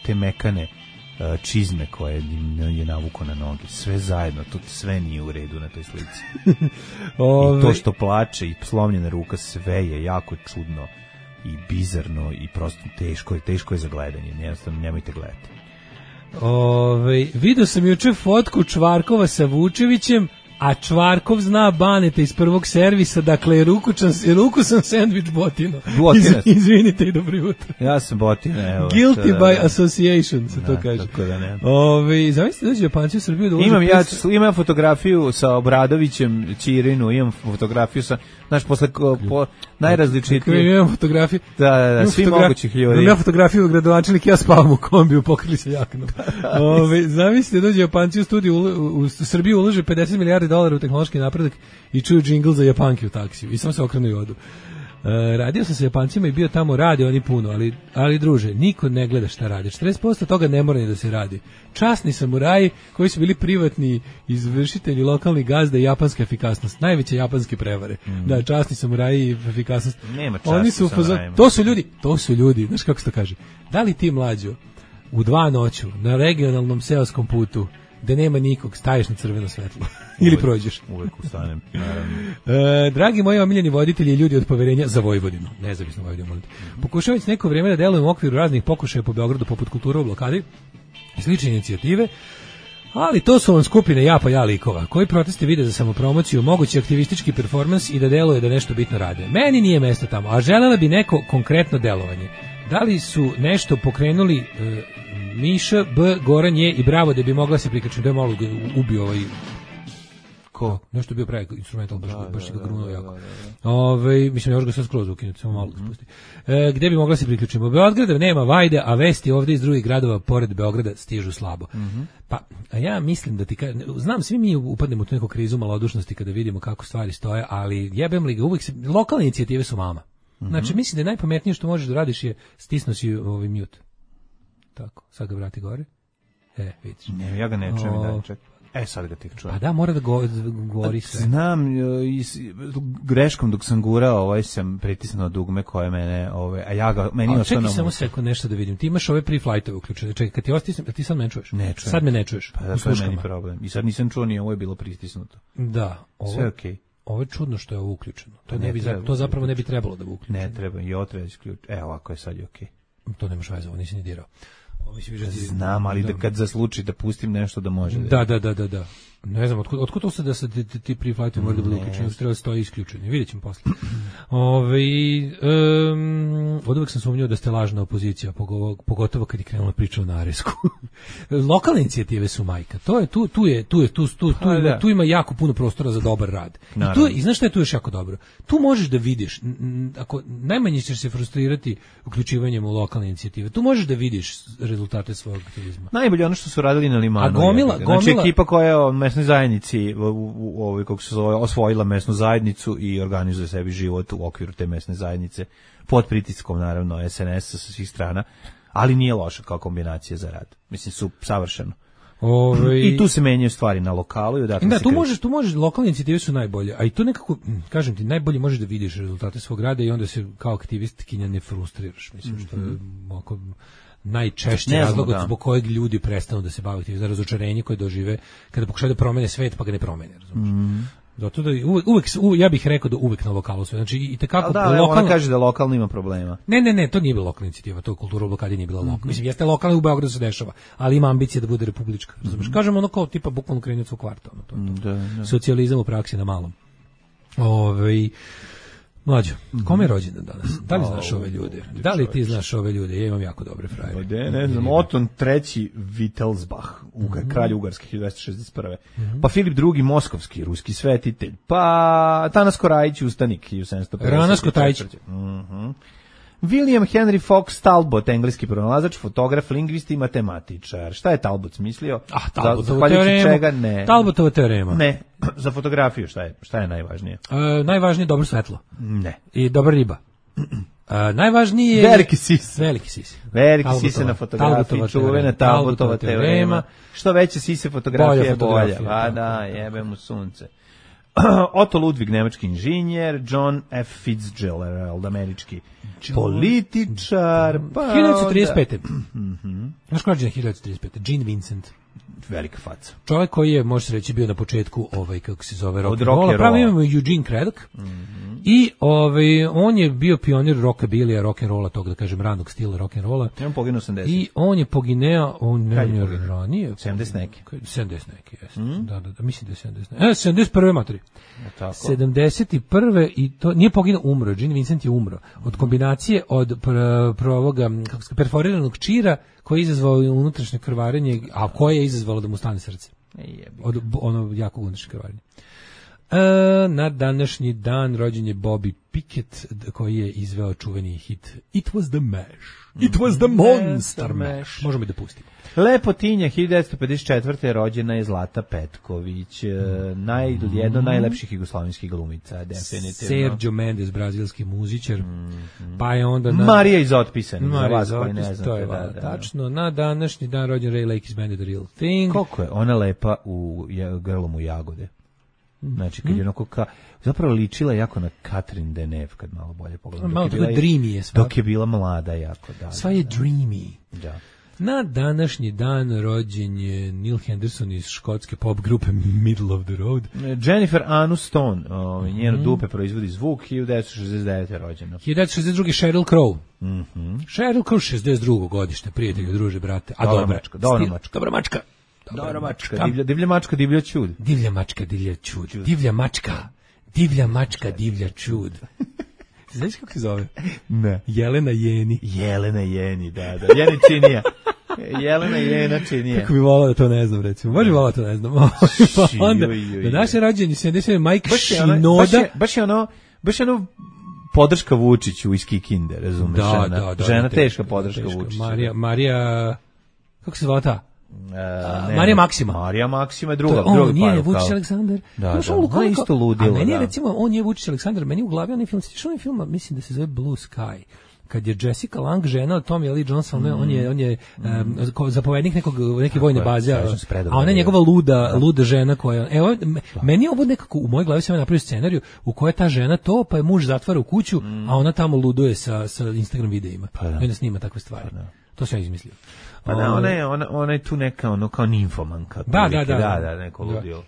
te mekane čizme koje je navuko na noge. Sve zajedno, to sve nije u redu na toj slici. I to što plače i slomljena ruka, sve je jako čudno i bizarno i prosto teško je za gledanje. Jednostavno, nemojte gledati. Vidio sam juče fotku Čvarkova sa Vučevićem, a Čvarkov zna Baneta iz prvog servisa, dakle ruku sam sandvič Botino. Izvinite i dobro jutro. Ja sam Botino, evo. Guilty by association, se to kaže. Tako da ne. Zamislite dođe Japanci u Srbiju da imam fotografiju sa Obradovićem, Ćirinu, imam fotografiju sa, znaš, posle najrazličitije. Imam fotografiju. Da, svi mogućih ljudi. Imam fotografiju gradonačelnik, ja spavam u kombiju, pokrili se jaknom. Zamislite dođe Japanci u studiju u Srbiju ulože $50 milijardi u tehnološki napredak i čuju džingl za Japanke u taksiju i samo se okrenu i odu. Radio sam sa Japancima i bio tamo, radi oni puno, ali druže, niko ne gleda šta radi. 40% toga ne mora ni da se radi. Časni samuraji koji su bili privatni izvršitelji, lokalni gazda i japanska efikasnost. Najveće japanske prevare. Da, časni samuraji i efikasnost. Nema časni samurajima. To su ljudi, znaš kako se to kaže. Da li ti mlađo u 2 noću na regionalnom seoskom putu da nema nikog, staješ na crveno svetlo ili prođeš. Uvek ustanem, naravno. Dragi moji omiljeni voditelji i ljudi od poverenja za Vojvodinu, nezavisno Vojvodinu, molite. Pokušao već neko vrijeme da delujem u okviru raznih pokušaja po Beogradu poput Kultura u blokadi i slične inicijative, ali to su vam skupine ja likova, koji proteste vide za samopromociju, mogući aktivistički performans i da deluje da nešto bitno rade. Meni nije mesto tamo, a želela bi neko konkretno delovanje. Da li su nešto pokrenuli Miša, B, Goran je i Bravo da bi mogla se prikačiti, da je malo ubio ko? Nešto je bio pravi instrumental, baš ga grunuo jako. Mislim, još ga sad skroz ukinuti, samo malo ga spusti. Gde bi mogla se priključiti? U Beogradu nema vajde, a vesti ovdje iz drugih gradova pored Beograda stižu slabo. Pa, a ja mislim da znam, svi mi upadnemo u tu neku krizu malodušnosti kada vidimo kako stvari stoje, ali jebem li ga, uvijek lokalne inicijative su mama. Znači, mislim da je najpametnije što možeš da radiš je stisno si mute. Tako, sad ga vrati gore. Vidiš. Ne, ja ga ne čujem i dalje, čekaj. Sad ga tek čujem. Pa da, mora da govori sve. Znam, greškom dok sam gurao, sam pritisnuo dugme koje mene, a ja ga, meni ostao na čekaj samo sekund nešto da vidim. Ti imaš ove pre-flightove uključene. Čekaj, kad ti ostisnem, ti sad me ne čuješ? Ne čujem. Sad me ne čuješ. Pa da, to je meni problem. I sad nisam čuo ni ovo je bilo pritisnuto. Da. Sve okej. Ovo je čudno što je ovo uključeno. To zapravo ne bi trebalo da bude uključeno. Ne treba, i ovo treba isključiti. Ovako je sad je okej. To nemaš veze, ovo nisi ni dirao. Znam, ali da kad zasluči da pustim nešto da može. Da. Ne znam, otkud to se da se ti pre-flightovi moraju da budu uključeni, treba da stoji isključeni. Vidjet ćemo posle. Od uvek sam sumnjao da ste lažna opozicija, pogotovo kad je krenula priča o naresku. Lokalne inicijative su majka. Tu ima jako puno prostora za dobar rad. I znaš šta je tu još jako dobro? Tu možeš da vidiš, ako najmanje ćeš se frustrirati uključivanjem u lokalne inicijative, tu možeš da vidiš rezultate svog aktivizma. Najbolje ono što su radili na Limanu. A gomila, znači ekipa koja je u mesnoj zajednici kako se zove, osvojila mesnu zajednicu i organizuje sebi život u okviru te mesne zajednice pod pritiskom naravno SNS-a sa svih strana, ali nije loša kao kombinacija za rad. Mislim su savršeno. I tu se menjaju stvari na lokalu i odatle se tu možeš, lokalne inicijative su najbolje, a i tu nekako, kažem ti, najbolje možeš da vidiš rezultate svog rada i onda se kao aktivistkinja ne frustriraš. Mislim što je oko najčešći razlog zbog kojeg ljudi prestanu da se bave aktivizmom, razočarenje koje dožive kada pokušaju da promene svet pa ga ne promene, razumiješ? Zato da ja bih rekao da uvek na lokalu sve. Znači i tekako ona kaže da lokalno ima problema. Ne, to nije bila lokalna inicijativa, to kultura u blokadi nije bila lokalna. Mislim jeste lokalna u Beogradu se dešava, ali ima ambicije da bude republička, razumeš? Kažemo ono kao tipa bukvalno krenje od svog kvarta, to. Socijalizam u praksi na malom. Mlađo, kome je rođendan danas? Da li znaš ove ljude? Da li ti znaš ove ljude? Ja imam jako dobre frajere. Ne znam, Oton III. Wittelsbach, kralj Ugarske 1261. Pa Filip II. Moskovski, ruski svetitelj. Pa Tanas Korajić, ustanik 1750. Ranas Kotajić. William Henry Fox Talbot, engleski pronalazač, fotograf, lingvist i matematičar. Šta je Talbot smislio? Talbotova teorema. Talbotova teorema. Ne, za fotografiju šta je najvažnije? Najvažnije je dobro svetlo. Ne. I dobra riba. Najvažniji je... Veliki sise. Veliki sise na fotografiji, čuvena Talbotova teorema. Što veće sise fotografije je bolja. Pa da, jebe mu sunce. Otto Ludwig, nemački inženjer, John F. Fitzgerald, američki političar, pa 1935. Znaš ko je 1935? Gene Vincent. Velika faca. Čovjek koji je, može se reći, bio na početku, kako se zove, rock'n'rolla. Pravo imamo Eugene Craddock. I on je bio pionir rockabilija, rock'n'rolla, tog da kažem ranog stila rock'n'rolla. On poginuo 80. I on je pogineo, on je ranije. 70 neki. 70 neki, jeste. Da, mislim da je 70 neki. 71. materi. 71. i to nije poginuo, umro. Gene Vincent je umro. Od kombinacije od ovoga, perforiranog čira koji je izazvao unutrašnje krvarenje, a koje je izazvalo da mu stane srce. Od ono jako unutrašnje krvarenje. Na današnji dan rođen je Bobby Pickett, koji je izveo čuveni hit It was the mash. It was the monster mash. Možemo i da pustimo. Lepotinja, 1954. rođena je Zlata Petković, jedna od najlepših jugoslovenskih glumica, definitivno. Sergio Mendes, brazilski muzičar, pa je onda... Marija iz Otpisanih, za vas koji ne znate. To je tačno. Na današnji dan rođen Ray Lakey's Band, The Real Thing. Koliko je ona lepa u grlom u jagode. Znači, kad je onako zapravo ličila jako na Catherine Deneuve, kad malo bolje pogledam. Malo tako dreamy je sva. Dok je bila mlada jako. Sva je dreamy. Da. Na današnji dan rođen je Neil Henderson iz škotske pop grupe Middle of the Road. Jennifer Aniston, njeno dupe proizvodi zvuk, 1969. rođena. 1962. Sheryl Crow. Sheryl Crow, 62. godište, prijatelju, druže, brate. A dobra mačka. Dobra mačka. Divlja mačka, divlja čud. Divlja mačka, divlja čud. Divlja mačka, divlja čud. Znaš kako se zove? Ne. Jelena Jeni. Jelena Jeni, da. Jeni činija. Jelena Jena činija. Kako bi volao da to ne znam, recimo. Može volao da to ne znam. Pa onda, na naše rađenje 70. Mike Šinoda. Baš je ono podrška Vučiću iz Kikinde, razumeš? Da. Žena teška podrška Vučiću. Marija, kako se zvala ta? Marija Maksima. Marija Maksima je druga on nije Vučić Aleksandar. Da, ona je isto ludila. A meni je recimo, on je Vučić Aleksandar, meni u glavi onaj film, mislim da se zove Blue Sky, kad je Jessica Lange žena od Tommy Lee Johnson, on je zapovednik neke vojne baze, a ona je njegova luda žena koja, evo, meni je ovo nekako, u mojoj glavi sam napravio scenariju u kojoj ta žena to, pa je muž zatvara u kuću, a ona tamo luduje sa Instagram videima, i onda snima takve stvari. To sam ja izmislio. Pa da, ona je tu neka, ono, kao nimfomanka. Da, neko ludio.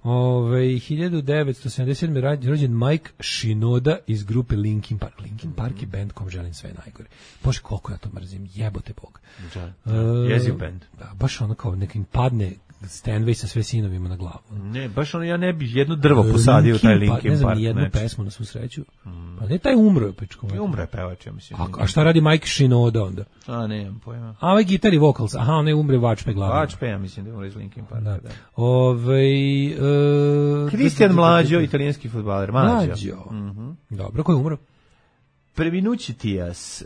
1977. rođen Mike Shinoda iz grupe Linkin Park. Linkin Park je band kom želim sve najgore. Bože, koliko ja to mrzim, jebote Bog. Jeziv band. Da, baš ono kao nekim padne Stanway sa sve sinovima na glavu. Ne, baš ono, ja ne bi jedno drvo posadio u taj Linkin Park. Ne znam ni jednu pesmu na svu sreću. Pa ne, taj umro je pečko. Umro je pevač, ja mislim. A šta radi Mike Shinoda onda? A, ne imam pojma. A ovaj gitar i vocals, aha, on je umre vačpe glavu. Vačpe, ja mislim da umre iz Linkin Park. Da. Kristijan Mlađo, italijanski fudbaler. Mlađo. Dobro, ko je umro? Preminući Tijas,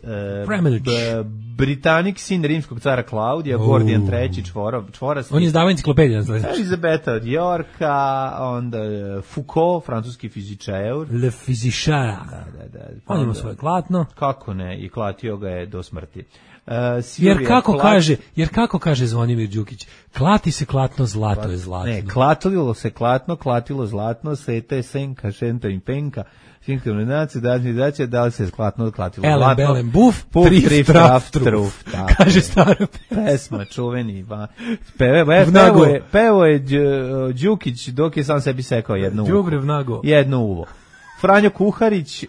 Britanik, sin rimskog cara Klaudija, Gordijan III, čvorasti. On je izdavao enciklopediju. Elizabeta od Yorka, onda Foucault, francuski fizičar. Le fizičara. Da. On ima svoje klatno. Kako ne, i klatio ga je do smrti. Jer kako kaže Zvonimir Đukić, klati se klatno, zlato je zlatno. Ne, klatilo se klatno, klatilo zlatno, sete senka, šenta i penka, sinkronaci, da li se klatno, klatilo zlatno. Belem buf, trif, traf, truf. Kaže stara pesma, čuveni. Pevo je Đukić dok je sam sebi sekao jedno uvo. Franjo Kuharić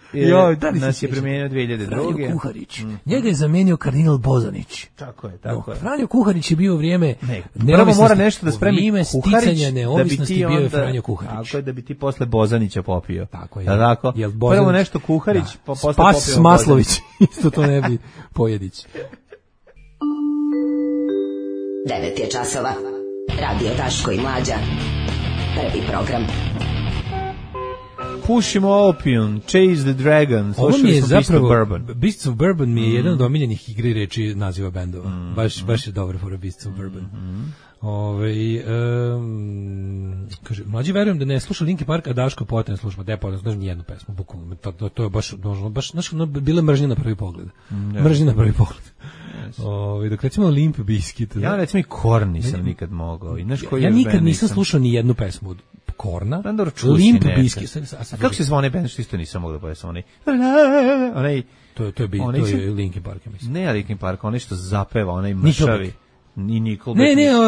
nas je premijenio 2002. Franjo Kuharić. Njega je zamijenio kardinal Bozanić. Tako je. Franjo Kuharić je bio u vrijeme prvo mora nešto da spremi vrijeme sticanja neovisnosti bio je Franjo Kuharić. Tako je, da bi ti posle Bozanića popio. Tako je. Tako? Prvo nešto Kuharić, pa posle popio Spas Maslović. Isto to ne bi Pojedić. 9 je časova. Radio Daško i Mlađa. Prvi program. Pušimo Opium, Chase the Dragon. Ovo mi je zapravo Beasts of Bourbon mi je jedan od omiljenih igri reči naziva bendova. Baš je dobro for Beasts of Bourbon. Kaže, mlađi verujem da ne sluša Linkin Park, a Daško potrebno sluša, da je potrebno, znaš nijednu pesmu, bukvalno, to je baš, znaš, bila mržnja na prvi pogled. Mržnja na prvi pogled. Dok recimo Limp Bizkit. Ja recimo i Korn nisam nikad mogao. Ja nikad nisam slušao ni jednu pesmu od Korna, Limp Bizkit. A kako se zvao onaj band što isto nisam mogao da pojesam? To je Linkin Park, ja mislim. Ne Linkin Park, onaj što zapeva, onaj mršavi. Ne,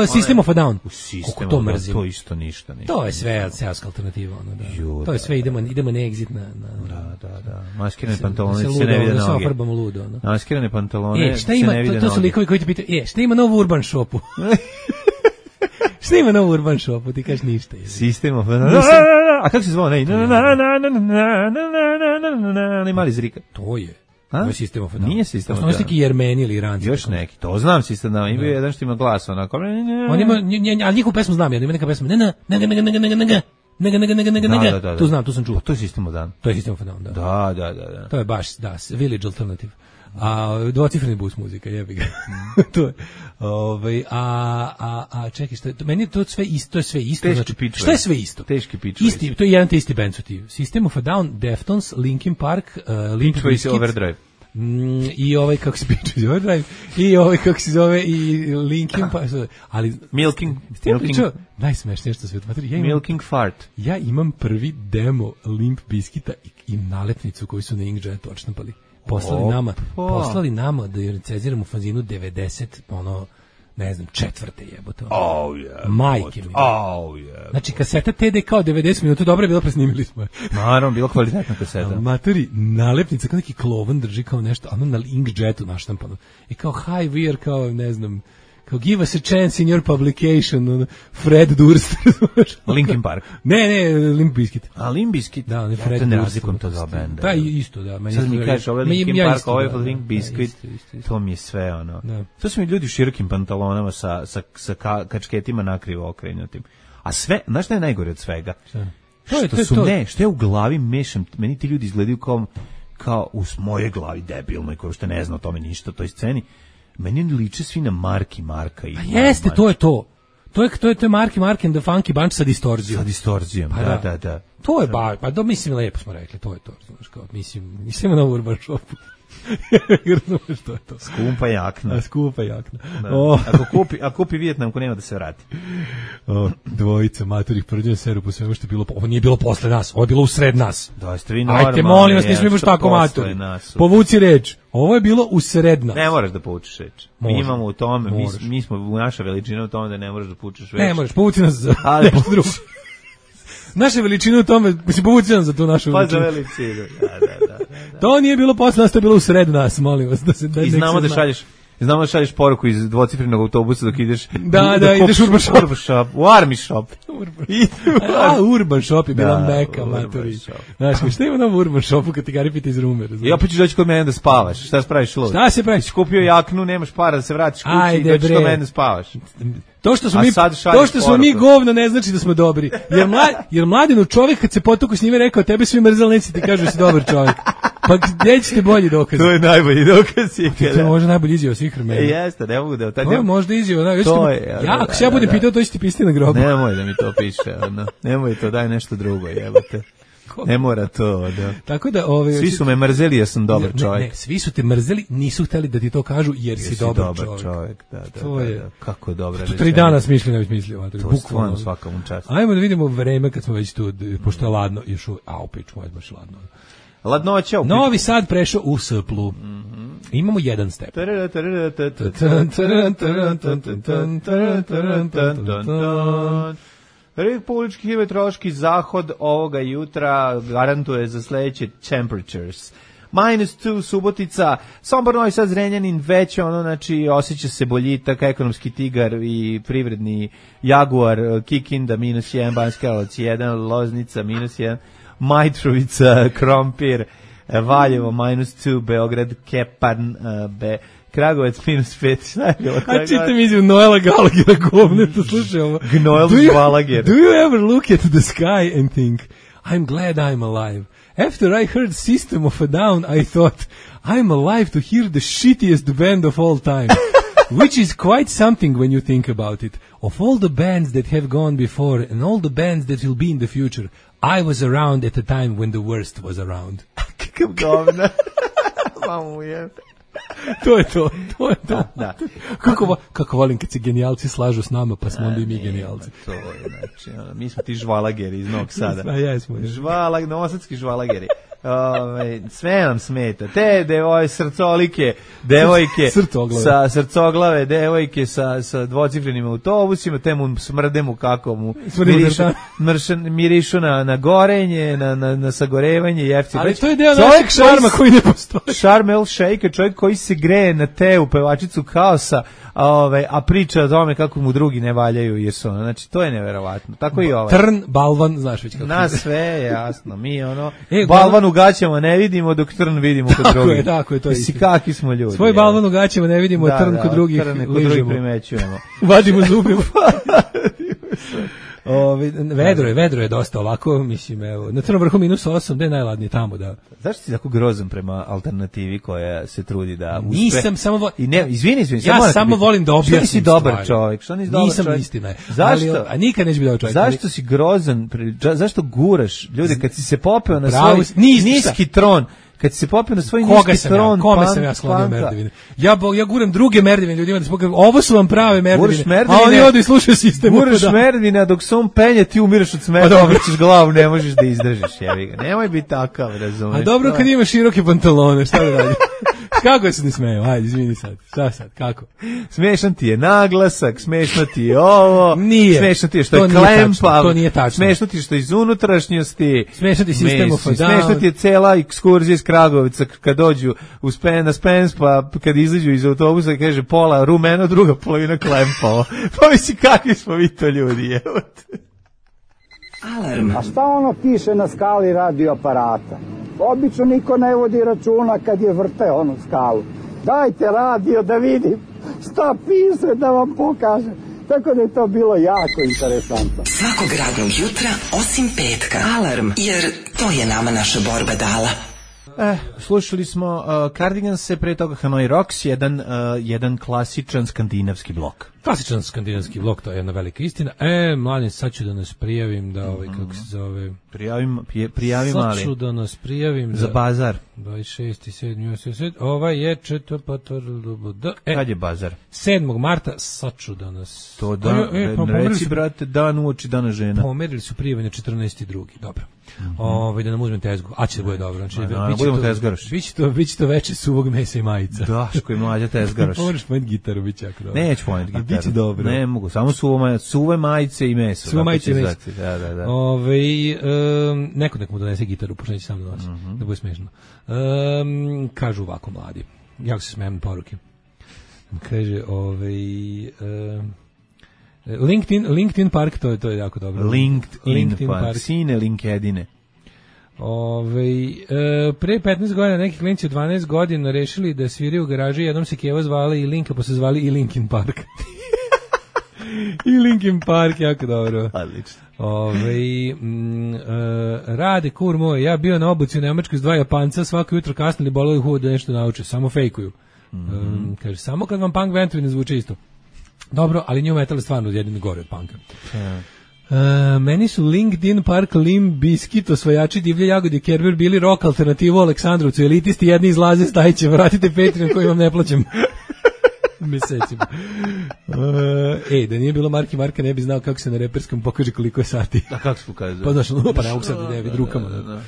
System of a Down. Kako to mrzim. To isto ništa. To je sve seoska alternativa. To je sve, idemo na exit na... Da. Maskirane pantalone se ne vide noge. Maskirane pantalone se ne vide noge. To su likovi koji ti pitaju, šta ima novu Urban Shopu? Šta ima novu Urban Shopu? Ti kažeš ništa. System of a Down. A kako se zvao? Ne mali zrika. To je. System of a Down. Nije System of a Down. Ono neki Jermeni ili Iranci. Još neki, to znam System of a Down. Ima jedan što ima glas, onako. On ima, ali njihovu pesmu znam, ima neka pesma. Tu znam, tu sam čuo. To je System of a Down. To je System of a Down, da. Da. To je baš, da, Village Alternative. A dvocifreni bus muzika, jebi ga. To je. Čekaj, šta je? Meni je to sve isto, to je sve isto. Znači, šta je sve isto? Teški pičve. Isti, to je jedan te isti band su ti. System of a Down, Deftones, Linkin Park, Limp Bizkit. Overdrive. I ovaj kako se piče Overdrive i ovaj kako se zove i Linkin Park, ali Milking najsmešnije što sve Milking Fart. Ja imam prvi demo Limp Bizkita i nalepnicu koju su na Inkjet odštampali. Poslali nama da je recenziramo u fanzinu 90, ne znam, četvrte jebote. Majke mi. Znači, kaseta TD kao 90 minuta, dobro je bilo, presnimili smo. Naravno, bilo kvalitetna kaseta. Matori, nalepnica, kao neki klovan drži kao nešto, ono na Inkjetu naštampano. I kao, hi, we are, kao, ne znam, kao, give us a chance in your publication, Fred Durst. Linkin Park. Ne, Limp Bizkit. A Limp Bizkit? Da, on je Fred Durst. Ja to ne razlikom to dva benda. Da, isto, da. Sad mi kažeš, ovo je Linkin Park, ovo je Limp Bizkit, to mi je sve, To su mi ljudi u širokim pantalonama sa kačketima nakrivo okrenutim. A sve, znaš šta je najgore od svega? Što je u glavi mešam, meni ti ljudi izgledaju kao u moje glavi debilnoj, koji što ne zna o tome ništa, o toj sceni. Meni liče svi na Marka i... Pa jeste, to je to. To je Mark and the Funky Bunch sa distorzijom. Sa distorzijom, da. To je mislim, lepo smo rekli, to je to. Znaš, kao, mislim, nisam na Urban Shopu. Razumeš što je to? Skupa jakna. Skupa jakna. Da. O. Ako kupi Vijetnamku, nema da se vrati. O, dvojica maturih prđena seru po svemu što je bilo. Ovo nije bilo posle nas, ovo je bilo usred nas. Da, ste vi normalni. Ajte, molim vas, nismo baš tako maturi. Povuci reč. Ovo je bilo usred nas. Ne moraš da povučeš reč. Mi imamo u tome, mi smo u naša veličina u tome da ne moraš da povučeš reč. Ne možeš, povuci nas za nešto drugo. Naša veličina u tome, mislim, povuci nam za tu našu veličinu. Pa za veličinu, da. To nije bilo posle nas, to je bilo usred nas, molim vas. I znamo da šalješ poruku iz dvocifrenog autobusa dok ideš... Da, ideš Urban Shop. U Army Shop. Urban Shop je bila meka, maturi. Znaš, šta ima nam u Urban Shopu kad ti gari pita iz rume? I opet ćeš doći kod mene da spavaš. Šta spraviš lud? Šta se praviš? Kupio jaknu, nemaš para da se vratiš kući i doćiš kod mene da spavaš. To što smo mi govno ne znači da smo dobri. Jer Mladenu čovjek kad se potuku s njime rekao tebe svi mrzali, neće ti kažu da si dobar čovjek. Pa gdje ćete bolji dokaz? To je najbolji dokaz. To je možda najbolji izjava svih vremena. Jeste, ne mogu da... To je možda izjava. Ako se ja budem pitao, to će ti pisati na grobu. Nemoj da mi to piše. Nemoj to, daj nešto drugo, jebote. Ne mora to, da. Tako da, svi su me mrzeli jer sam dobar čovjek. Ne, svi su te mrzeli, nisu hteli da ti to kažu jer si dobar čovjek. Da. Kako dobra rečenica. 3 dana smišljeno ne bi smislio. Bukvalno svaka mu čast. Ajmo da vidimo vreme kad smo već tu, pošto je ladno, još opet ćemo baš ladno. Ladnoća. Novi Sad prešao u Splju. Imamo 1 stepen. Republički hidrometeorološki zahod ovoga jutra garantuje za sledeće temperatures. -2 Subotica, Sombor, Novi Sad, Zrenjanin, već znači osjeća se boljitak, ekonomski tigar i privredni Jaguar, Kikinda -1, Banjska Karlovac 1, Loznica -1, Majtrovica, Krompir, Valjevo -2, Beograd, Kepan, Kragovec -5, šta je bilo? A čitam izjavu Noela Gallaghera, govneto, slušaj ovo. Gnoel Gallagher. Do you ever look at the sky and think, I'm glad I'm alive? After I heard System of a Down, I thought, I'm alive to hear the shittiest band of all time. Which is quite something when you think about it. Of all the bands that have gone before and all the bands that will be in the future, I was around at a time when the worst was around. Kakav govna. Mamu je. To je to. Da. Kako volim kad se genijalci slažu s nama, pa smo onda i mi genijalci. To je, znači, mi smo ti žvalageri iz Novog Sada. Jesmo. Novosadski žvalageri. Sve nam smeta. Te srcolike, devojke sa srcoglave, devojke sa dvocifrenim autobusima, te mu smrdemu kako mu mirišu na gorenje, na sagorevanje, jefti. Ali to je deo našeg šarma koji ne postoji. Šarm El Sheikh, čovjek koji se greje na te u pevačicu Kaosa, a priča o tome kako mu drugi ne valjaju jer su ono, znači to je neverovatno. Tako i ovaj. Trn, balvan, znaš već kako. Na sve je jasno. Mi balvan u gaćama ne vidimo dok trn vidimo kod drugih. Tako je, to je. Kakvi smo ljudi. Svoj balvan u gaćama ne vidimo, trn kod drugih ližemo. Primećujemo. Vadimo zubima. Vedro je dosta ovako, mislim, evo, na Crnom vrhu -8, gde je najladnije tamo, da. Zašto si tako grozan prema alternativi koja se trudi da uspe? Nisam samo izvini. Ja samo volim da objasnim. Što nisi dobar čovjek? Nisam, istina je. Zašto? A nikad neće biti dobar čovjek. Zašto si grozan? Zašto guraš ljude kad si se popeo na svoj niski tron? Kad se popio na svoj niski tron, kome sam ja sklonio merdevine? Ja guram druge merdevine ljudima da se pokažu, ovo su vam prave merdevine, a oni odu i slušaju sistem. Guraš merdevine, a dok se on penje, ti umiraš od smeta, obrćeš glavu, ne možeš da izdržiš, jebi ga. Nemoj biti takav, razumeš. A dobro kad imaš široke pantalone, šta da radi? Kako se ne smeju? Ajde, izvini sad. Šta sad? Kako? Smešan ti je naglasak, smešno ti je ovo. Nije. Smešno ti je što je klempav. To nije tačno. Smešno ti je što je iz unutrašnjosti. Smešno ti je sistem of a down. Smešno ti je cela ekskurzija iz Kragovica kad dođu na Spens, pa kad izađu iz autobusa kaže pola rumeno, druga polovina klempavo. Pa misli kakvi smo vi to ljudi, evo te. Alarm. A šta ono piše na skali radioaparata? Obično niko ne vodi računa kad je vrte onu skalu. Dajte radio da vidim šta piše da vam pokažem. Tako da je to bilo jako interesantno. Svakog radnog jutra osim petka. Alarm. Jer to je nama naša borba dala. Slušali smo Cardiganse, pre toga Hanoi Rocks, jedan klasičan skandinavski blok. Klasičan skandinavski vlog, to je jedna velika istina. Mladen, sad ću da nas prijavim da kako se zove... Prijavi mali. Sad ću da nas prijavim za bazar. 26.7. Ovaj je Kad je bazar? 7. marta, sad ću da nas... To reci, brate, dan uoči dana žena. Pomerili su prijave na 14.2. Dobro. Da nam uzmem tezgu. A će da bude dobro. Znači, budemo tezgaroš. Biće to veče suvog mesa i majica. Daško i mlađa tezgaroš. Moraš pojeti gitaru, bit će jako dobro. Neću pojeti gitaru. Biće dobro. Ne mogu, samo suve majice i meso. Suve majice i meso. Da. Neko mu donese gitaru, pošto neće sam da nosi. Da bude smešno. Kažu ovako mladi. Jako se smijem poruke. Kaže, LinkedIn Park, to je jako dobro. LinkedIn Park, sine LinkedIne. Pre 15 godina neki klinci od 12 godina rešili da sviraju u garaži, jednom se Keva zvala i Linka, pa se zvali i Linkin Park. I Linkin Park, jako dobro. Odlično. Rade, kur moj, ja bio na obuci u Nemačkoj s 2 Japanca, svako jutro kasno li boleli huvod da nešto nauče, samo fejkuju. Kaže, samo kad vam punk ventovi ne zvuče isto. Dobro, ali new metal je stvarno jedino gore od punka. Meni su LinkedIn Park, Limp Bizkit, osvajači divlje jagode, Kerber bili rock alternativu Aleksandrovcu, elitisti jedni izlaze, stajiće, vratite Patreon koji vam ne plaćam. Mesecima. Da nije bilo Marki Marka, ne bi znao kako se na reperskom pokaže koliko je sati. A kako se pokazuje? Pa znaš, pa ne mogu sad da nevid rukama. Da.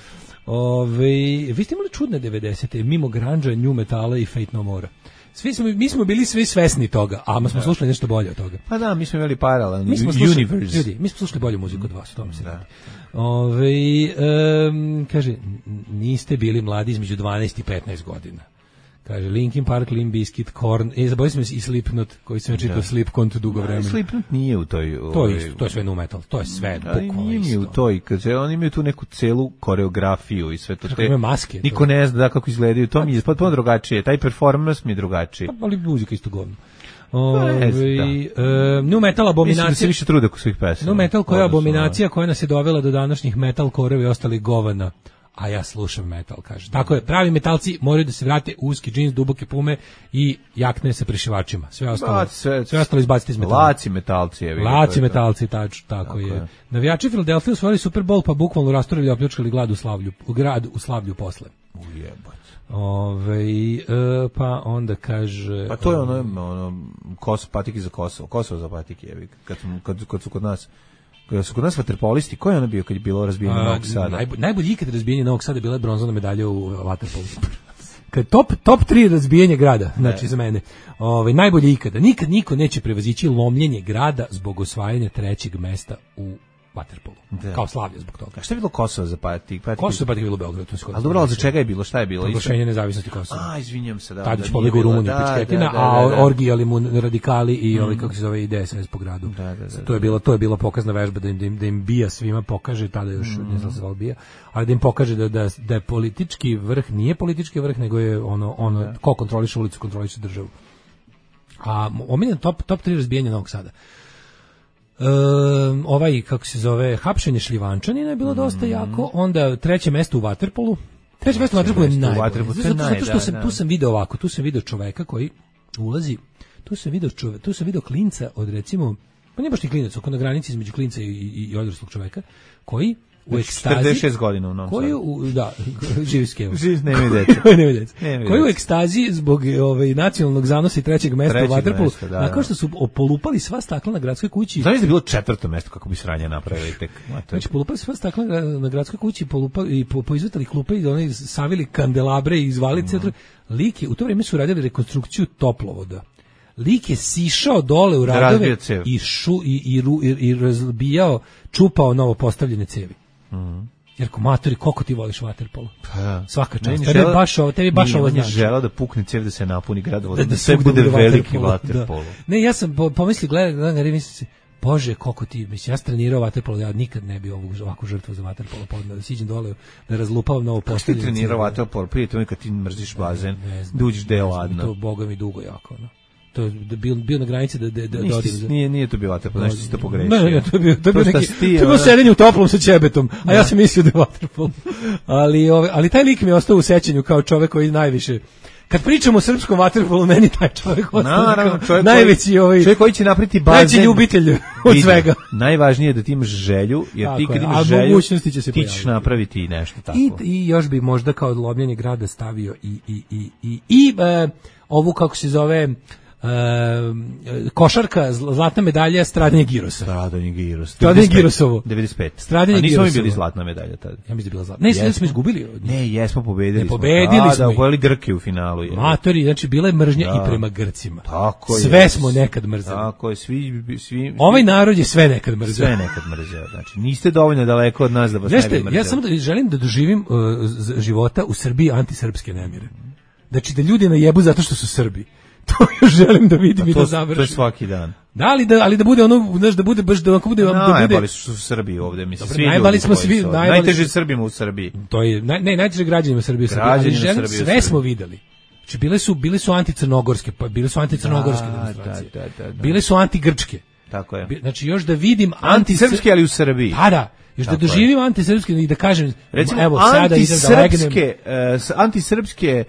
Vi ste imali čudne 90. mimo grunge, new metala i Fate No More. Mi smo bili svi svesni toga, a smo slušali nešto bolje od toga. Pa da, mi smo imali paralelni universe. Ljudi, mi smo slušali bolju muziku od vas, o tome se radi. Kaže, niste bili mladi između 12 i 15 godina. Kaže, Linkin Park, Limp Bizkit, Korn, zabavili smo se i Slipknot, koji sam čitao Slipknot dugo vremena. Slipknot nije u toj... To je sve nu metal, to je sve bukvalno isto. Nije u toj, kaže, oni imaju tu neku celu koreografiju i sve to. Kako imaju maske. Niko ne zna kako izgledaju, to mi je potpuno drugačije, taj performance mi je drugačiji. Ali muzika isto govno. Nu metal abominacija. Mislim da se više trude oko svih pesama. Nu metal koja je abominacija koja nas je dovela do današnjih metal koreva i ostali govana. A ja slušam metal, kaže. Tako je, pravi metalci moraju da se vrate u uski džins, duboke pume i jakne sa prišivačima. Sve ostalo izbaciti iz metala. Laci metalci. Laci metalci, tako je. Navijači Filadelfije osvojili Super Bowl, pa bukvalno rasturili i opljačkali grad u Slavlju posle. Ujebać. Pa onda kaže... Pa to je ono patiki za Kosovo za patiki, kad su kod nas... Kada su kod nas vaterpolisti, ko je ono bio kad je bilo razbijanje Novog Sada? Najbolji ikad razbijanje Novog Sada bila je bronzana medalja u vaterpolu. Kad top 3 razbijanje grada, znači za mene. Najbolji ikada. Nikad niko neće prevazići lomljenje grada zbog osvajanja 3. mesta u vaterpolu. Kao Slavlja zbog toga. A šta je bilo Kosovo za patiki? Kosovo za patiki je bilo u Beogradu. Ali dobro, za čega je bilo? Šta je bilo? Proglašenje nezavisnosti Kosova. Izvinjam se. Tadić pobegao u Rumuniju, pičketina, a orgijali mu radikali i kako se zove DSS po gradu. To je bilo pokazna vežba da im bija svima pokaže, tada još ne znam se zvao bija, ali da im pokaže da je politički vrh, nije politički vrh, nego je ono ko kontroliše ulicu, kontroliše državu. A omiljen top 3 razbijanja Novog Sada. Kako se zove, hapšenje Šljivančanina je bilo dosta jako, onda 3. mesto u vaterpolu. 3. mesto u vaterpolu je najbolje. Zato što tu sam video ovako, tu sam video čoveka koji ulazi, tu sam video klinca od recimo, pa nije baš ni klinac, oko na granici između klinca i odraslog čoveka, koji u ekstazi 46 godina u Novom Sadu. Da, živi skevo. Nema deca. Koji u ekstazi zbog nacionalnog zanosa i 3. mesta u vaterpolu, nakon što su polupali sva stakla na gradskoj kući. Znaš da je bilo 4. mesto kako bi sranje napravili tek. Znači polupali sva stakla na gradskoj kući, i poizvetali klupe i oni savili kandelabre i izvali centar. Lik je, u to vrijeme su radili rekonstrukciju toplovoda. Lik je sišao dole u radove i razbijao, čupao novo postavljene cevi. Jer matori, koliko ti voliš vaterpolo? Svaka čast. Tebi baš ovo znači. Želao da pukne cev da se napuni gradovod, da sve bude veliki vaterpolo. Ne, ja sam pomislio, gledam, mislim se, Bože, koliko ti, mislim, ja sam trenirao vaterpolo, ja nikad ne bi ovakvu žrtvu za vaterpolo podneo, da siđem dole, da razlupavam novo postavljanje. Kako ti trenirao vaterpolo? Prije to kad ti mrziš bazen, da uđeš da je ladno. To Boga mi dugo jako, no. To je bio na granici da nije to bio vaterpolo, nešto si to pogrešio. Ne, to je bilo sedenje u toplom sa ćebetom, a ja sam mislio da je vaterpolo. Ali taj lik mi je ostao u sećanju kao čovek koji najviše, kad pričamo o srpskom vaterpolu, meni taj čovjek Naravno, čovjek najveći čovjek koji će napraviti bazen. Najveći ljubitelj od svega. Najvažnije je da ti imaš želju, jer tako ti kad je, imaš želju, ti ćeš pojaviti. napraviti nešto tako. I još bi možda kao lomljenje grada stavio ovu, kako se zove, košarka, zlatna medalja, stradanje Girosa. Stradanje Girosovo. 95. Stradanje Girosovo. A nismo mi Girosovo. bili zlatna medalja tada. Ja mislim da je bila zlatna. Ne, smo izgubili. Ne, jesmo pobedili. Ne, pobedili smo. Da, pojeli Grke u finalu. Matori, znači bila je mržnja i prema Grcima. Tako je. Sve smo nekad mrzeli. Tako je, svi. Ovaj narod je sve nekad mrzeo. Sve nekad mrzeo. Znači, niste dovoljno daleko od nas da vas ne bi mrzeo. Ja samo želim da doživim života u Srbiji antisrpske nemire. Znači da ljudi najebu zato što su Srbi. To još želim da vidim i da završim. To je svaki dan. Da, ali da bude ono, znaš, da bude baš da bude najbali su u Srbiji ovde, mislim. Dobro, najbali smo svi, najteže Srbima u Srbiji. To je najteže građanima u Srbiji. Sve smo videli. Znači bile su anticrnogorske, pa bile su anticrnogorske demonstracije. Bile su antigrčke. Tako je. Znači još da vidim antisrpske, ali u Srbiji. Da. Još da doživim antisrpske i da kažem, recimo, evo sada idem da legnem. Antisrpske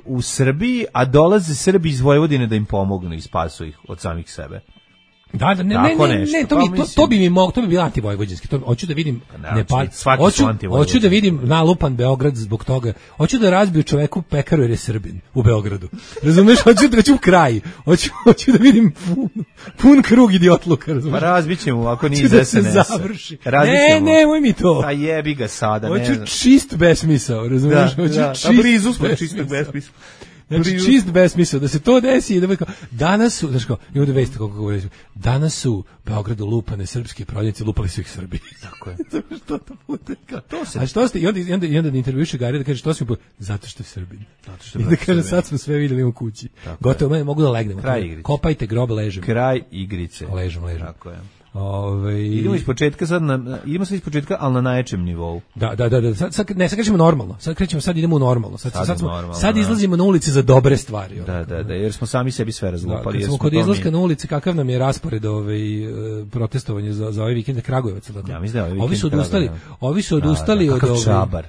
u Srbiji, a dolaze Srbi iz Vojvodine da im pomognu i spasu ih od samih sebe. Da, to bi bilo antivojvođanski. To hoću da vidim Nepal. Hoću da vidim nalupan Beograd zbog toga. Hoću da razbiju čoveku pekaru jer je Srbin u Beogradu. Razumeš? Hoću da reću kraj. Hoću da vidim pun krug idiotluka, razumeš? Pa razbićemo ako nije iz SNS-a. Završi. Nemoj mi to. Pa jebi ga sada. Hoću čist besmisao, razumeš? Hoću čist. Blizu smo čistog besmisla. Znači čist besmisao, da se to desi i da kao, danas su, znači kao, imamo da veste kako govorim, danas su u Beogradu lupane srpske prodavnice, lupali su ih Srbi. Tako je. Što to bude? A što ste, i onda da intervjuše Gari da kaže što si zato što je Srbin. I da kaže sad smo sve vidjeli u kući. Gotovo, mene mogu da legnem. Kopajte grob, ležem. Kraj igrice. Ležem. Tako je. Idemo iz početka idemo sad iz početka, ali na najjačem nivou. Da. Sad krećemo normalno. Sad idemo u normalno. Sad izlazimo na ulice za dobre stvari. Da, jer smo sami sebi sve razlupali. Kad smo kod izlaska na ulice, kakav nam je raspored protestovanja za ovaj vikend Kragujevac? Ja mislim da ovi su odustali od Čabar.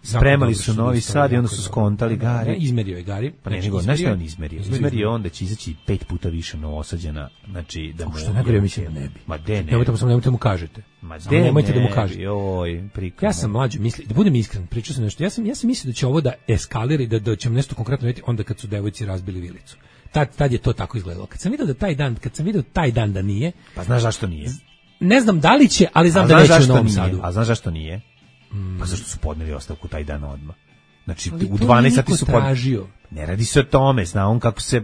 Spremali su Novi Sad i onda su skontali Gari. Izmerio je Gari. Pa znaš šta on izmerio? Izmerio on da će izaći 5 puta više Novosađana. Znači, da mu... Što najbolje mislim da ne bi. Ma de ne. Nemojte mu kažete. Nemojte da mu kažete. Ja sam mlađi, da budem iskren, pričao sam nešto. Ja sam mislio da će ovo da eskalira i da ćemo nešto konkretno vidjeti onda kad su devojci razbili vilicu. Tad je to tako izgledalo. Kad sam vidio taj dan da nije... Pa znaš zašto nije? Ne znam da li će, ali znam da neće u Novom Sadu. A znaš zašto nije? Pa zašto su podneli ostavku taj dan odmah? Znači u 12 sati su tražio. Ne radi se o tome, zna on kako se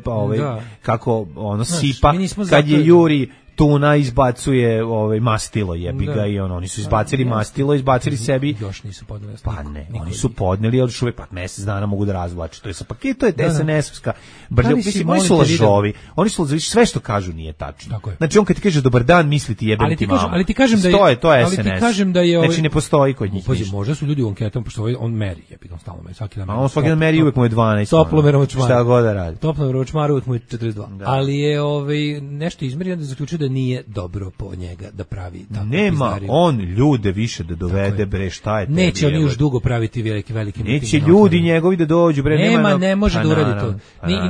kako ono sipa kad je Juri Tuna izbacuje mastilo, jebi ga, i oni su izbacili mastilo, izbacili sebi. Još nisu podneli. Pa ne, oni su podneli, ali uvek mjesec dana mogu da razvlače. To je sa paketu, je SNS-ovska brlja. Mislim, oni su lažovi. Oni su lažovi, sve što kažu nije tačno. Znači on kad ti kaže dobar dan, misli ti jebem ti mamu. Ali ti kažem da je to je SNS. Ali ti kažem da je znači ne postoji kod njih. Možda su ljudi u anketama, pošto on meri, jebi ga, stalno meri, svaki dan. A on svaki dan meri, uvek mu je 12. Toplomerom čmar. Šta god da radi. Toplomerom čmar, uvek mu je 42. Ali je nešto izmerio, da zaključio da nije dobro po njega da pravi tako. Nema on ljude više da dovede, bre, šta je tebi? Neće on još dugo praviti velike neće ljudi njegovi da dođu, bre, ne može da uradi to.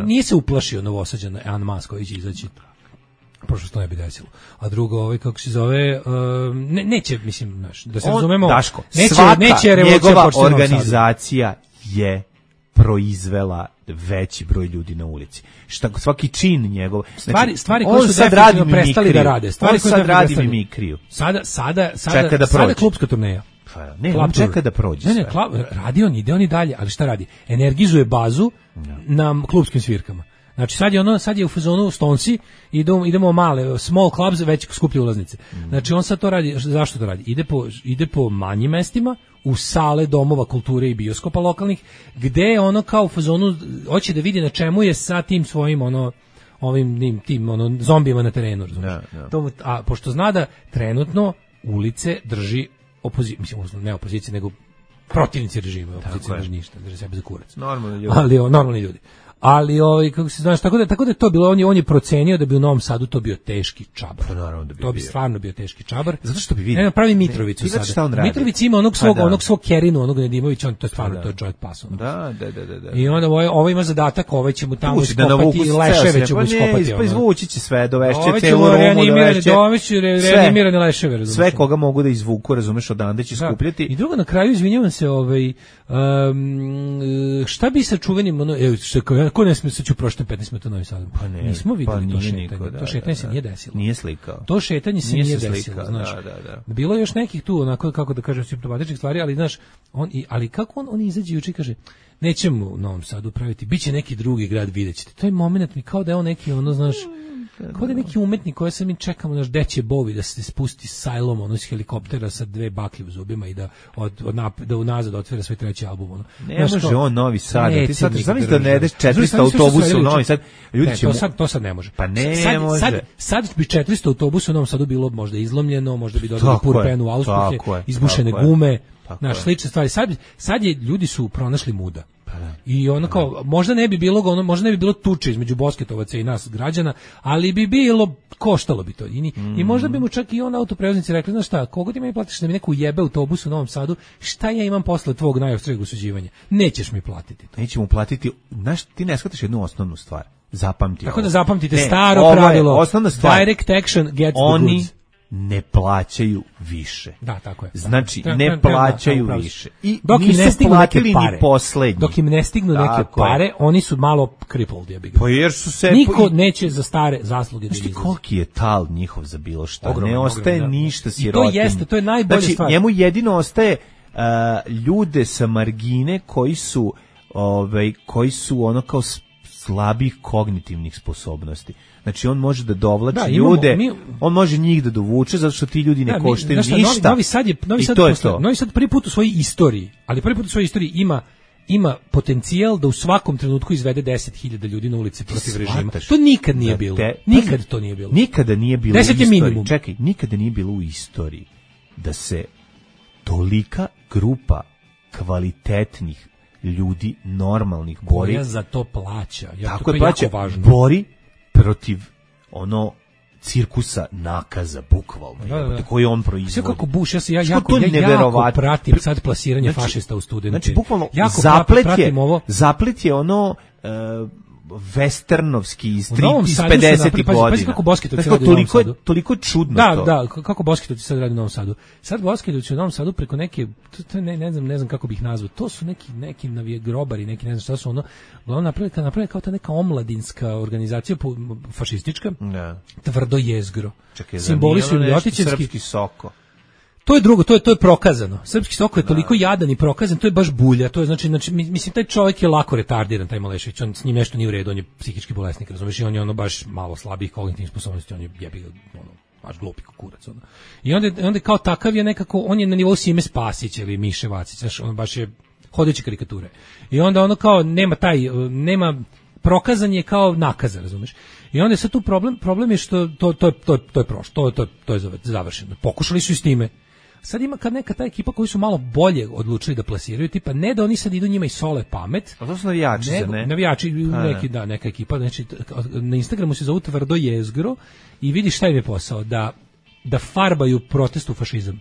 Nije se uplašio Novosađana An Mas koji će izaći. Pošto se to ne bi desilo. A drugo, kako se zove, neće, mislim, da se razumemo, Daško, neće njegova organizacija je proizvela veći broj ljudi na ulici. Svaki čin njegov. Stvari koje su definitivno prestali da rade. On sad radi mimikriju. Sada klubska turneja. Ne, on čeka da prođe. Ne, radi on, ide on i dalje, ali šta radi? Energizuje bazu na klubskim svirkama. Znači sad je u fazonu Stonci, idemo male, small clubs, već skuplje ulaznice. Znači on sad to radi, zašto to radi? Ide po manjim mestima, u sale domova kulture i bioskopa lokalnih, gde ono kao u fazonu hoće da vidi na čemu je sa tim svojim tim zombijima na terenu, a pošto zna da trenutno ulice drži ne opozicija, nego protivnici režima, opozicija ne drži ništa, drži sebe za kurac. Normalni ljudi. Ali normalni ljudi. Ali kako se znaš, tako da je to bilo, on je procenio da bi u Novom Sadu to bio teški čabar. Pa naravno da bi to bi stvarno bio teški čabar. Zato što bi vidio. Ne, pravi Mitrovicu sada. Mitrović ima onog svog Kerinu, onog Nedimovića, on to je stvarno, to je čovjek paso. Da. I onda ovo ima zadatak, ovaj će mu tamo iskopati i leševe će mu iskopati. Pa izvući će sve, dovešće celu Romu, dovešće reanimirane leševe, razumiješ. Sve koga mogu da izvuku, razumeš, odande će skupljati. I drugo, na kraju, izvinjavam se, šta bi sa čuvenim, ko ne smije se ću prošli 15 minuta Novi Sad? Pa ne, nismo videli to šetanje. Niko, to šetanje se nije desilo. Nije slikao. To šetanje se nije desilo, znaš. Da. Bilo je još nekih tu, onako, kako da kažem, simptomatičnih stvari, ali znaš, ali kako on izađe juče i kaže, nećemo u Novom Sadu praviti, biće neki drugi grad, videćete. To je moment mi kao da je on neki, znaš, kao da je neki umetnik koji se mi čekamo, naš deće bovi da se spusti sajlom, iz helikoptera sa 2 baklje u zubima i da unazad otvara svoj 3. album. Ne može on Novi Sad. Ti sad zamisli da ne ideš 400 autobusa u Novi Sad. Ljudi će to sad ne može. Pa ne može. Sad bi 400 autobusa u Novom Sadu bilo možda izlomljeno, možda bi dodali purpenu auspuhe, izbušene gume, naš slične stvari. Sad ljudi su pronašli muda. I ono kao, možda ne bi bilo tuče između bosketovaca i nas građana, ali bi bilo, koštalo bi to. I možda bi mu čak i on autoprevoznici rekli, znaš šta, kogo ti meni platiš da mi neku jebe autobus u Novom Sadu, šta ja imam posle tvog najoštrijeg osuđivanja? Nećeš mi platiti to. Nećemo platiti, znaš, ti ne shvataš jednu osnovnu stvar. Zapamti. Tako da zapamtite staro pravilo. Osnovna stvar. Direct action gets the goods. Ne plaćaju više. Da, tako je. Znači, ne plaćaju više. I dok im ne stignu neke pare, ni poslednji. Dok im ne stignu neke pare, oni su malo crippled, ja bih ga. Pa jer su se... Niko neće za stare zasluge da izlazi. Koliki je tal njihov za bilo šta? Ogromno, ne ostaje ništa sirotinji. I to jeste, to je najbolja stvar. Znači, njemu jedino ostaje ljude sa margine koji su ono kao slabih kognitivnih sposobnosti. Znači on može da dovlači ljude, on može njih da dovuče zato što ti ljudi ne koštaju ništa. Novi Sad prvi put u svojoj istoriji, ali prvi put u svojoj istoriji ima potencijal da u svakom trenutku izvede 10.000 ljudi na ulici protiv režima. To nikad nije bilo. Nikad to nije bilo. Nikada nije bilo 10 u istoriji. Minimum. Čekaj, nikada nije bilo u istoriji da se tolika grupa kvalitetnih ljudi, normalnih bori. Koja za to plaća. Tako je plaća. Bori protiv cirkusa nakaza, bukvalno. Koji on proizvodi. Sve kako buš, ja jako pratim sad plasiranje fašista u studenti. Znači, bukvalno, zaplet je westernovski iz 50-ih godina. Pazi kako Bosketović radi u Novom Sadu. Toliko čudno to. Da, kako Bosketović sad radi u Novom Sadu. Sad Bosketović u Novom Sadu preko neke, ne znam kako bih ih nazvao, to su neki grobari, neki ne znam šta su napravili kao ta neka omladinska organizacija fašistička, tvrdo jezgro. Simboli su ljotićevski. Srpski Soko. To je drugo, to je prokazano. Srpski Soko je toliko jadan i prokazan, to je baš bulja. To je znači mislim taj čovjek je lako retardiran, taj Malešević, on s njim nešto nije u redu, on je psihički bolesnik, razumiješ, i on je baš malo slabih kognitivnih sposobnosti, on je jebi baš glupi kurac. I onda kao takav je nekako, on je na nivou Sime Spasića ili Miše Vacić, znaš, on baš je hodeće karikature. I onda kao nema prokazan je kao nakazan, razumiješ. I onda je sad tu problem je što to je prošlo, to je završeno. Pokušali su i s time. Sad ima kad neka ta ekipa koji su malo bolje odlučili da plasiraju, tipa ne da oni sad idu njima i sole pamet. A to su navijači, ne? Navijači, neka ekipa, znači na Instagramu se zovu Tvrdo jezgro i vidi šta im je posao, da farbaju protest u fašizam.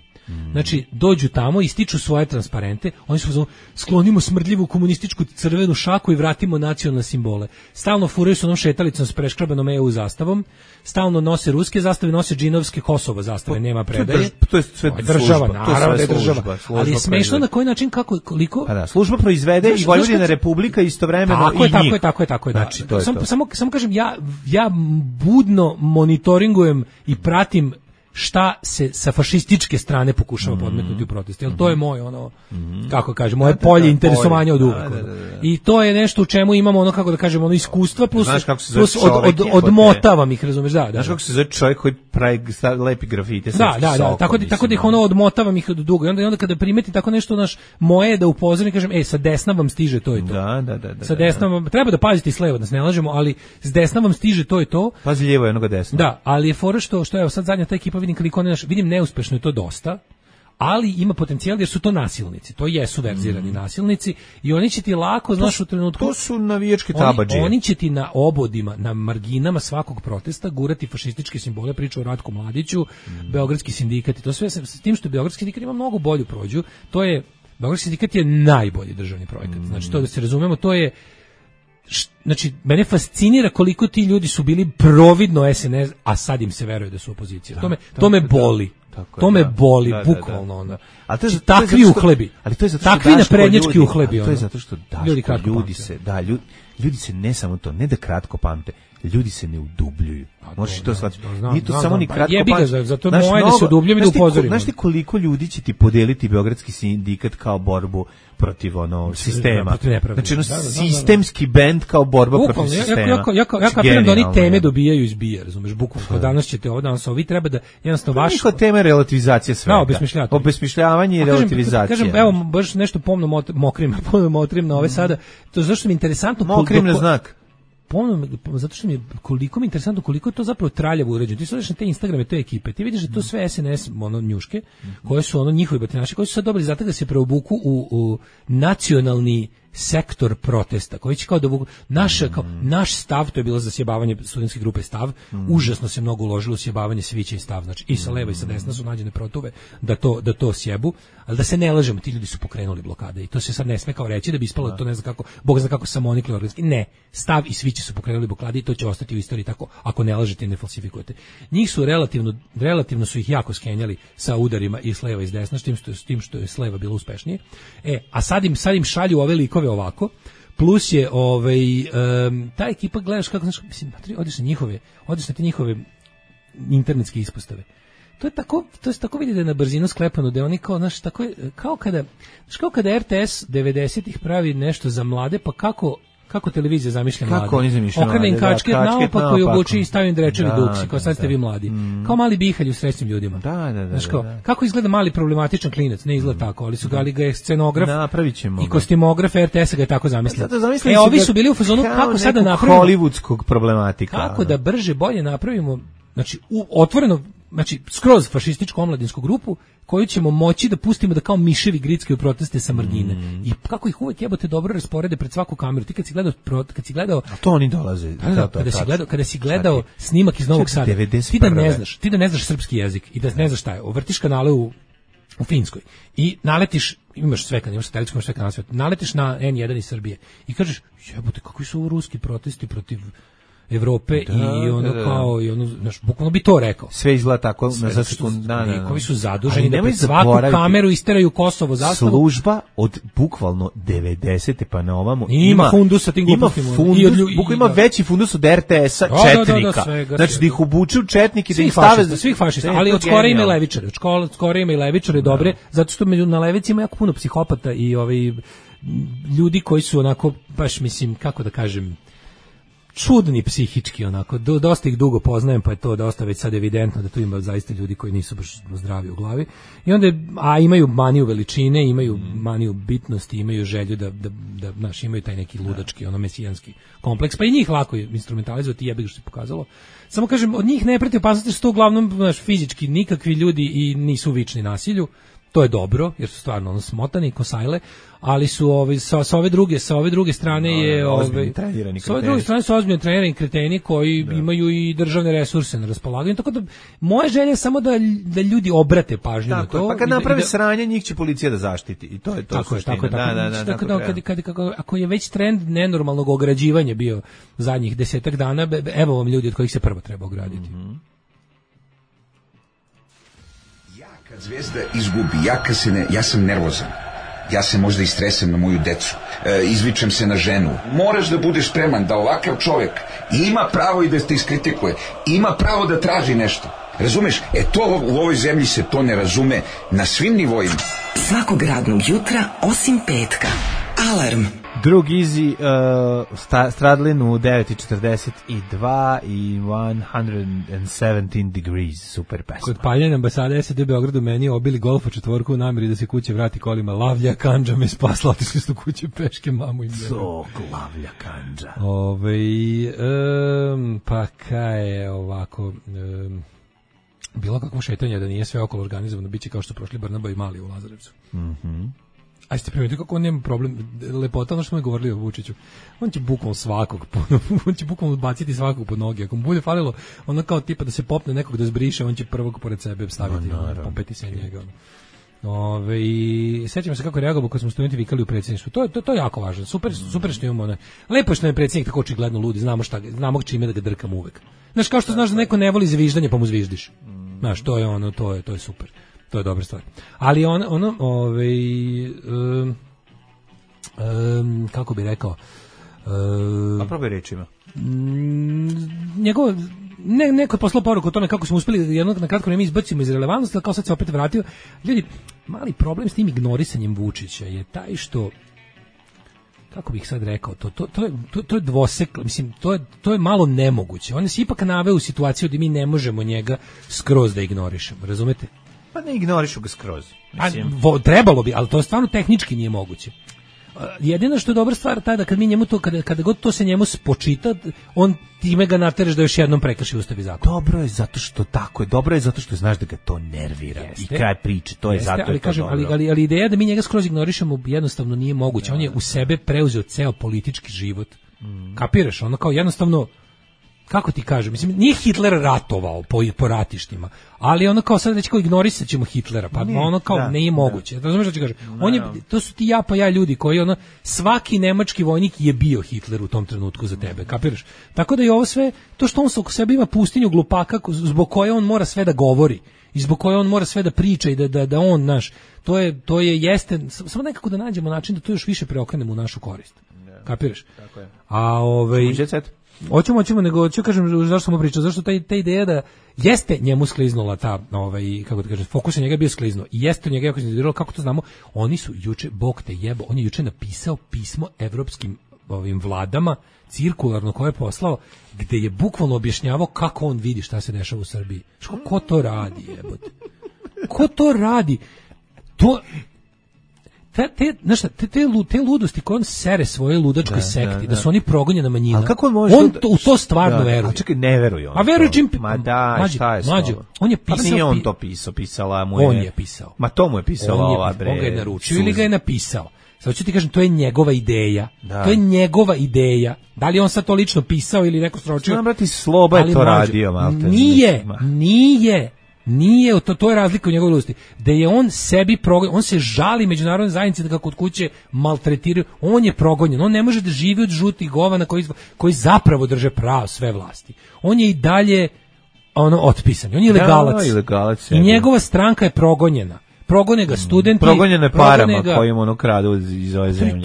Znači, dođu tamo, ističu svoje transparente, oni su sklonimo smrdljivu komunističku crvenu šaku i vratimo nacionalne simbole. Stalno furaju su onom šetalicom s preškrabanom EU zastavom, stalno nose ruske zastave, nose džinovske Kosovo zastave, nema predaje. To je sve država, naravno da je država. Ali je smešno na koji način, koliko... Pa da, služba proizvede i Vojvodina Republika istovremeno i njih. Tako je. Znači, samo kažem, ja budno monitoringujem i pratim šta se sa fašističke strane pokušava podmetnuti u protest. Jer to je moje kako kažem, moje polje interesovanja od uvek. I to je nešto u čemu imamo kako da kažemo, iskustva plus odmotavam ih, razumeš, da. Znaš kako se zove čovjek koji pravi lepi grafite? Da, tako da ih odmotavam ih dugo. I onda kada primeti tako nešto moje da upozorim, kažem, sa desna vam stiže to i to. Da. Sa desna vam, treba da pazite i s leva, da se ne lažemo, ali s desna vam stiže to i to. Pazi lijevo je onoga desna. Da, ali je fora što evo sad zadnja ta ekipa vidim neuspešno je to dosta, ali ima potencijal jer su to nasilnici. To jesu verzirani nasilnici i oni će ti lako, znaš, u trenutku... To su navijačke tabadžije. Oni će ti na obodima, na marginama svakog protesta gurati fašističke simbole, priču o Ratku Mladiću, Beogradski sindikat i to sve, s tim što Beogradski sindikat ima mnogo bolju prođu. To je, Beogradski sindikat je najbolji državni projekat. Znači, to da se razumemo, to je... Znači, mene fascinira koliko ti ljudi su bili providno SNS, a sad im se veruje da su opozicija. To me boli. To me boli, bukvalno ono. Takvi uhlebi. Ali to je zato takvi naprednjački uhlebi. To je zato što ljudi se ne samo to, ne da kratko pamte, ljudi se ne udubljuju. Možeš to shvatiti. Nije to samo ni kratko pamte. Zato moje da se udubljujem i da upozorimo. Znaš ti koliko ljudi će ti podeliti Beogradski sindikat kao borbu protiv sistema. Znači sistemski bend kao borba protiv sistema. Ja kapiram da oni teme dobijaju iz bija, razumeš, bukvalno. Danas ćete ovo, danas ovi treba da jednostavno vaš... Niko teme relativizacija svega. Obesmišljavanje i relativizacija. Kažem, evo, baš nešto pomno motrim na ove sada. To zašto mi je interesantno... Mokrim na znak. Zato što mi je koliko mi je interesantno koliko je to zapravo traljavo urađeno. Ti se odeš na te Instagrame, te ekipe, ti vidiš da to sve SNS njuške, koje su njihovi batinaši, koji su sad dobili zatak da se preobuku u nacionalni sektor protesta, koji će kao da naš stav, to je bilo za sjebavanje studentske grupe stav, užasno se mnogo uložilo u sjebavanje svića i stav, znači i sa leva i sa desna su nađene protuve da to sjebu, ali da se ne lažemo, ti ljudi su pokrenuli blokade i to se sad ne sme kao reći da bi ispalo to ne znam kako, Bog zna kako samo oni organski, ne, stav i svići su pokrenuli blokade i to će ostati u istoriji tako, ako ne lažete i ne falsifikujete. Njih su relativno su ih jako skenjali sa udarima i s leva i s desna, s tim što je s leva bilo uspešnije. A sad im šalju ove likove ovako, plus je ta ekipa, gledaš kako, znaš, mislim, odeš na te njihove internetske ispostave. To se tako vidi da je na brzinu sklepano, da je oni kao, znaš, tako je, kao kada RTS 90-ih pravi nešto za mlade, pa kako televizija zamišlja mlade? Kako oni zamišljaju mlade? Okrene im kačket naopako i obuči i stavim drečevi duksi, kao sad ste vi mladi. Kao mali bihalj u srećnim ljudima. Znaš, kako izgleda mali problematičan klinac? Ne izgleda tako, ali su ga je scenograf i kostimograf RTS-a ga je tako zamislio. Ovi su bili u fazonu kako sad da napravimo hollywoodskog problematika. Kako da brže, bolje napravimo, znači otvoreno, znači skroz fašističku omladinsku grupu koju ćemo moći da pustimo da kao miševi grickaju proteste sa margine. I kako ih uvek jebote dobro rasporede pred svaku kameru. Ti kad si gledao a to oni dolaze. Kada si gledao snimak iz Novog Sada, ti da ne znaš srpski jezik i da ne znaš šta je. Vrtiš kanale u Finskoj i naletiš, imaš sve kanale, imaš satelitsku, imaš sve kanale, naletiš na N1 iz Srbije i kažeš, jebote, kakvi su ovo ruski protesti protiv Evrope i ono kao i ono, znaš, bukvalno bi to rekao. Sve izgleda tako, koji su zaduženi da pred svaku kameru isteraju Kosovo zastavu. Služba od bukvalno 90. pa na ovamo ima fundus sa tim glupostima. Ima veći fundus od RTS-a četnika. Znači da ih obuču četniki, da ih stave svih fašista, ali od skora ima i levičare. Od skora ima i levičare dobre, zato što na levici ima jako puno psihopata i ljudi koji su onako, baš mislim, kako da kažem, čudni psihički, onako, dosta ih dugo poznajem, pa je to dosta već sad evidentno da tu ima zaista ljudi koji nisu baš zdravi u glavi. I onda, a imaju maniju veličine, imaju maniju bitnosti, imaju želju da znaš, imaju taj neki ludački, mesijanski kompleks, pa i njih lako je instrumentalizovati, jebi ga što se pokazalo. Samo kažem, od njih ne preti opasnosti, što su to uglavnom, znaš, fizički nikakvi ljudi i nisu vični nasilju. To je dobro, jer su stvarno smotani, kosajle, ali su sa ove druge strane je sa ove druge strane su ozbiljno trenirani kreteni koji imaju i državne resurse na raspolaganju, tako da moja želja je samo da ljudi obrate pažnju na to. Pa kad naprave sranje, njih će policija da zaštiti i to je to suština. Tako, ako je već trend nenormalnog ograđivanja bio zadnjih 10 dana, evo vam ljudi od kojih se prvo treba ograditi. Kad Zvezda izgubi, ja sam nervozan. Ja se možda istresem na moju decu. Izvičem se na ženu. Moraš da budeš spreman da ovakav čovjek ima pravo i da te iskritikuje. Ima pravo da traži nešto. Razumeš? To u ovoj zemlji se to ne razume na svim nivoima. Svakog radnog jutra, osim petka. Alarm. Drug Easy, Stradlin u 9:42 i 117 degrees, super pesma. Kod paljenja ambasade SAD Beogradu meni obili Golfa četvorku u nameri da se kuće vrati kolima. Lavlja Kandža me spasla, otišli su kuće peške, mamu i mene. Lavlja Kandža. Pa kaj je ovako... bilo kakvo šetanje, da nije sve okolo organizovano, bit će kao što prošli Barnaba i Mali u Lazarevcu. A ste primetili kako on nema problem, lepota, ono što smo govorili o Vučiću, on će bukvalno svakog, on će bukvalno baciti svakog pod noge, ako mu bude falilo, ono kao tipa da se popne nekog da zbriše, on će prvog pored sebe staviti, popeti se njega. I sećam se kako je reagovao kad smo studenti vikali u predsjedništvu. To je jako važno. Super što imamo. Lepo što je predsjednik tako očigledno ludi, znamo čime da ga drkamo uvek. Znaš, kao što znaš da neko ne voli zviždanje, pa mu zviždiš. Znaš, to je super. To je dobra stvar. Ali kako bi rekao, a probaj rečima. Njegov neko je poslao poruku o tome kako smo uspeli jednog na kratko vreme izbacimo iz relevantnosti, ali kao sad se opet vratio. Ljudi, mali problem s tim ignorisanjem Vučića je taj što, kako bih sad rekao, to je dvoseklo, mislim, to je malo nemoguće. On se ipak naveo u situaciju da mi ne možemo njega skroz da ignorišemo, razumete? Pa ne ignorišu ga skroz. Trebalo bi, ali to stvarno tehnički nije moguće. Jedino što je dobra stvar taj da kad mi njemu to, kada god to se njemu spočita, on time ga natereš da još jednom prekrši Ustav i zakon. Dobro je zato što tako je, dobro je zato što znaš da ga to nervira. Jeste, i kraj priče, to je zato ali, je to kažem, dobro. Ali ideja da mi njega skroz ignorišemo jednostavno nije moguće. On je u sebe preuzeo ceo politički život. Kapiraš? Ono kao jednostavno, kako ti kažem, mislim, nije Hitler ratovao po ratištima, ali ono kao sad već kao ignorisat ćemo Hitlera, pa ono kao nije moguće. Razumiješ što ću kažem? To su ti ja ljudi koji svaki nemački vojnik je bio Hitler u tom trenutku za tebe, kapiraš? Tako da i ovo sve, to što on oko sebe ima pustinju glupaka zbog koje on mora sve da govori i zbog koje on mora sve da priča i da on, naš, to je jeste, samo nekako da nađemo način da to još više preokrenemo u našu korist. Kapiraš? Tako je. A Hoćemo, nego ću kažem zašto sam pričao, zašto ta ideja da jeste njemu skliznula ta, kako da kažem, fokus na njega je bio skliznuo i jeste njega jako iznerviralo, kako to znamo, oni su juče, Bog te jebo, on je juče napisao pismo evropskim vladama, cirkularno koje je poslao, gde je bukvalno objašnjavao kako on vidi šta se dešava u Srbiji. Ko to radi, jebote? Ko to radi? Te ludosti koje on sere svoje ludačkoj sekti, da su oni progonjena manjina. Kako on može u to stvarno veruje. A čekaj, ne veruje on. A veruje čim... šta je Mađo, on je pisao... Pa nije on to pisala mu je... On je pisao. Ma to mu je pisala ova bre. On ga je naručio ili ga je napisao. Sad ću ti kažem, to je njegova ideja. To je njegova ideja. Da li on sad to lično pisao ili neko sročio? Znam, brati, Sloba je to radio. Nije, to je razlika u njegovoj ludosti. Da je on sebi progonjen, on se žali međunarodne zajednice da ga kod kuće maltretiraju, on je progonjen, on ne može da živi od žutih govana koji zapravo drže pravo sve vlasti. On je i dalje otpisan, on je ilegalac. I njegova stranka je progonjena. Progone ga studenti, progonjene parama kojim kradu iz ove zemlje.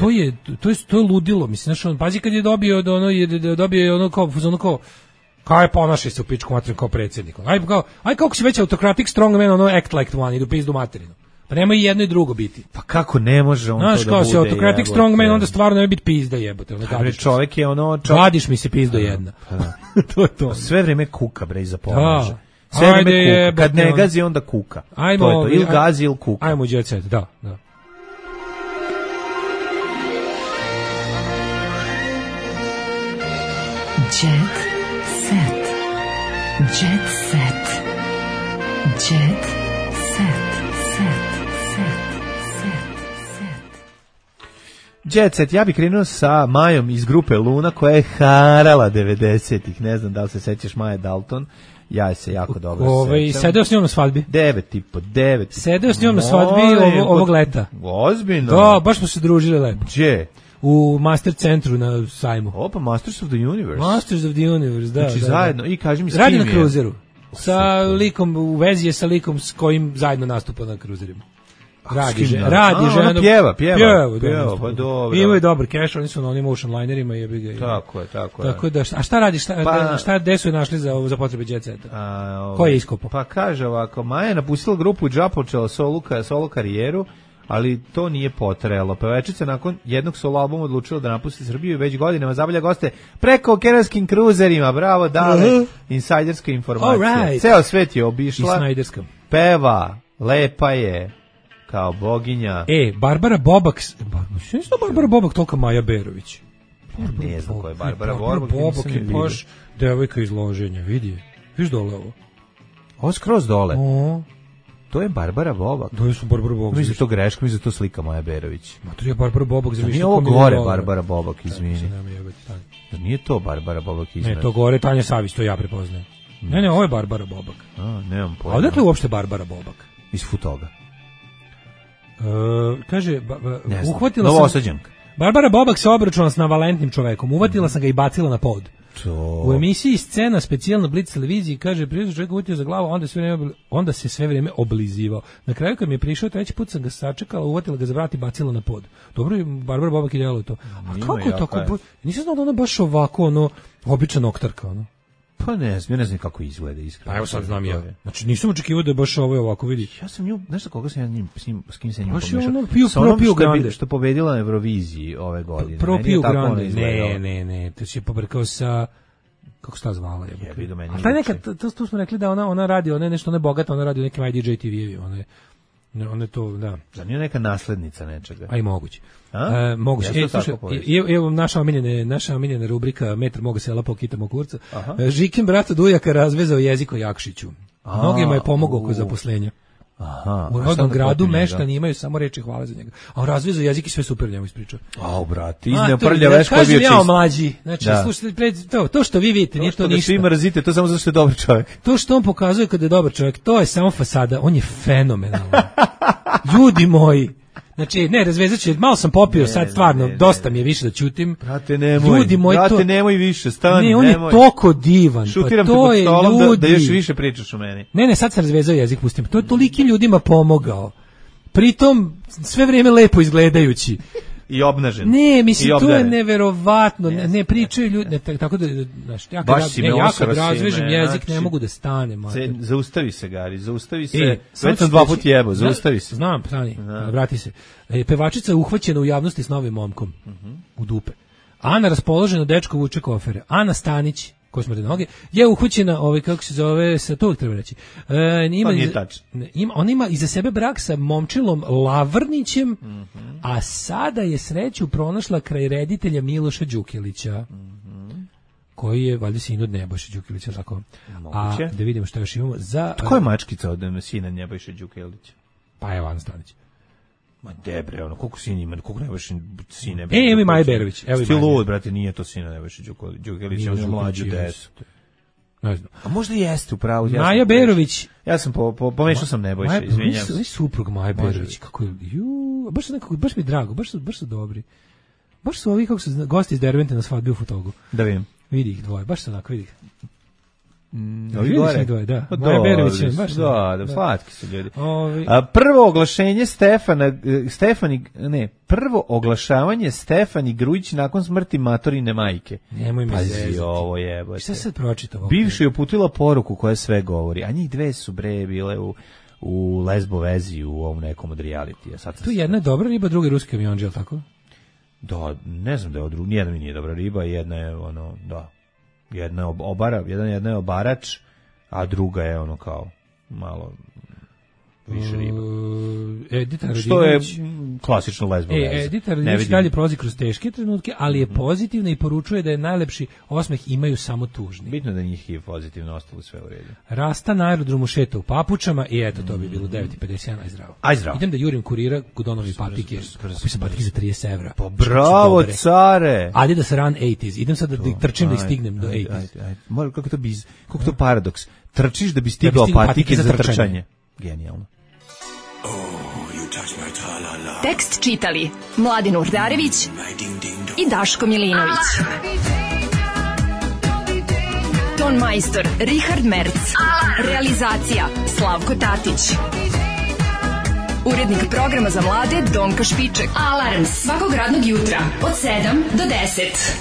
To je ludilo, mislim, znači, pazi kad je dobio kao kaj ponaša se u pičku materinu kao predsjednik. Aj kako si već autokratik strongman, act like one, idu pizdu materinu. Pa nema i jedno i drugo biti. Pa kako ne može on to da bude? Znaš, kao si autokratik strongman, onda stvarno ne biti pizda jebote. Čovjek je gadiš mi se pizdo jedna. To je to. Sve vrijeme kuka, bre, iza pomaže. Sve vrijeme kuka. Kad ne gazi, onda kuka. To je to, ili gazi ili kuka. Ajmo jet set, da. Jet set. Jet set. Jet set. Jet set, ja bih krenuo sa Majom iz grupe Luna koja je harala 90-ih. Ne znam da li se sećaš Maje Dalton. Ja se jako dobro sećam. Sedeo s njom na svadbi. 9,5. Sedeo s njom na svadbi ovog leta. Ozbiljno? Da, baš smo se družili lepo. Gdje? U Master centru na sajmu. Opa, Masters of the Universe. Masters of the Universe, da. Znači zajedno, i kaži mi s kim je. Radi na kruzeru. Sa likom, u vezi je sa likom s kojim zajedno nastupa na kruzerima. Radi žena. Pjeva, pa dobro. Imaju dobar cash, oni su na onim ocean linerima. Tako je. Tako da, a šta radiš, gde su je našli za potrebe jet seta? Ko je iskopao? Pa kaže ovako, Maja je napustila grupu i započela solo karijeru, ali to nije potrajalo. Pevačica nakon jednog solo albuma odlučila da napusti Srbiju i već godinama zabavlja goste preko okeanskim kruzerima. Bravo, dale, insajderska informacija. Ceo svet je obišla, peva, lepa je, kao boginja. Barbara Bobak, Barbara Bobak tolika Maja Berović. Ne znam ko je Barbara Bobak je baš devojka iz Loženja, vidi. Viš dole ovo? Ovo skroz dole. O, To je Barbara Bobak. to je su Barbara Bobak. Mislim da to greška, mislim da to slika Maja Berović. Ma to je Barbara Bobak za Nije ovo gore Barbara Bobak, izvini. Jer nije to Barbara Bobak iznad. Ne, to gore Tanja Savić, to ja prepoznajem. Ne, ovo je Barbara Bobak. Nemam pojma. A odakle je uopšte Barbara Bobak? Iz Futoga. Kaže, Ne znam. uhvatila sam... Novosađanka. Barbara Bobak se obračunala s navalentnim čovekom. Uvatila sam ga i bacila na pod. U emisiji Scena, specijalno Blitz televiziji, kaže, prije čovjek uvatio za glavu, onda se sve vrijeme oblizivao. Na kraju kad mi je prišao, treći put sam ga sačekala, uvatila ga za vrat i bacila na pod. Dobro je Barbara Bobak idealo to. A kako je tako? Nisam znao da ona baš ovako, obična noktarka, Pa ne znam kako izgleda iskreno. Pa evo sad znam ja. Znači nisam očekivao da je baš ovako vidi. Ja sam nju, znaš koga sam ja s kim se nju pomešao? Sa onom Grande. Što pobedila na Euroviziji ove godine. Propio Grande. Ne, to si je pobrkao sa... Kako se ta zvala? A taj nekad, to smo rekli da ona radi, ona je nešto, ona je bogata, ona radi u nekim IDJ TV-evi, ona je to, da. Da nije neka naslednica nečega? A i moguće. Moguće. Evo naša omiljena rubrika Metar moga sela pokitamo kurca. Žikin brata Dujaka razvezao jezik o Jakšiću. Mnogima je pomogao oko zaposlenja. U rodnom gradu meštani imaju samo reči hvale za njega. A on razvezao jezik i sve super njemu ispričao. Brate, izneo prlja veš koji je bio čist. Kažem ja mlađi. Znači, slušajte, to što vi vidite, nije to ništa. To što svi mrzite, to samo zato što je dobar čovjek. To što on pokazuje kada je dobar čovjek, to je samo fasada. On je fenomenalan. Ljudi moji. Znači, ne, razvezat će, malo sam popio, sad stvarno, dosta mi je više da ćutim. Brate, nemoj više, stani, nemoj. Ne, on je toliko divan. Šutiram te pod stolom da još više pričaš o meni. Ne, sad sam razvezao jezik, pustim. To je tolikim ljudima pomogao. Pritom, sve vrijeme lepo izgledajući. I obnažen. Ne, mislim, to je neverovatno. Ne pričaju ljudi, tako da, znaš, ja kad razvežem jezik, ne mogu da stanem. Zaustavi se, Gari, zaustavi se. Već sam 2 puta jebo, zaustavi se. Znam, stani, vrati se. Pevačica je uhvaćena u javnosti s novim momkom. U dupe. Ana raspoložena, dečko vuče kofere. Ana Stanić, koji smrde noge, je uhvaćena, kako se zove, to uvijek treba reći. Ona ima iza sebe brak sa momčilom Lavrnićem, a sada je sreću pronašla kraj reditelja Miloša Đukilića, koji je valjda sin od Nebojše Đukilića, tako. A da vidimo što još imamo za... Ko je mačkica od sina Nebojše Đukilića? Pa je Ana Stanić. Ma debre, koliko sin ima, koliko Nebojše sin Nebojše. Evo i Maja Berović. Sti lud, brate, nije to sina Nebojše Đukilića, on je mlađu desu. Ne znam. A možda jeste upravo. Maja Berović. Ja sam pomešao sam Nebojše, izvinjavam se. Suprug Maja Berović, kako je, baš mi je drago, baš su dobri. Baš su ovi, kako su gosti iz Dervente na svadbi u Futogu. Da vidim. Vidi ih dvoje, baš su onako, vidi ih. Ovi gore? Dvoje, da. Maja Berović je, baš da, slatki su ljudi. Prvo oglašenje prvo oglašavanje Stefani Grujić nakon smrti matorine majke. Nemoj mi zezati. Pazi ovo jebote. Šta sad pročitao? Bivša je uputila poruku koja sve govori, a njih dve su bile u lesbo vezi u ovom nekom od realitija. Tu jedna je dobra riba, druga je ruski avionđe, ali tako? Da, ne znam da je nijedna mi nije dobra riba, jedna je jedna je obarač, a druga je kao malo više riba. Što je klasično lesbo veza. Edita Radinović dalje prolazi kroz teške trenutke, ali je pozitivna i poručuje da je najlepši osmeh imaju samo tužni. Bitno da njih je pozitivno, ostalo sve u redu. Rasta na aerodromu šeta u papučama i eto, to bi bilo 9.51, aj zdravo. Idem da jurim kurira Gudonovi patike. Kupio sam patike za 30 evra. Pa bravo, care! Adidas Run 80s. Idem sad da trčim da ih stignem do 80s. Kako to paradoks? Trčiš da bi stigao patike za trčanje. Genijalno. Tekst čitali Mladin Urdarević i Daško Milinović. Ton majstor Richard Merc. Realizacija Slavko Tatić. Urednik programa za mlade Donka Špiček. Alarms svakog radnog jutra od 7 do 10.